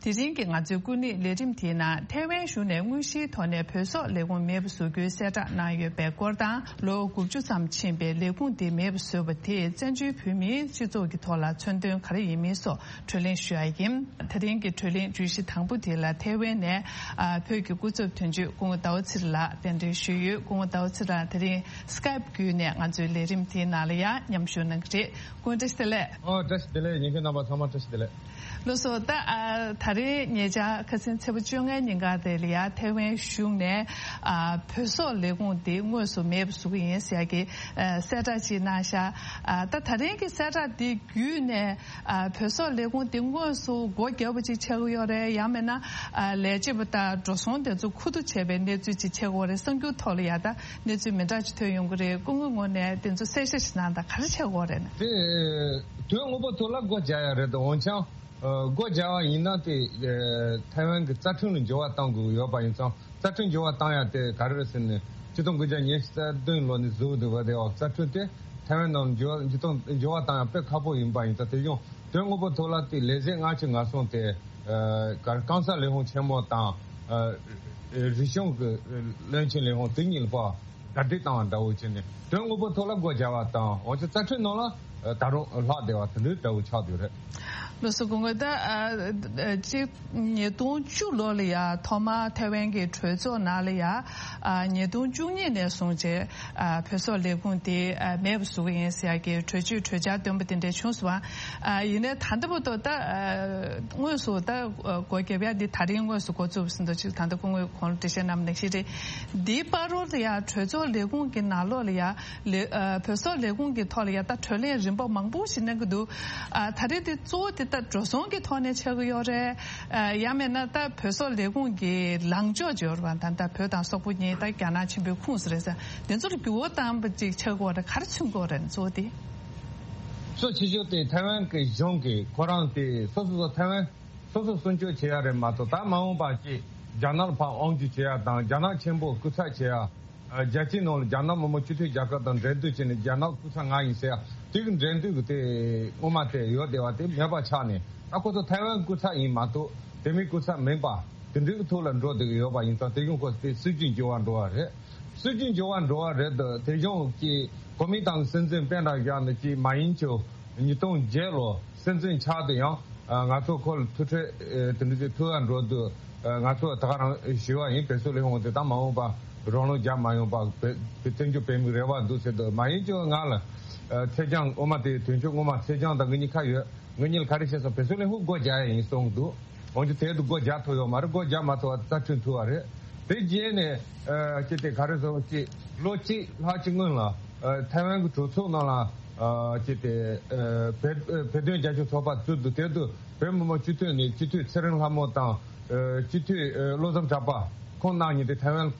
དེ་རིང་གི་ང་ཚོའི་སྐུ་ཉིད་ལས་རིམ་དེའི་ནང་། ཐའེ་ཝན་གཞུང་ནས་དངོས་གཞིའི་ཐོག་ནས་བོད་སོག་ལས་ཁུངས་མེད་པར་བཟོ་རྒྱུའི་གསལ་བསྒྲགས་གནང་ཡོད་པའི་སྐོར་དང་། ལོ་དགུ་བཅུ་ཙམ་ཕྱིན་པའི་ལས་ཁུངས་དེ་མེད་པར་བཟོས་པ་དེས་བཙན་བྱོལ་བོད་མིའི་སྤྱི་ཚོགས་ཀྱི་ཐོག་ལ་མཚོན་དོན་ག་རེ་ཡིན་མིན་སོགས་གྲོས་གླེང་ཞུ་ཡ་ཡིན། དེ་རིང་གི་གྲོས་གླེང་བརྗོད་གཞི་དང་པོ་དེ་ལ་ཐའེ་ཝན་ནས། ཨ། བོད་ཀྱི་སྐུ་ཚབ་དོན་གཅོད་སྐུ་ངོ་ཟླ་བ་ཚེ་རིང་ལགས་གདན་འདྲེན་ཞུས་ཡོད། སྐུ་ངོ་ཟླ་བ་ཚེ་རིང་ལགས་དེ་རིང་སི་ཀའེབ་བརྒྱུད་ནས་ང་ཚོའི་ལས་རིམ་དེའི་ནང་ལ་ཡང་མཉམ་ཞུགས་གནང་གི་རེད། སྐུ་ངོ་བཀྲ་ཤིས་བདེ་ལེགས། ཨོ། བཀྲ་ཤིས་བདེ་ལེགས། ཉན་མཁན་རྣམ་པ་ཚང་མ་བཀྲ་ཤིས་བདེ་ལེགས། ལགས་སོ། ད། ཨ། ད་རེས་ཉེ་ཆར་ཁ་སང་ཚེས་པ་བཅོ་ལྔའི་ཉིན་ཀ་དེ་ལ་ཡ་ཐའེ་ཝན་གཞུང་ནས། ཨ། བོད་སོག་ལས་ཁུངས་དེ་དངོས་སུ་མེད་པ་བཟོ་གི་ཡིན་ཟེར་ཡ་གི། ཨ། གསལ་བསྒྲགས་ཅིག་གནང་ཤག་ཨ། ད་ད་རིང་གི་གསལ་བསྒྲགས་དེ་བརྒྱུད་ནས། ཨ། བོད་སོག་ལས་ཁུངས་དེ་དངོས་སུ་སྒོ་བརྒྱབ་པ་ཅིག་ཆགས་ཀྱི་ཡོད་རེད། ཡང་མིན་ན། ཨ། ལས་བྱེད་པ་དང་འགྲོ་སོང་དེ་ཚོ་ཁུ་བསྡུ་བྱས་པའི་གནས་ཚུལ་ཅིག་ཆགས་ཀྱི་ཡོད་རེད། གསར་འགྱུར་ཐོག་ལ་ཡ་ད། གནས་ཚུལ་མི་འདྲ་ཅིག་ཐོན་ཡོང་གི་རེད། སྐུ་ངོའི་ངོས་ནས་དེ་ཚོ་གསལ་བཤད་ཞིག་གནང་དང་། ག་རེ་ཆགས་ཀྱི་ཡོད་རེད་ན། དེ་དོན་དངོས་པོ་ཐོག་ལ་སྒོ་རྒྱག་ཡ་རེད་དོ། འོན་ཀྱང་། ཨ། སྒོ་རྒྱག་པ་ཡིན་ན་དེ། ཨ། ཐའེ་ཝན་གྱི་རྩ་ཁྲིམས་ལ་འགྱུར་བ་གཏང་དགོས་ཡོད་པ་ཡིན་ཙང་། རྩ་ཁྲིམས་འགྱུར་བ་གཏང་ཡ་དེ་ག་རེ་རེད་ཟེར་ན། ཆིག་སྟོང་དགུ་བརྒྱ་ཉི་ཤུ་རྩ་བདུན་ལོ་ནས་བཟོས་འདུག་པ་དེ། འོ། རྩ་ཁྲིམས་དེ་ཐའེ་ཝན་ནང་འགྱུར་བ་འགྱུར་གཏོང་འགྱུར་བ་གཏང་ཡ་དཔེ་ཁག་པོ་ཡིན་པ་ཡིན་ཙང་། དེ་ཡང་དོན་དངོས་པོ་ཐོག་ལ་དེ་ལས་བྱེད་ལྔ་བཅུ་ང་གསུམ་དེ། ཨ། ག་རེ། གང་ས་ལས་ཁུངས་ཆེན་མོ་དང་། ཨ། རིག་གཞུང་གི་བློན་ཆེན་ལས་ཁུངས་དེ་གཉིས་ལ་ཕར་ཟླ་སྒྲིལ་བཏང་བ་འདྲ་བོ་བྱས་ནས། དོན་དངོས་པོ་ཐོག་ལ་སྒོ་རྒྱག་པ་དང་། འོན་ཀྱང་རྩ་ཁྲིམས་ནང་ལ་ད་རུང་ལྷག་བསྡད་པ་དེ་འདྲའི་འདྲ་བོ་ཆགས་བསྡད་ཡོད་རེད། ལགས་སོ། སྐུ་ངོ། ད། ཨ། ཨ། གཅིག་ཉིས་སྟོང་བཅུ་ལོ་ལ་ཡ་ཐོག་མར་ཐའེ་ཝན་གྱི་གྲོས་ཚོགས་ནང་ལ་ཡ། ཨ། ཉིས་སྟོང་བཅུ་གཉིས་ནས་བཟུང་བྱས། ཨ། བོད་སོག་ལས་ཁུངས་དེ། ཨ། མེད་པ་བཟོ་གི་ཡིན་ཟེར་ཡ་གི་གྲོས་ཆོད་གྲོས་འཆར་བཏོན་པ་དེ་འདྲ་བྱུང་སོང་བ། ཨ། ཡིན་ནའི་ད་ལྟ་བར་དུ་ད། ཨ། དངོས་སུ་ད། ཨ། སྒོ་བརྒྱབ་ཡ་འདི་ད་རིང་དངོས་སུ་འགོ་བཙུགས་ཟིན་འདུག་ཅིག་ད་ལྟ་སྐུ་ངོས་གོང་ལ་འགྲེལ་བཤད་གནང་བ་ནང་བཞིན་རེད། འདིའི་བར་དུ་ལ་ཡ་གྲོས་ཚོགས་ལས་ཁུངས་ཀྱི་ནང་ལོགས་ལ་ཡ། ལས། ཨ། བོད་སོག་ལས་ཁུངས་ཀྱི་ཐོག་ལ་ཡ་ད་གྲོས་གླེང་རིམ་པ་མང་པོ་ཞིག་གནང་གི་འདུག་ཨ། ད་རེས་དེ་གཙོ་བོ་དེ་ད་འགྲོ་སོང་གི་ཐོག་ནས་ཆགས་ཀྱི་ཡོད་རེད། ཨ། ཡང་མིན་ན་ད་བོད་སོག་ལས་ཁུངས་ཀྱི་ལངས་ཕྱོགས་ཅིག་ཡོད་རེད་པ། ད་ལྟ་བོད་དང་སོག་པོ་གཉིས་ད་རྒྱ་ནག་ཆེན་པོའི་ཁོངས་སུ་རེད་ཟེར། དེ་ཚོར་འགྱུར་བ་བཏང་བ་ཅིག་ཆགས་ཀྱི་ཡོད་རེད། ག་རེ་མཚོན་གྱི་ཡོད་རེད་གཙོ་བོ་དེ། གཙོ་ཆེ་ཤོས་དེ་ཐའེ་ཝན་གྱི་གཞུང་གིས་ཁོ་རང་དེ་སོ་སོ་སོ་ཐའེ་ཝན་སོ་སོ་སྲུང་སྐྱོབ་བྱེད་ཡ་རེད་མ་གཏོགས། ད་མ་འོངས་པ་ཅིག་རྒྱ་ནག་ལ་ཕར་དབང་སྒྱུར་བྱེད་ཡ་དང་། རྒྱ་ནག་ཆེན་པོ་སྐུ་ཚབ་བྱེད་ཡ། ཨ། རྒྱལ་སྤྱིའི་ནང་ལ་རྒྱ་ནག་མི་དམངས་སྤྱི་མཐུན་རྒྱལ་ཁབ་དང་འབྲེལ་མཐུད་བྱས་ནས་རྒྱ་ནག་སྐུ་ཚབ་ང་ཡིན་ཟེར་ཡ་དེ་གི་འབྲེལ་མཐུད་ཀྱི་དེ་སྔོན་མ་དེ་ཡོད་བསྡད་པ་དེ་མེད་པ་ཆགས་ནས། ད་ཁོ་ཚོ་ཐའེ་ཝན་སྐུ་ཚབ་ཡིན་མ་གཏོགས་དེ་མིན་སྐུ་ཚབ་མིན་པ་དེ་འདྲའི་གི་ཐོག་ལ་འགྲོ་བསྡད་ཀྱི་ཡོད་པ་ཡིན་ཙང་། དེ་གཞུང་ཁོ་ཚོ་དེ་སྲིད་ཇུས་འགྱུར་བ་འགྲོ་བ་རེད། སྲིད་ཇུས་འགྱུར་བ་འགྲོ་བ་རེད་དོ། དེ་གཞུང་གི་གོ་མིན་ཏང་གི་སྲིད་འཛིན་པེན་ཀྲང་བཞག་ནས་ཀྱི་མ་ཡིན་ཅོ་ཉིས་སྟོང་བརྒྱད་ལོ་སྲིད་འཛིན་ཆགས་དུས་ཡང་། ཨ། ང་ཚོ་ཁོ་ལ་ཐུག་འཕྲད། ཨེ། དེ་འདྲ་ཅིག་ཐུག་ཡ་འགྲོ་དུས། ཨ། ང་ཚོ་ད་ག་རང་ཞུས་པ་ཡིན། བོད་སོག་ལས་ཁུངས་དེ་ད་མ་འོངས་པ་རོགས་རམ་རྒྱག་མ་ཡོང་བ་བོད་བཙན་བྱོལ་བོད་མིའི་རེ་བ་འདུག་ཟེར་དུས། མ་ཡིན་ཅོ་ང་ལ། ཨ། ཚེ་རྒྱང་། སྔོན་མ་དེ་དོན་གཅོད་སྔོན་མ་ཚེ་རྒྱང་དང་ངེད་གཉིས་ཁ་ཡོད། ངེད་གཉིས་ལ་ག་རེ་བཤད་སོང་། བོད་སོག་ལས་ཁུངས་སྒོ་རྒྱག་ཡ་ཡིན་གསུངས་འདུག་འོན་ཀྱང་དེ་དུས་སྒོ་རྒྱག་ཐུབ་ཡོད་མ་རེད། སྒོ་རྒྱག་མ་ཐུབ་པ་རྩ་ཁྲིམས་ཐུག་པ་རེད། དེ་རྗེས་ནས། ཨ། ཅི་དེ་ག་རེ་ཟེར་ཅིག་ལོ་གཅིག་ལྷག་ཅིག་སྔོན་ལ། ཨ། ཐའེ་ཝན་གྱི་གྲོས་ཚོགས་ནང་ལ། ཨ། ཅི་དེ། ཨ། བོད། ཨ། བོད་དོན་རྒྱབ་སྐྱོར་ཚོགས་པ་བཙུགས་འདུག་དེ་དུས་བོད་མི་མང་སྤྱི་འཐུས་ནས་སྤྱི་འཐུས་ཚེ་རིང་ལྷ་མོ་དང་། ཨ། སྤྱི་འཐུས། ཨ། བློ་བཟང་གྲགས་པ་ཁོང་རྣམ་གཉིས་དེ་ཐའེ་ཝན་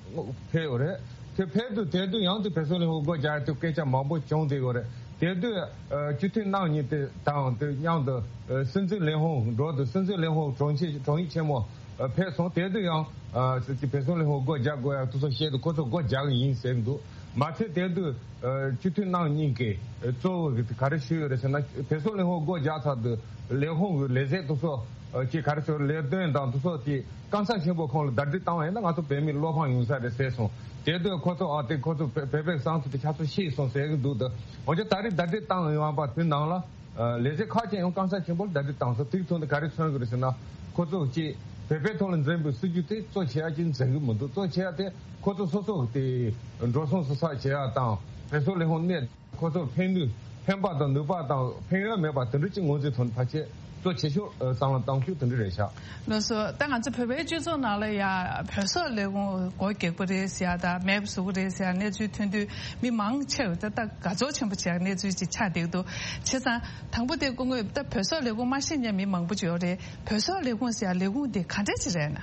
ཕེབས་ཡོད་རེད། དེ་ཕེབས་དུས་དེ་དུས་ཡང་དེ་བོད་སོག་ལས་ཁུངས་སྒོ་རྒྱག་ཡ་དེ་སྐད་ཆ་མང་པོ་བྱུང་བསྡད་ཡོད་རེད། དེ་དུས། ཨ། སྤྱི་འཐུས་རྣམ་གཉིས་དེ་དང་དེ་མཉམ་དུ། ཨ། སྲིད་འཛིན་ལས་ཁུངས་འགྲོ་དུས་སྲིད་འཛིན་ལས་ཁུངས་དྲུང་ཆེ། དྲུང་ཡིག་ཆེན་མོ། ཨ། ཕེབས་སོང་། དེ་དུས་ཡང་། ཨ། སྲིད་སྤྱི་བོད་སོག་ལས་ཁུངས་སྒོ་རྒྱག་དགོས་ཡ་དེ་ཚོ་བཤད་དུས་ཁོ་ཚོ་སྒོ་རྒྱག་གི་ཡིན་ཟེར་གྱི་འདུག་མ་ཚད་དེ་དུས། ཨ། སྤྱི་འཐུས་རྣམ་གཉིས་ཀྱིས་གཙོ་བོ་གི་ག་རེ་ཞུས་ཡོད་རེད་ཟེར་ན། བོད་སོག་ལས་ཁུངས་སྒོ་རྒྱག་ཚར་དུས་ལས་ཁུངས་ཀྱི་ལས་བྱེད་དེ་ཚོ། ཨ། ཅིག་ག་རེ་ཟེར། ལས་དོན་དང་དེ་ཚོ་ཅིག་གང་ཟག་ཆེན་པོ་ཁོང་ལ་ཟླ་སྒྲིལ་བཏང་བ་ཡིན་ན་ང་ཚོ་བོད་མི་བློ་ཕམ་ཡོང་ས་རེད་ཟེར་སོང་། དེ་དུས་ཁོ་ཚོ། ཨ། དེ་ཁོ་ཚོ་བོད་བོད་པའི་བསམ་ཚུལ་དེ་ཆ་ཚང་ཤེས་སོང་ཟེར་གྱི་འདུག་ད་འོན་ཀྱང་ད་རེས་ཟླ་སྒྲིལ་བཏང་ཡོང་བ་དེ་ནང་ལ། ཨ། ལས་བྱེད་ཁག་ཅིག་ཡང་གང་ཟག་ཆེན་པོ་ལ་ཟླ་སྒྲིལ་བཏང་སོང་། དེའི་ཐོག་ནས་ག་རེ་མཚོན་གྱི་རེད་ཟེར་ན། ཁོ་ཚོ་ཅིག་བོད་པའི་ཐོག་ལ་འཛིན་པའི་སྲིད་ཇུས་དེ་གཙོ་ཆེ་བ་ཅིག་འཛིན་གྱི་མི་འདུག་གཙོ་ཆེ་བ་དེ་ཁོ་ཚོ་སོ་སོ་དེ་འགྲོ་སོང་བསགས་བསགས་བྱེད་ཡ་དང་། བོད་སོག་ལས་ཁུངས་གནས་ཁོ་ཚོར་ཕན་ནུས། ཕན་པ་དང་ནུས་པ་དང་ཕན་ཡོན་མེད་པ་དེ་འདྲ་ཅིག་ངོས་འཛིན་ཐོག་ནས་ཕལ་ཆེར། གཙོ་ཆེ་ཤོས་བསམ་བློ་བཏང་ཤུགས་དེ་འདྲ་རེད་ཤག་ལགས་སོ། ད་ང་ཚོ་བོད་པའི་སྤྱི་ཚོགས་ནང་ལ་ཡ་བོད་སོག་ལས་ཁུངས་སྒོ་རྒྱག་པ་རེད་ཟེར་ཡ་དང་མེད་པ་བཟོ་གི་རེད་ཟེར་ཡ་གནས་ཚུལ་ཐོན་དུས་མི་མང་ཆེ་བ་ད་ད་དགའ་ཚོར་ཆེན་པོ་བྱས་གནས་ཚུལ་ཅིག་ཆགས་བསྡད་འདུག་བྱས་ཙང་དང་པོ་དེ་སྐུ་ངོས་ད་བོད་སོག་ལས་ཁུངས་མ་ཤེས་མཁན་མི་མང་པོ་ཅིག་ཡོད་རེད། བོད་སོག་ལས་ཁུངས་ཟེར་ཡ་ལས་ཁུངས་དེ་ག་འདྲ་ཅིག་རེད་ན།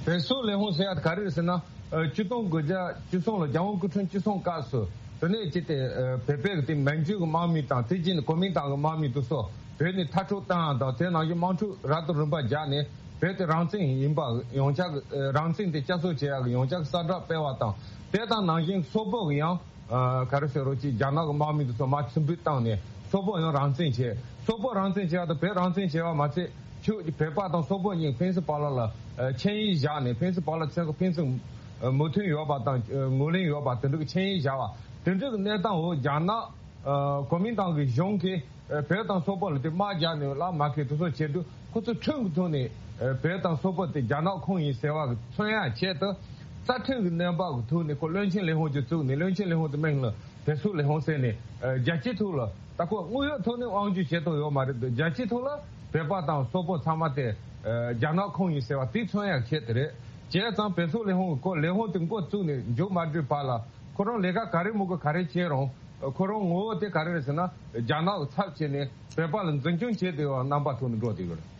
བོད་སོག་ལས་ཁུངས་ཟེར་ཡ་ག་རེ་རེད་ཟེར་ན། ཨ། ཆིག་སྟོང་དགུ་བརྒྱ་བཅུ་གསུམ་ལོ་རྒྱལ་དབང་སྐུ་ཕྲེང་བཅུ་གསུམ་སྐབས་སུ་དེ་ནས་ཅི་སྟེ་ཨ། བོད་པའི་གི་དེ་མན་ཇུའི་གི་དམག་མི་དང་དེ་རྗེས་ནས་གོ་མིན་ཏང་གི་དམག་མི་དེ་ཚོ་བོད་ནས་མཐར་སྐྲོད་བཏང་ཡ་དང་། དེ་ནང་བཞིན་དམག་འཁྲུག་རབ་དང་རིམ་པ་རྒྱག་ནས་བོད་དེ་རང་བཙན་ཡིན་པ་ཡོངས་ཁྱབ་ཀྱི་ཨ། རང་བཙན་དེ་བསྐྱར་གསོ་བྱེད་ཡ་གི་ཡོངས་ཁྱབ་གསལ་བསྒྲགས་སྤེལ་བ་དང་། དེ་དང་ནང་བཞིན་སོག་པོ་གི་ཡང་ཨ། ག་རེ་ཟེར་རོགས་ཅིག་རྒྱ་ནག་གི་དམག་མི་དེ་ཚོ་མར་ཚུར་འབུད་བཏང་ནས་སོག་པོ་ཡང་རང་བཙན་བྱས། སོག་པོ་རང་བཙན་བྱས་པ་དང་བོད་རང་བཙན་བྱས་པ་མ་ཚད། ཁྱོད་ཀྱི་བོད་པ་དང་སོག་པོ་གཉིས་ཕན་ཚུན་བར་ལ་ལ་ཨ། ཆིངས་ཡིག་བཞག་ནས་ཕན་ཚུན་བར་ལ་ཚན་ཁ་ཕན་ཚུན་ཨ། མོས་མཐུན་ཡོད་པ་དང་ཨ། ངོས་ལེན་ཡོད་པ་དེ་འདྲ་གི་ཆིངས་ཡིག་བཞག་པ་དེ་འདྲ་གི་གནས་སྟངས་འོག་རྒྱ་ནག་ཨ། གོ་མིན་ཏང་གི་གཞུང་གིས་ཨ། བོད་དང་སོག་པོ་ལ་དེ་དམག་རྒྱག་ནས་ལ་མ་ཁེལ་དེ་ཚོ་བྱེད་དུས་ཁོ་ཚོ་ཁྲིམས་ཀྱི་ཐོག་ནས་ཨ། བོད་དང་སོག་པོ་དེ་རྒྱ་ནག་ཁོངས་ཡིན་ཟེར་བ་གི་མཚོན་ཡ་ཆེད་དུ་རྩ་ཁྲིམས་ཀྱི་གནས་བབ་ཀྱི་ཐོག་ནས་ཁོ་བློན་ཆེན་ལས་ཁུངས་ཅིག་བཙུགས་ནས། བློན་ཆེན་ལས་ཁུངས་དེ་མིང་ལ་བོད་སོག་ལས་ཁུངས་ཟེར་ནས་ཨ། རྒྱལ་སྤྱིའི་ཐོག་ལ་ད་ཁོ་དངོས་ཡོད་ཐོག་ནས་དབང་སྒྱུར་བྱེད་ཐུབ་ཡོད་མ་རེད་འདུག་རྒྱལ་སྤྱིའི་ཐོག་ལ་བོད་པ་དང་སོག་པོ་ཚང་མ་དེ་ཨ། རྒྱ་ནག་ཁོངས་ཡིན་ཟེར་བ་དེ་མཚོན་ཡ་ཆེད་དེ་རེད། བྱས་ཙང་བོད་སོག་ལས་ཁུངས་ཀྱི་ཁོ་ལས་ཁུངས་དེ་འགོ་བཙུགས་ནས་མཇུག་མ་སྒྲིལ་བར་ལ་ཁོ་རང་ལས་ཀ་ག་རེ་མི་དགོས་ག་རེ་བྱས་རུང་། ཁོ་རང་ངོ་བོ་དེ་ག་རེ་རེད་ཟེར་ན། རྒྱ་ནག་གི་ཚབ་བྱས་ནས་བོད་པ་ལ་འཛིན་སྐྱོང་བྱས་བསྡད་པ་རྣམ་པ་ཐོག་ནས་འགྲོ་བསྡད་ཡོད་རེད།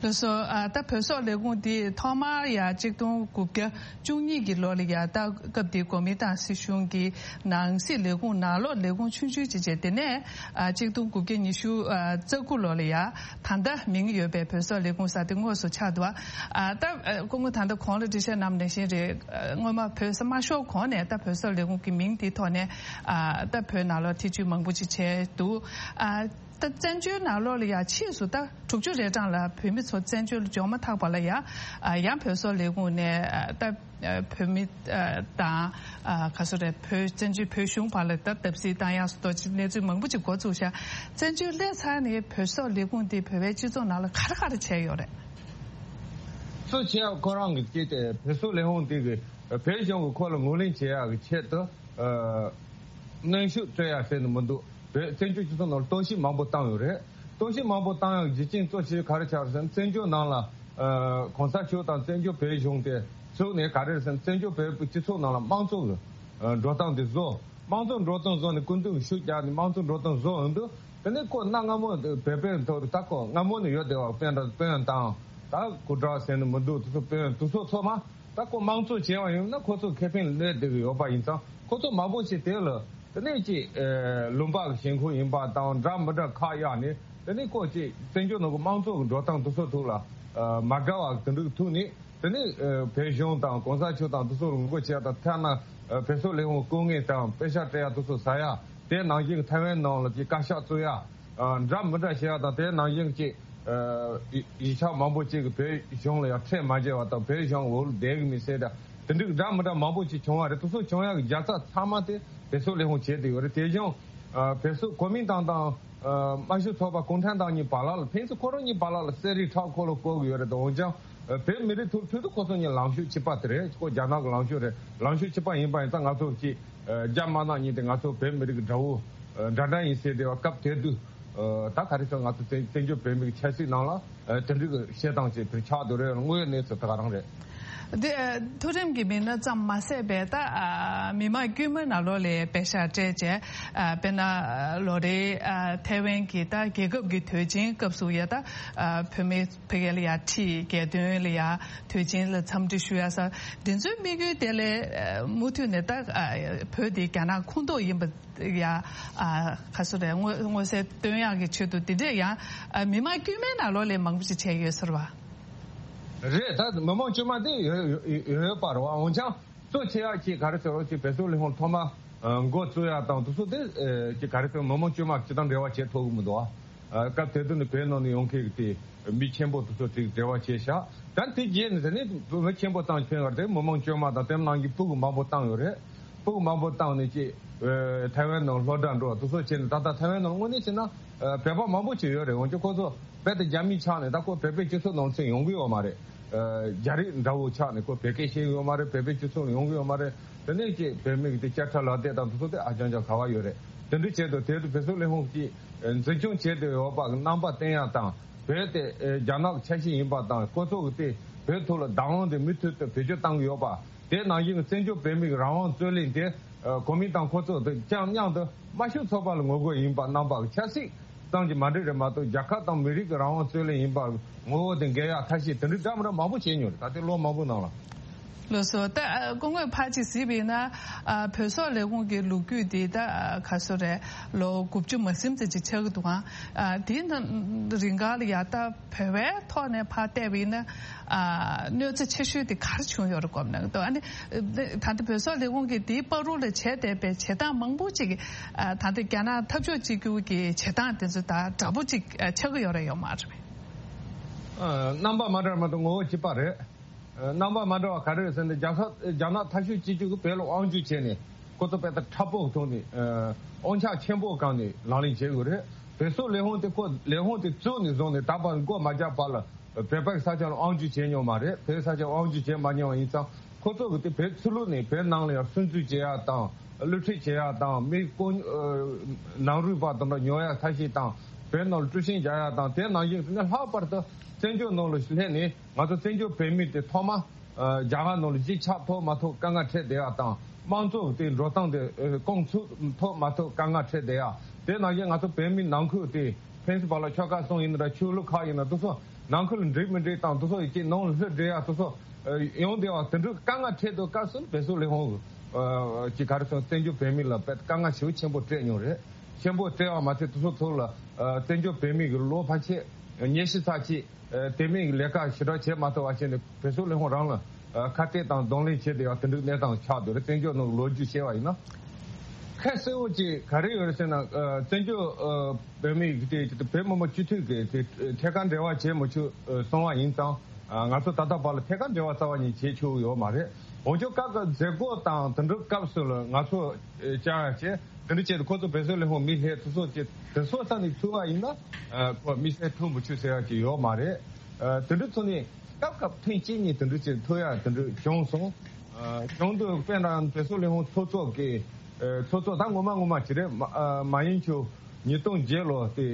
ལགས་སོ། ཨ། ད་བོད་སོག་ལས་ཁུངས་འདི་ཐོག་མར་ཡ་གཅིག་སྟོང་དགུ་བརྒྱ་བཅུ་གཉིས་ཀྱི་ལོ་ལ་ཡ་ད་སྐབས་དེའི་གོ་མིན་ཏང་སྲིད་གཞུང་གི་ནང་སྲིད་ལས་ཁུངས་ནང་ལོགས་ལས་ཁུངས་ཆུང་ཆུང་ཅིག་བྱས། དེ་ནས་ཨ། གཅིག་སྟོང་དགུ་བརྒྱ་ཉི་ཤུ་རྩ་དགུ་ལོ་ལ་ཡ་ད་ལྟ་མིང་ཡོད་པའི་བོད་སོག་ལས་ཁུངས་ཟེར་དེ་དངོས་སུ་ཆགས་འདུག་ཨ། ད་ཨ། སྐུ་ངོ་ད་ལྟ་གོང་ལ་འགྲེལ་བཤད་གནང་བ་ནང་བཞིན་རེད། ཨ། སྔོན་མ་བོད་ས་མ་ཤོར་གོང་ནས་ད་བོད་སོག་ལས་ཁུངས་ཀྱི་མིང་དེའི་ཐོག་ནས་ཨ། ད་བོད་ནང་ལོགས་ཐེ་བྱུས་མང་པོ་ཅིག་བྱས་འདུག་ཨ། ད་བཙན་བྱོལ་ནང་ལོགས་ལ་ཡ་ཕྱིས་སུ་ད་དྲུག་ཅུ་རེ་གྲངས་ལ་བོད་མི་ཚོ་བཙན་བྱོལ་འབྱོར་མ་ཐག་པ་ལ་ཡ། ཨ། ཡང་བོད་སོག་ལས་ཁུངས་ནས་ཨ། ད་ཨ། བོད་མི་ཨ། དང་ཨ། ག་སོ་རེད། བོད་བཙན་བྱོལ་བོད་གཞུང་བར་ལ་ད་བརྡབ་གསིག་བཏང་ཡག་སོགས་ཅིག་གནས་ཚུལ་མང་པོ་ཅིག་འགོ་བཙུགས་ཤག་བཙན་བྱོལ་སླེབས་ཚར་ནས་བོད་སོག་ལས་ཁུངས་དེ་བོད་པའི་སྤྱི་ཚོགས་ནང་ལ་ག་རེ་ག་རེ་བྱས་ཡོད་རེད། གཙོ་ཆེ་ཁོ་རང་གི་ཅིག་དེ་བོད་སོག་ལས་ཁུངས་དེ་གི་བོད་གཞུང་གི་ཁོ་ལ་ངོས་ལེན་བྱེད་ཡག་གི་ཆེད་དུ། ཨ། གནོན་ཤུགས་སྤྲོད་ཡ་ཟེར་ནས་མི་འདུག་བོད་བཙན་བྱོལ་སྤྱི་ཚོགས་ནང་གཏོར་བཤིག་མང་པོ་བཏང་ཡོད་རེད། གཏོར་བཤིག་མང་པོ་བཏང་ཡག་རྒྱུ་རྐྱེན་གཙོ་ཆེ་ག་རེ་ཆགས་ཟེར་ན། བཙན་བྱོལ་ནང་ལ་ཨ། གོང་ས་མཆོག་དང་བཙན་བྱོལ་བོད་གཞུང་དེ་བཙུགས་ནས་ག་རེ་ཟེར་ན། བཙན་བྱོལ་བོད་པའི་སྤྱི་ཚོགས་ནང་ལ་དམངས་གཙོ་གི་ཨ། འགྲོ་སྟངས་དེ་བཟོ། དམངས་གཙོ་འགྲོ་སྟངས་བཟོ་ནས་སྐུ་མདུན་གྱི་ཤུགས་རྒྱག་ནས་དམངས་གཙོ་འགྲོ་སྟངས་བཟོ་འོང་དུས། དེ་ནས་ཁོ་གནའ་སྔ་མོ་བོད་པའི་ཐོག་ད་ཁོ་སྔ་མོ་ནས་ཡོད་བསྡད་པ། དཔོན་དང་དཔོན་དང་ད་སྐུ་དྲག་ཟེར་ནས་མི་འདུག་དེ་ཚོ་དཔོན་དེ་ཚོ་ཚོ་མ། ད་ཁོ་དམངས་གཙོ་བྱས་པ་ཡིན་ན་ཁོ་ཚོ་ཁེ་ཕན་སླེབས་བསྡད་ཀྱི་ཡོད་པ་ཡིན་ཙང་། ཁོ་ཚོ་མང་པོ་ཞིག་དེ་ལ་དེ་ནས་ཅིག་ཨེ། ལུང་པ་གི་ཞེན་ཁོག་ཡིན་པ་དང་འདྲ་མི་འདྲ་ཁག་གཡར་ནས། དེ་ནས་ཁོ་ཅིག་བཙན་བྱོལ་ནང་གི་དམངས་གཙོ་གི་འགྲོ་སྟངས་དེ་ཚོ་ཐོག་ལ་ཨ། མ་དགའ་བ་དེ་འདྲ་གི་ཐུག་ནས། དེ་ནས་ཨེ། བོད་གཞུང་དང་གོང་ས་མཆོག་དང་དེ་ཚོ་ལ་ངོ་རྒོལ་བྱས་དང་། ཐ་ན་ཨེ། བོད་སོག་ལས་ཁུངས་སྐུ་ངལ་དང་པེ་ཤག་སྤྲད་ཡ་དེ་ཚོ་ཟ་ཡ། དེ་ནང་བཞིན་གྱི་ཐའེ་ཝན་ནང་ལ་ཅིག་བཀའ་ཤག་བཙུགས་ཡ། ཨ། འདྲ་མི་འདྲ་བྱེད་ཡ་དང་། དེ་ནང་བཞིན་གྱི་ཨ། ཡིག་ཆ་མང་པོ་ཅིག་གིས་བོད་གཞུང་ལ་ཡང་ཁྲལ་མ་འཇལ་བ་དང་། བོད་གཞུང་འོག་ལ་བསྡད་ཀྱི་མིན་ཟེར་ད། དེ་འདྲའི་འདྲ་མི་འདྲ་མང་པོ་ཅིག་བྱུང་བ་རེད། དེ་ཚོ་བྱུང་ཡག་གི་རྒྱལ་ཚབ་ཚང་མ་དེ་བོད་སོག་ལས་ཁུངས་བྱས་བསྡད་ཡོད་རེད། དེ་བཞིན་ཨ། བོད་སོག་གོ་མིན་ཏང་དང་ཨ། དམར་ཤོག་ཚོགས་པ་གུང་ཁྲན་ཏང་གཉིས་བར་ལ་ལ། ཕན་ཚུན་ཁོ་རང་གཉིས་བར་ལ་ལ་གསེར་རིའི་ཁྲག་འཁོར་ལོ་བསྐོར་གྱི་ཡོད་རེད། འོན་ཀྱང་ཨ། བོད་མི་རིགས་ཐོག་མཐུན་དུ་ཁོ་ཚོ་གཉིས་ལངས་ཕྱོགས་གཅིག་པ་དེ་རེད། ཁོ་རྒྱ་ནག་གི་ལངས་ཕྱོགས་རེད། ལངས་ཕྱོགས་གཅིག་པ་ཡིན་པ་ཡིན་ཙང་། ང་ཚོ་གཅིག་ཨ། རྒྱ་དམར་ནག་གཉིས་དེ་ང་ཚོ་བོད་མི་རིགས་ཀྱི་དགྲ་བོ་ཨ། འདྲ་འདྲ་ཡིན་ཟེར་བསྡད་པ་སྐབས་དེ་དུས། ཨ། ད་ག་རེ་ཟེར། ང་ཚོ་བཙན་བཙན་བྱོལ་བོད་མི་གི་ཆབ་སྲིད་ནང་ལ་ཨ། དེ་འདྲའི་གི་བཤད་སྟངས་ཅིག་དེར་ཆགས་འདུག་རེད། དངོས་ཡོད་གནས་ཚུལ་དེ་ག་རང་རེད། འདི་ཨ། མཐོ་རིམ་གྱི་མི་སྣ་ཙམ་མ་ཟད་པའི་ད་ཨ། མི་དམངས་དཀྱུས་མའི་ནང་ལོགས་ལ་པེ་ཤག་སྤྲད་བྱས། ཨ། དཔེར་ན་ཨ། ལོ་རེའི་ཨ། ཐའེ་ཝན་གྱི་ད་རྒྱལ་ཁབ་ཀྱི་དུས་ཆེན་སྐབས་སུ་ཡ་ད་ཨ། བོད་མི་ཕ་གི་ལ་ཡ་ཁྲིད། རྒྱལ་དོན་ལ་ཡ་དུས་ཆེན་ལ་འཚམས་འདྲི་ཞུ་ཡ་ས་འདི་ཚོའི་དམིགས་ཡུལ་དེ་ལས་ཨ། མུ་མཐུད་ནས་ད་ཨ། བོད་འདི་རྒྱ་ནག་ཁོངས་གཏོགས་ཡིན་པ་ཡ། ཨ། ག་སོ་རེད། མངོན་མངོན་གསལ་སྟོན་ཡག་གི་ཆེད་དུ་འདི་འདྲས་ཡང་ཨ། མི་མང་དཀྱུས་མའི་ནང་ལོགས་ལ་མང་པོ་ཞིག་བྱས་ཡོད་ཟེར་བ། རེད། ད་མི་མང་དཀྱུས་མ་དེ་ཡོད་ཡོད་ཡོད་པ་རེད་བ། འོན་ཀྱང་གཙོ་ཆེ་ཡག་ཅིག་ག་རེ་ཟེར་རོགས་ཅིག་བོད་སོག་ལས་ཁུངས་ཐོག་མ་ཨ། འགོ་བཙུགས་ཡག་དང་དེ་ཚོ་དེ་ཨ། ཅིག་ག་རེ་ཟེར། མི་མང་དཀྱུས་མ་སྤྱི་དང་འབྲེལ་བ་བྱེད་ཐུབ་ཀྱི་མི་འདུག་བ། ཨ། སྐབས་དེ་དུས་ནས་བོད་ནང་ནས་ཡོང་མཁན་གྱི་དེ་མི་ཆེན་པོ་དེ་ཚོ་ཅིག་འབྲེལ་བ་བྱས་ཤག་ད་དེ་རྗེས་ནས་དེ་ནས་མི་ཆེན་པོ་ཙམ་ཕན་བར་དེ་མི་མང་དཀྱུས་མ་དང་དེ་ནང་གི་སྤུ་གུ་མང་པོ་བཏང་ཡོད་རེད། སྤུ་གུ་མང་པོ་བཏང་ནས་ཅིག་ཨ། ཐའེ་ཝན་ནང་སློབ་གྲྭ་འགྲོ་དེ་ཚོ་བྱས་ནས། ད་ལྟ་ཐའེ་ཝན་ནང་དངོས་གནས་བྱས་ན་ཨ། བོད་པ་མང་པོ་ཅིག་ཡོད་རེད། འོན་ཀྱང་ཁོ་ཚོ་རྦད་དེ་རྒྱ་མི་ཆགས་ནས་ད་ཁོ་བོད་པའི་སྤྱི་ཚོགས་ནང་ཚུད་ཡོང་གི་ཡོད་མ་རེད། ཨ། རྒྱ་རིགས་འདྲ་བོ་ཆགས་ནས་ཁོ་བོད་སྐད་ཤེས་ཡོད་མ་རེད། བོད་པའི་སྤྱི་ཚོགས་ལ་ཡོང་གི་ཡོད་མ་རེད། དེ་ནས་ཅིག་བོད་མི་གི་དེ་སྐད་ཆ་ལབ་སྟངས་དང་དེ་ཚོ་དེ་ཨ་ཅང་ཅང་ག་བ་ཡོད་རེད། དེ་འདྲའི་ཆེད་དུ་དེ་དུ་བོད་སོག་ལས་ཁུངས་ཀྱིས་འཛིན་སྐྱོང་བྱས་ཏེ་ཡོད་པ་རྣམ་པ་བསྟན་ཡག་དང་བོད་དེ་རྒྱ་ནག་ཆ་ཤས་ཡིན་པ་དང་ཁོ་ཚོ་གི་དེ་བོད་ཐོག་ལ་བདག་དབང་དེ་མུ་མཐུད་དུ་བེད་སྤྱོད་བཏང་གི་ཡོད་པ། དེ་ནང་བཞིན་བཙན་བྱོལ་བོད་མིའི་རང་དབང་རྩོད་ལེན་དེ་གོ་མིན་ཏང་ཁོ་ཚོ་དང་ཅང་མཉམ་དུ་དམར་ཤོག་ཚོགས་པ་ལ་ངོ་རྒོལ་ཡིན་པ་རྣམ་པ་གི་ཆབ་སྲིད་ཙམ་གྱི་མ་འགྲིག་རེད་མ་གཏོགས་རྒྱལ་ཁབ་དང་མི་རིགས་ཀྱི་རང་དབང་རྩོད་ལེན་ཡིན་པར་ངོ་བོ་དེ་འགལ་ཡག་ཐབས་ཤེས་དེ་འདྲའི་འདྲ་མི་འདྲ་མང་པོ་བྱས་མྱོང་རེད། ད་ལྟའི་ལོ་མང་པོའི་ནང་ལ། ལགས་སོ། ད་སྐུ་ངོས་ཕར་ཅིག་གཟིགས་པ་ཡིན་ན། ཨ་བོད་སོག་ལས་ཁུངས་ཀྱི་ལོ་རྒྱུས་འདི་ད་ག་སོ་རེད། ལོ་དགུ་བཅུ་མ་ཟིན་ཙམ་ཅིག་ཆགས་ཀྱི་འདུག་ཨང་། ཨ་དེའི་ནང་རིང་ག་ལ་ཡ་ད་བོད་པའི་ཐོག་ནས་ཕར་བལྟས་པ་ཡིན་ན། ཨ་གནོད་འཚེ་ཆེ་ཤོས་དེ་ག་རེ་བྱུང་ཡོད་རེད་དགོངས་ན། ཨ་ནི་ད་ལྟ་བོད་སོག་ལས་ཁུངས་ཀྱིས་དེའི་བར་དུ་ལ་བྱས་བསྡད་པའི་བྱེད་སྟངས་མང་པོ་ཅིག་ཨ་ད་ལྟ་རྒྱ་ནག་འཐབ་ཕྱོགས་གཅིག་གྱུར་གྱི་བྱེད་སྟངས་དེ་ཚོ་ད་འདྲ་པོ་ཅིག་ཨ་ཆགས་ཀྱི་ཡོད་རེད་ཡོད་མ་རེད་པས། ཨ་རྣམ་པ་མ་འདྲ་མ་གཏོགས་ངོ་བོ་གཅིག་པ་རེད། ཨ་རྣམ་པ་མ་འདྲ་བ་ག་རེ་རེད་ཟེར་ན་རྒྱ་ས་རྒྱ་ནག་འཐབ་ཕྱོགས་གཅིག་གྱུར་གྱིས་བོད་ལ་དབང་སྒྱུར་བྱས་ནས་ཁོ་ཚོ་དཔེ་ལྟ་ཁྲ་པོ་ཐོག་ནས་ཨ་དབང་ཆ་ཆེན་པོ་བཀང་ནས་ལག་ལེན་བྱེད་དགོས་རེད། བོད་སོག་ལས་ཁུངས་དེ་ཁོ་ལས་ཁུངས་དེ་བཙུགས་ནས་བཟུང་ནས་ད་བར་མགོ་མ་བརྒྱབ་བར་ལ་བོད་པའི་ས་ཆ་ལ་དབང་སྒྱུར་བྱས་མྱོང་མ་རེད། བོད་ས་ཆ་དབང་སྒྱུར་བྱས་མ་མྱོང་བ་ཡིན་ཙང་ཁོ་ཚོ་གི་དེ་བོད་ཆོས་ལུགས་ནས་བོད་ནང་ལ་ཡང་སུན་གཙེར་བྱེད་ཡག་དང་བསླུ་བྲིད་བྱེད་ཡག་དང་མི་ཀོ་ནང་རུལ་པ་དང་འདྲ་ཉོ་ཡག་ཐབས་ཤེས་དང་བོད་ནང་ལ་དཀྲུག་ཤིང་རྒྱག་ཡག་དང་དེ་ནང་བཞིན་དེ་ནས་ལྷག་པར་དུ་བཙན་བྱོལ་ནང་ལ་སླེབས་ནས་ང་ཚོ་བཙན་བྱོལ་བོད་མི་དེ་ཐོག་མ་རྒྱ་གར་ནང་ལ་གཞིས་ཆགས་ཐོབ་མ་ཐོབ་དཀའ་ངལ་འཕྲད་བསྡད་ཡག་དང་དམངས་གཙོ་དེ་འགྲོ་སྟངས་དེ་རྐང་ཚུགས་ཐོབ་མ་ཐོབ་དཀའ་ངལ་འཕྲད་བསྡད་ཡག་དེ་ནང་བཞིན་ང་ཚོ་བོད་མི་ནང་ཁུལ་དེ་ཕན་ཚུན་བར་ལ་ཆོལ་ཁ་གསུམ་ཡིན་ན་འདྲ་ཆོས་ལུགས་ཁག་ཡིན་ན་དེ་ཚོ་ནང་ཁུལ་འགྲིག་མི་འགྲིག་དང་དེ་ཚོ་ཡི་གེ་ནང་ལ་ལྷོད་འགྲོ་ཡག་དེ་ཚོ་ཡོང་བསྡད་པ་དེ་འདྲའི་དཀའ་ངལ་འཕྲད་དུས་སྐབས་སུ་བོད་སོག་ལས་ཁུངས་ཀྱི་ག་རེ་ཟེར་བཙན་བྱོལ་བོད་མི་ལ་དཔེ་དཀའ་ངལ་ཞེ་པོ་ཆེན་པོ་སྤྲད་མྱོང་རེད། ཆེན་པོ་སྤྲད་པ་མ་ཚད་དེ་ཚོ་ཚོ་ལ་བཙན་བྱོལ་བོད་མི་གི་ལོ་ཕལ་ཆེར་ཉི་ཤུ་ཙམ་ཅིག་དེ་མིན་གྱི་ལས་ཀ་ཞེ་དྲག་བྱེད་མ་ཐུབ་པ་བྱས་ནས་བོད་སོག་ལས་ཁུངས་རང་ལ་ཁ་གཏད་དང་གདོང་ལེན་བྱས་བསྡད་ཡག་དེ་འདྲའི་གནས་སྟངས་ཆགས་འདུག་རེད། བཙན་བྱོལ་ནང་ལོ་རྒྱུས་བཤད་པ་ཡིན་ན། ཁ་གསལ་པོ་ཅིག་ག་རེ་ཡོད་རེད་ཟེར་ན་ཨ་བཙན་བྱོལ་ཨ་བོད་མི་དེ་བོད་མི་མང་སྤྱི་འཐུས་ཀྱི་དེ་ཐད་ཀར་འབྲེལ་བ་བྱེད་མི་ཆོག་ཨ་གསུངས་པ་ཡིན་ཙང་ཨ་ང་ཚོ་ད་ལྟ་བར་ལ་ཐད་ཀར་འབྲེལ་བ་རྩ་བ་ཉིད་བྱེད་ཆོག་ཡོད་མ་རེད། འོན་ཀྱང་སྐབས་དེ་མཛད་སྒོ་དང་དེ་འདྲའི་སྐབས་སུ་ལ་ང་ཚོ་ཨ་བཅར་ཡ་བྱས་དེ་འདྲ་བྱས་ཏེ་ཁོ་ཚོ་བོད་སོག་ལས་ཁུངས་མི་སླེབས་དེ་ཚོ་བྱས་དེ་ཚོ་ས་ནས་ཚུར་བ་ཡིན་ན་ཨ་ཁོ་མི་སེར་ཐུག་མི་ཆོག་ཟེར་ཡ་ཅིག་ཡོད་མ་རེད། ཨ་དེ་འདྲ་ཚོ་ནས། སྐབས་སྐབས་ཐེངས་གཅིག་གཉིས་དེ་འདྲ་ཅིག་ཐུག་ཡག་དེ་འདྲ་བྱུང་སོང་། ཨ་བྱུང་དུས་དཔེར་ན་བོད་སོག་ལས་ཁུངས་ཚོགས་གཙོ་གི་ཨ་ཚོགས་གཙོ་ད་ངོ་མ་ངོ་མ་ཅིག་རེད། མ་ཨ་མ་ཡིན་ཆུ་ཉིས་སྟོང་བརྒྱད་ལོ་དེ་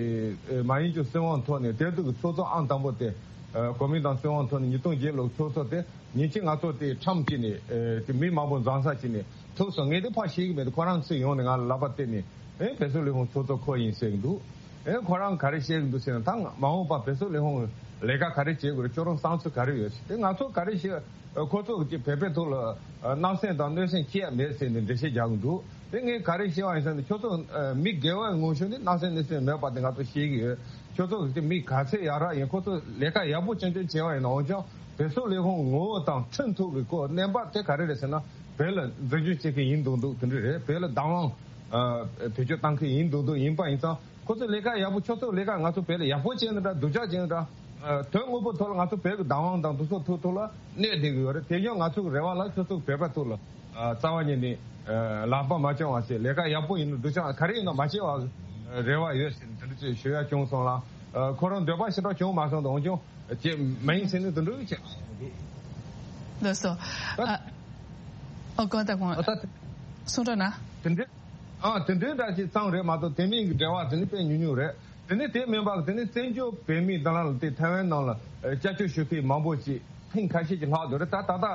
ཨ་མ་ཡིན་ཆུ་སྲིད་དབང་ཐོག་ནས་དེ་དུས་ཀྱི་ཚོགས་གཙོ་ཨང་དང་པོ་དེ་ཨ་གོ་མིན་ཏང་སྲིད་དབང་ཐོག་ནས་ཉིས་སྟོང་བརྒྱད་ལོ་ཚོགས་གཙོ་དེ་ཉིན་གཅིག་ང་ཚོ་དེ་ཁྲམ་གཅིག་ནས་ཨ་དེ་མི་མང་པོ་འཛོམས་ས་གཅིག་ནས་ཐུག་སོང་། ངས་དེ་ཕར་ཤེས་ཀྱི་མེད་དུས་ཁོ་རང་ཚུར་ཡོང་ནས་ང་ལ་ལག་པ་བསྟན་ནས་ཨེ་བོད་སོག་ལས་ཁུངས་ཚོགས་གཙོ་ཁོ་ཡིན་ཟེར་གྱི་འདུག་ཨེ་ཁོ་རང་ག་རེ་བཤད་ཀྱི་འདུག་ཟེར་ན་ད་མ་འོངས་པ་བོད་སོག་ལས་ཁུངས་ལས་ཀ་ག་རེ་བྱེད་དགོས་རེད། ཁྱོད་རང་བསམ་ཚུལ་ག་རེ་ཡོད་ཟེར་ཏེ་ང་ཚོ་ག་རེ་བཤད་ཁོ་ཚོ་གི་བོད་པའི་ཐོག་ལ་ཨ་གནམ་སེམས་དང་གནོད་སེམས་སྐྱེ་ཡ་མེད་ཟེར་ནས་འགྲེལ་བཤད་རྒྱག་གི་འདུག་དེ་ངས་ག་རེ་བཤད་པ་ཡིན་ཟེར་ན་ཁྱོད་ཚོ་ཨ་མི་དགེ་བའི་ངོ་ཤུགས་ནི་གནམ་སེམས་གནོད་སེམས་མེད་པ་དེ་ང་ཚོ་ཤེས་ཀྱི་ཡོད། ཁྱོད་ཚོ་གི་མི་ག་ཚད་ཡག་རག་ཡིན་ཁོ་ཚོ་ལས་ཀ་ཡག་པོ་ཅན་ཅན་བྱས་པ་ཡིན་ན་འོན་ཀྱང་བོད་སོག་ལས་ཁུངས་ངོ་བོ་དང་མཐུན་ཐུབ་ཀྱི་སྐོར་གནས་བབ་དེ་ག་རེ་རེད་ཟེར་ན་བོད་ལ་འཛིན་སྐྱོང་བྱེད་མཁན་ཡིན་མདོག་མདོག་དེ་འདྲ་རེད། བོད་ལ་བདག་དབང་ཨ་བེད་སྤྱོད་བཏང་མཁན་ཡིན་མདོག་མདོག་ཡིན་པ་ཡིན་ཙང་། ཁོ་ཚོ་ལས་ཀ་ཡག་པོ་ཁྱོད་ཚོ་ལས་ཀ་ང་ཚོ་བོད་ལ་ཡག་པོ་བྱས་ན་འདྲ་སྡུག་ཅག་བྱས་ན་འདྲ། ཨ་དོན་དངོས་པོ་ཐོག་ལ་ང་ཚོ་བོད་ཀྱི་བདག་དབང་དང་འདུ་ཚོགས་ཐོག་ཐོག་ལ་གནས་བསྡད་ཀྱི་ཡོད་རེད། དེ་ཡང་ང་ཚོ་གི་རེ་བ་ལ་ཁྱོད་ཚོ་བོད་པ་ཐོག་ལ་ཨ་རྩ་བ་ཉིད་ནས་ཨ་ལག་པ་མ་བརྐྱང་བ་བྱས་ལས་ཀ་ཡག་པོ་ཡིན་ན་སྡུག་ཅག་ག་རེ་ཡིན་ན་མ་བྱེད་པ་རེ་བ་ཡོད་ཟེར་ནས་དེ་འདྲ་ཅིག་ཞུ་ཡ་བྱུང་སོང་ལ། ཨ་ཁོ་རང་འདོད་པ་ཞེ་དྲག་བྱུང་མ་སོང་དང་འོན་ཀྱང་བྱེད་མ་ཡིན་ཟེར་ནས་དེ་འདྲ་བྱས། ལགས་སོ། ད་ཨ་ཨོ་གོ་ད་གོ་ཨ་ད་གསུང་རོགས་གནང་། དེ་འདྲ། ཨ་དེ་འདྲའི་འདྲ་ཞིག་ཙམ་རེད་མ་གཏོགས་དེ་མིན་གྱི་འབྲེལ་བ་དེ་ནི་དཔེ་ཉུང་ཉུང་རེད། དེ་ནི་དེ་མིན་པ་དེ་ནི་བཙན་བྱོལ་བོད་མི་དང་ལ་དེ་ཐའེ་ཝན་ནང་ལ་ཨ་སྐྱབས་བཅོལ་ཞུ་མཁན་མང་པོ་ཞིག་ཐེངས་ཁ་ཤས་ཀྱི་ལྷག་འདུག་རེད། ད་ད་ལྟ་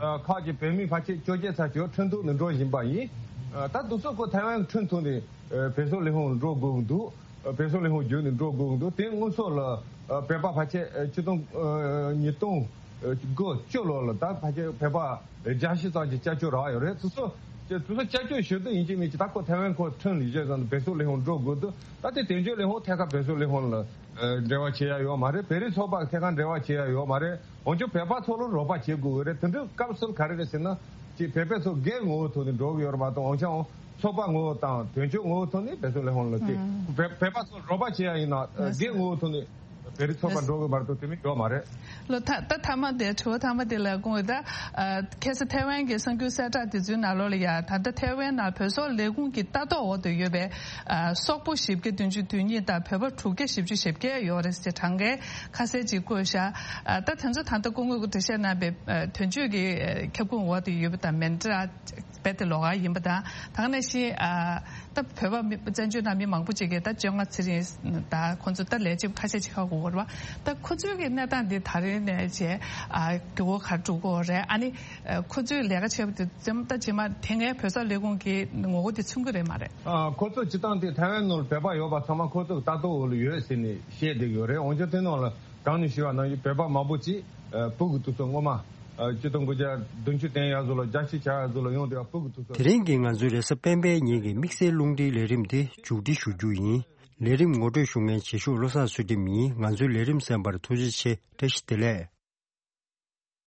ཨ་ཁག་ཅིག་བོད་མི་ཕལ་ཆེར་བཅོ་བརྒྱད་ཙམ་ཅིག་ཁྲིན་ཏུའུ་ནས་འགྲོ་བཞིན་པ་ཡིན། ཨ་ད་དུས་ཚོད་ཁོ་ཐའེ་ཝན་ཁྲིན་ཏུའུ་ནས་ཨ་བོད་སོག་ལས་ཁུངས་འགྲོ་དགོས་ཀྱི་འདུག་ཨ་བོད་སོག་ལས་ཁུངས་བརྒྱུད་ནས་འགྲོ་དགོས་ཀྱི་འདུག་དེ་དངོས་ཟོག་ལ་ཨ་བོད་པ་ཕལ་ཆེར་ཨ་ཆིག་སྟོང་ཨ་ཉིས་སྟོང་དགུ་བཅུ་ལོ་ལ་ད་ཕལ་ཆེར་བོད་པ་བརྒྱ་བཞི་ཙམ་གྱི་སྐྱབས་བཅོལ་རག་ཡོད་རེད། དེ་ཚོ་དེ་ཚོ་སྐྱབས་བཅོལ་ཞུ་འདོད་ཡིན་གཅིག་མིན་གཅིག་ད་ཁོ་ཐའེ་ཝན་ཁོ་ཁྲིན་ལི་ཅེ་ཙམ་དུ་བོད་སོག་ལས་ཁུངས་འགྲོ་དགོས་འདུག་ད་དེ་དོན་གཅོད་ལས་ཁུངས་ཐད་ཀར་བོད་སོག་ལས་ཁུངས་ལ་ཨ་འབྲེལ་བ་བྱེད་ཡ་ཡོད་མ་རེད། བོད་རིགས་ཚོགས་པ་ཐད་ཀར་འབྲེལ་བ་བྱེད་ཡ་ཡོད་མ་རེད། འོན་ཀྱང་བོད་པ་ཚོ་ལ་རོགས་པ་བྱེད་དགོས་ཀྱི་རེད། དེ་འདྲའི་སྐབས་སུ་ག་རེ་རེད་ཟེར་ན་ཅིག་བོད་པ་ཚོ་སྒེར་ངོ་བོ་ཐོག་ནས་འགྲོ་གི་ཡོད་རེད་མ་གཏོགས་འོན་ཀྱང་ཚོགས་པ་ངོ་བོ་དང་དོན་གཅོད་ངོ་བོ་ཐོག་ནས་བོད་སོག་ལས་ཁུངས་ལ་དེ་ཨང་བོད་བོད་པ་ཚོ་རོགས་པ་བྱེད་ཡ་ཡིན་ན་ཨ་ལགས་སོ། སྒེར་ངོ་བོ་ཐོག་ནས། བེ་རི་ཚོགས་པ་འགྲོ་གི་མ་གཏོགས་དེ་མིན་ཡོད་མ་རེད། ལོ་ད་ད་ཐ་མ་དེ་དྲི་བ་ཐ་མ་དེ་ལ་དགོངས་ཡོད་ད། ཁ་སང་ཐའེ་ཝན་གྱི་གསར་འགྱུར་གསལ་བསྒྲགས་དེ་ཚོའི་ནང་ལོགས་ལ་ཡ་ད་ལྟ་ཐའེ་ཝན་ནང་བོད་སོག་ལས་ཁུངས་ཀྱི་ལྟ་རྟོག་འོག་ཏུ་ཡོད་པའི་སོག་པོ་བཞི་བརྒྱ་བདུན་ཅུ་དོན་གཉིས་དང་བོད་པ་དྲུག་བརྒྱ་བཞི་བཅུ་ཞེ་བརྒྱད་ཡོད་རེད་ཟེར་གྲངས་ཀའི་ཁ་གསལ་ཅིག་བཀོད་ཤག་ད་དེ་ཚོ་ད་ལྟ་སྐུ་ངོ་གིས་འགྲེལ་བཤད་གནང་བའི་དོན་གཅོད་ཀྱི་ཁྱབ་ཁོངས་འོག་ཏུ་ཡོད་པ་དང་མིན་འདྲ། རྦད་དེ་ལོགས་ཀ་ཡིན་པ་དང་། ད་ག་ནང་བཞིན་ཨ་ད་བོད་པ་མི་བཙན་བྱོལ་ནང་མི་མང་པོ་ཅིག་གིས་ད་བཅོ་ལྔ་ཚེ་རིང་ད་ཁོང་ཚོ་ད་ལས་བྱེད་ཁ་ཤས་ཅིག་ཧ་གོ་གི་རེད་བ། ད་ཁོ་ཚོའི་གི་གནས་སྟངས་འདི་ད་རེས་ནས་བྱས་ཨ་འགྱུར་བ་ག་རེ་འགྲོ་གི་ཡོད་རེད། ཨ་ནི་ཨ་ཁོ་ཚོའི་ལས་ཀ་བྱེད་པ་དེ་ཙམ་ད་རྗེས་མ་དེ་སྔའི་བོད་སོག་ལས་ཁུངས་ཀྱི་ངོ་རྒོལ་དེ་མཚོན་གི་རེད་མ་རེད། ཨ་ཁོ་ཚོ་སྤྱིར་བཏང་དེ་ཐའེ་ཝན་ནང་ལ་བོད་པ་ཡོད་པ་ཚང་མ་ཁོ་ཚོ་གི་ལྟ་རྟོག་འོག་ལ་ཡོད་ཟེར་ནས་བཤད་བསྡད་ཡོད་རེད། འོན་ཀྱང་དེ་ནང་ལ་གང་ནས་ཞུས་པ་ནང་བཞིན་བོད་པ་མང་པོ་ཅིག་ཨ་སྤུ་གུ་དེ་ཚོ་སྔོན་མ་ཨ་ཆིག་སྟོང་དགུ་བརྒྱ་བདུན་ཅུ་དོན་ཡར་ཚོ་ལ་རྒྱ་ཆེ་བྱ་ཡར་ཚོ་ལ་ཡོང་དུས་ཨ་སྤུ་གུ་དེ་ཚོ། དེ་རིང་གི་ང་ཚོའི་རེས་གཟའ་སྤེན་པའི་ཉིན་གྱི་དམིགས་བསལ་རླུང་འཕྲིན་ལས་རིམ་འདི་མཇུག་སྒྲིལ་ཞུ་རྒྱུ་ཡིན། ལས་རིམ་ངོ་སྤྲོད་ཞུ་མཁན་བྱེད་ཤོག་བློ་བཟང་ཚུལ་ཁྲིམས་ཡིན། ང་ཚོའི་ལས་རིམ་གསན་པར་ཐུགས་རྗེ་ཆེ། བཀྲ་ཤིས་བདེ་ལེགས།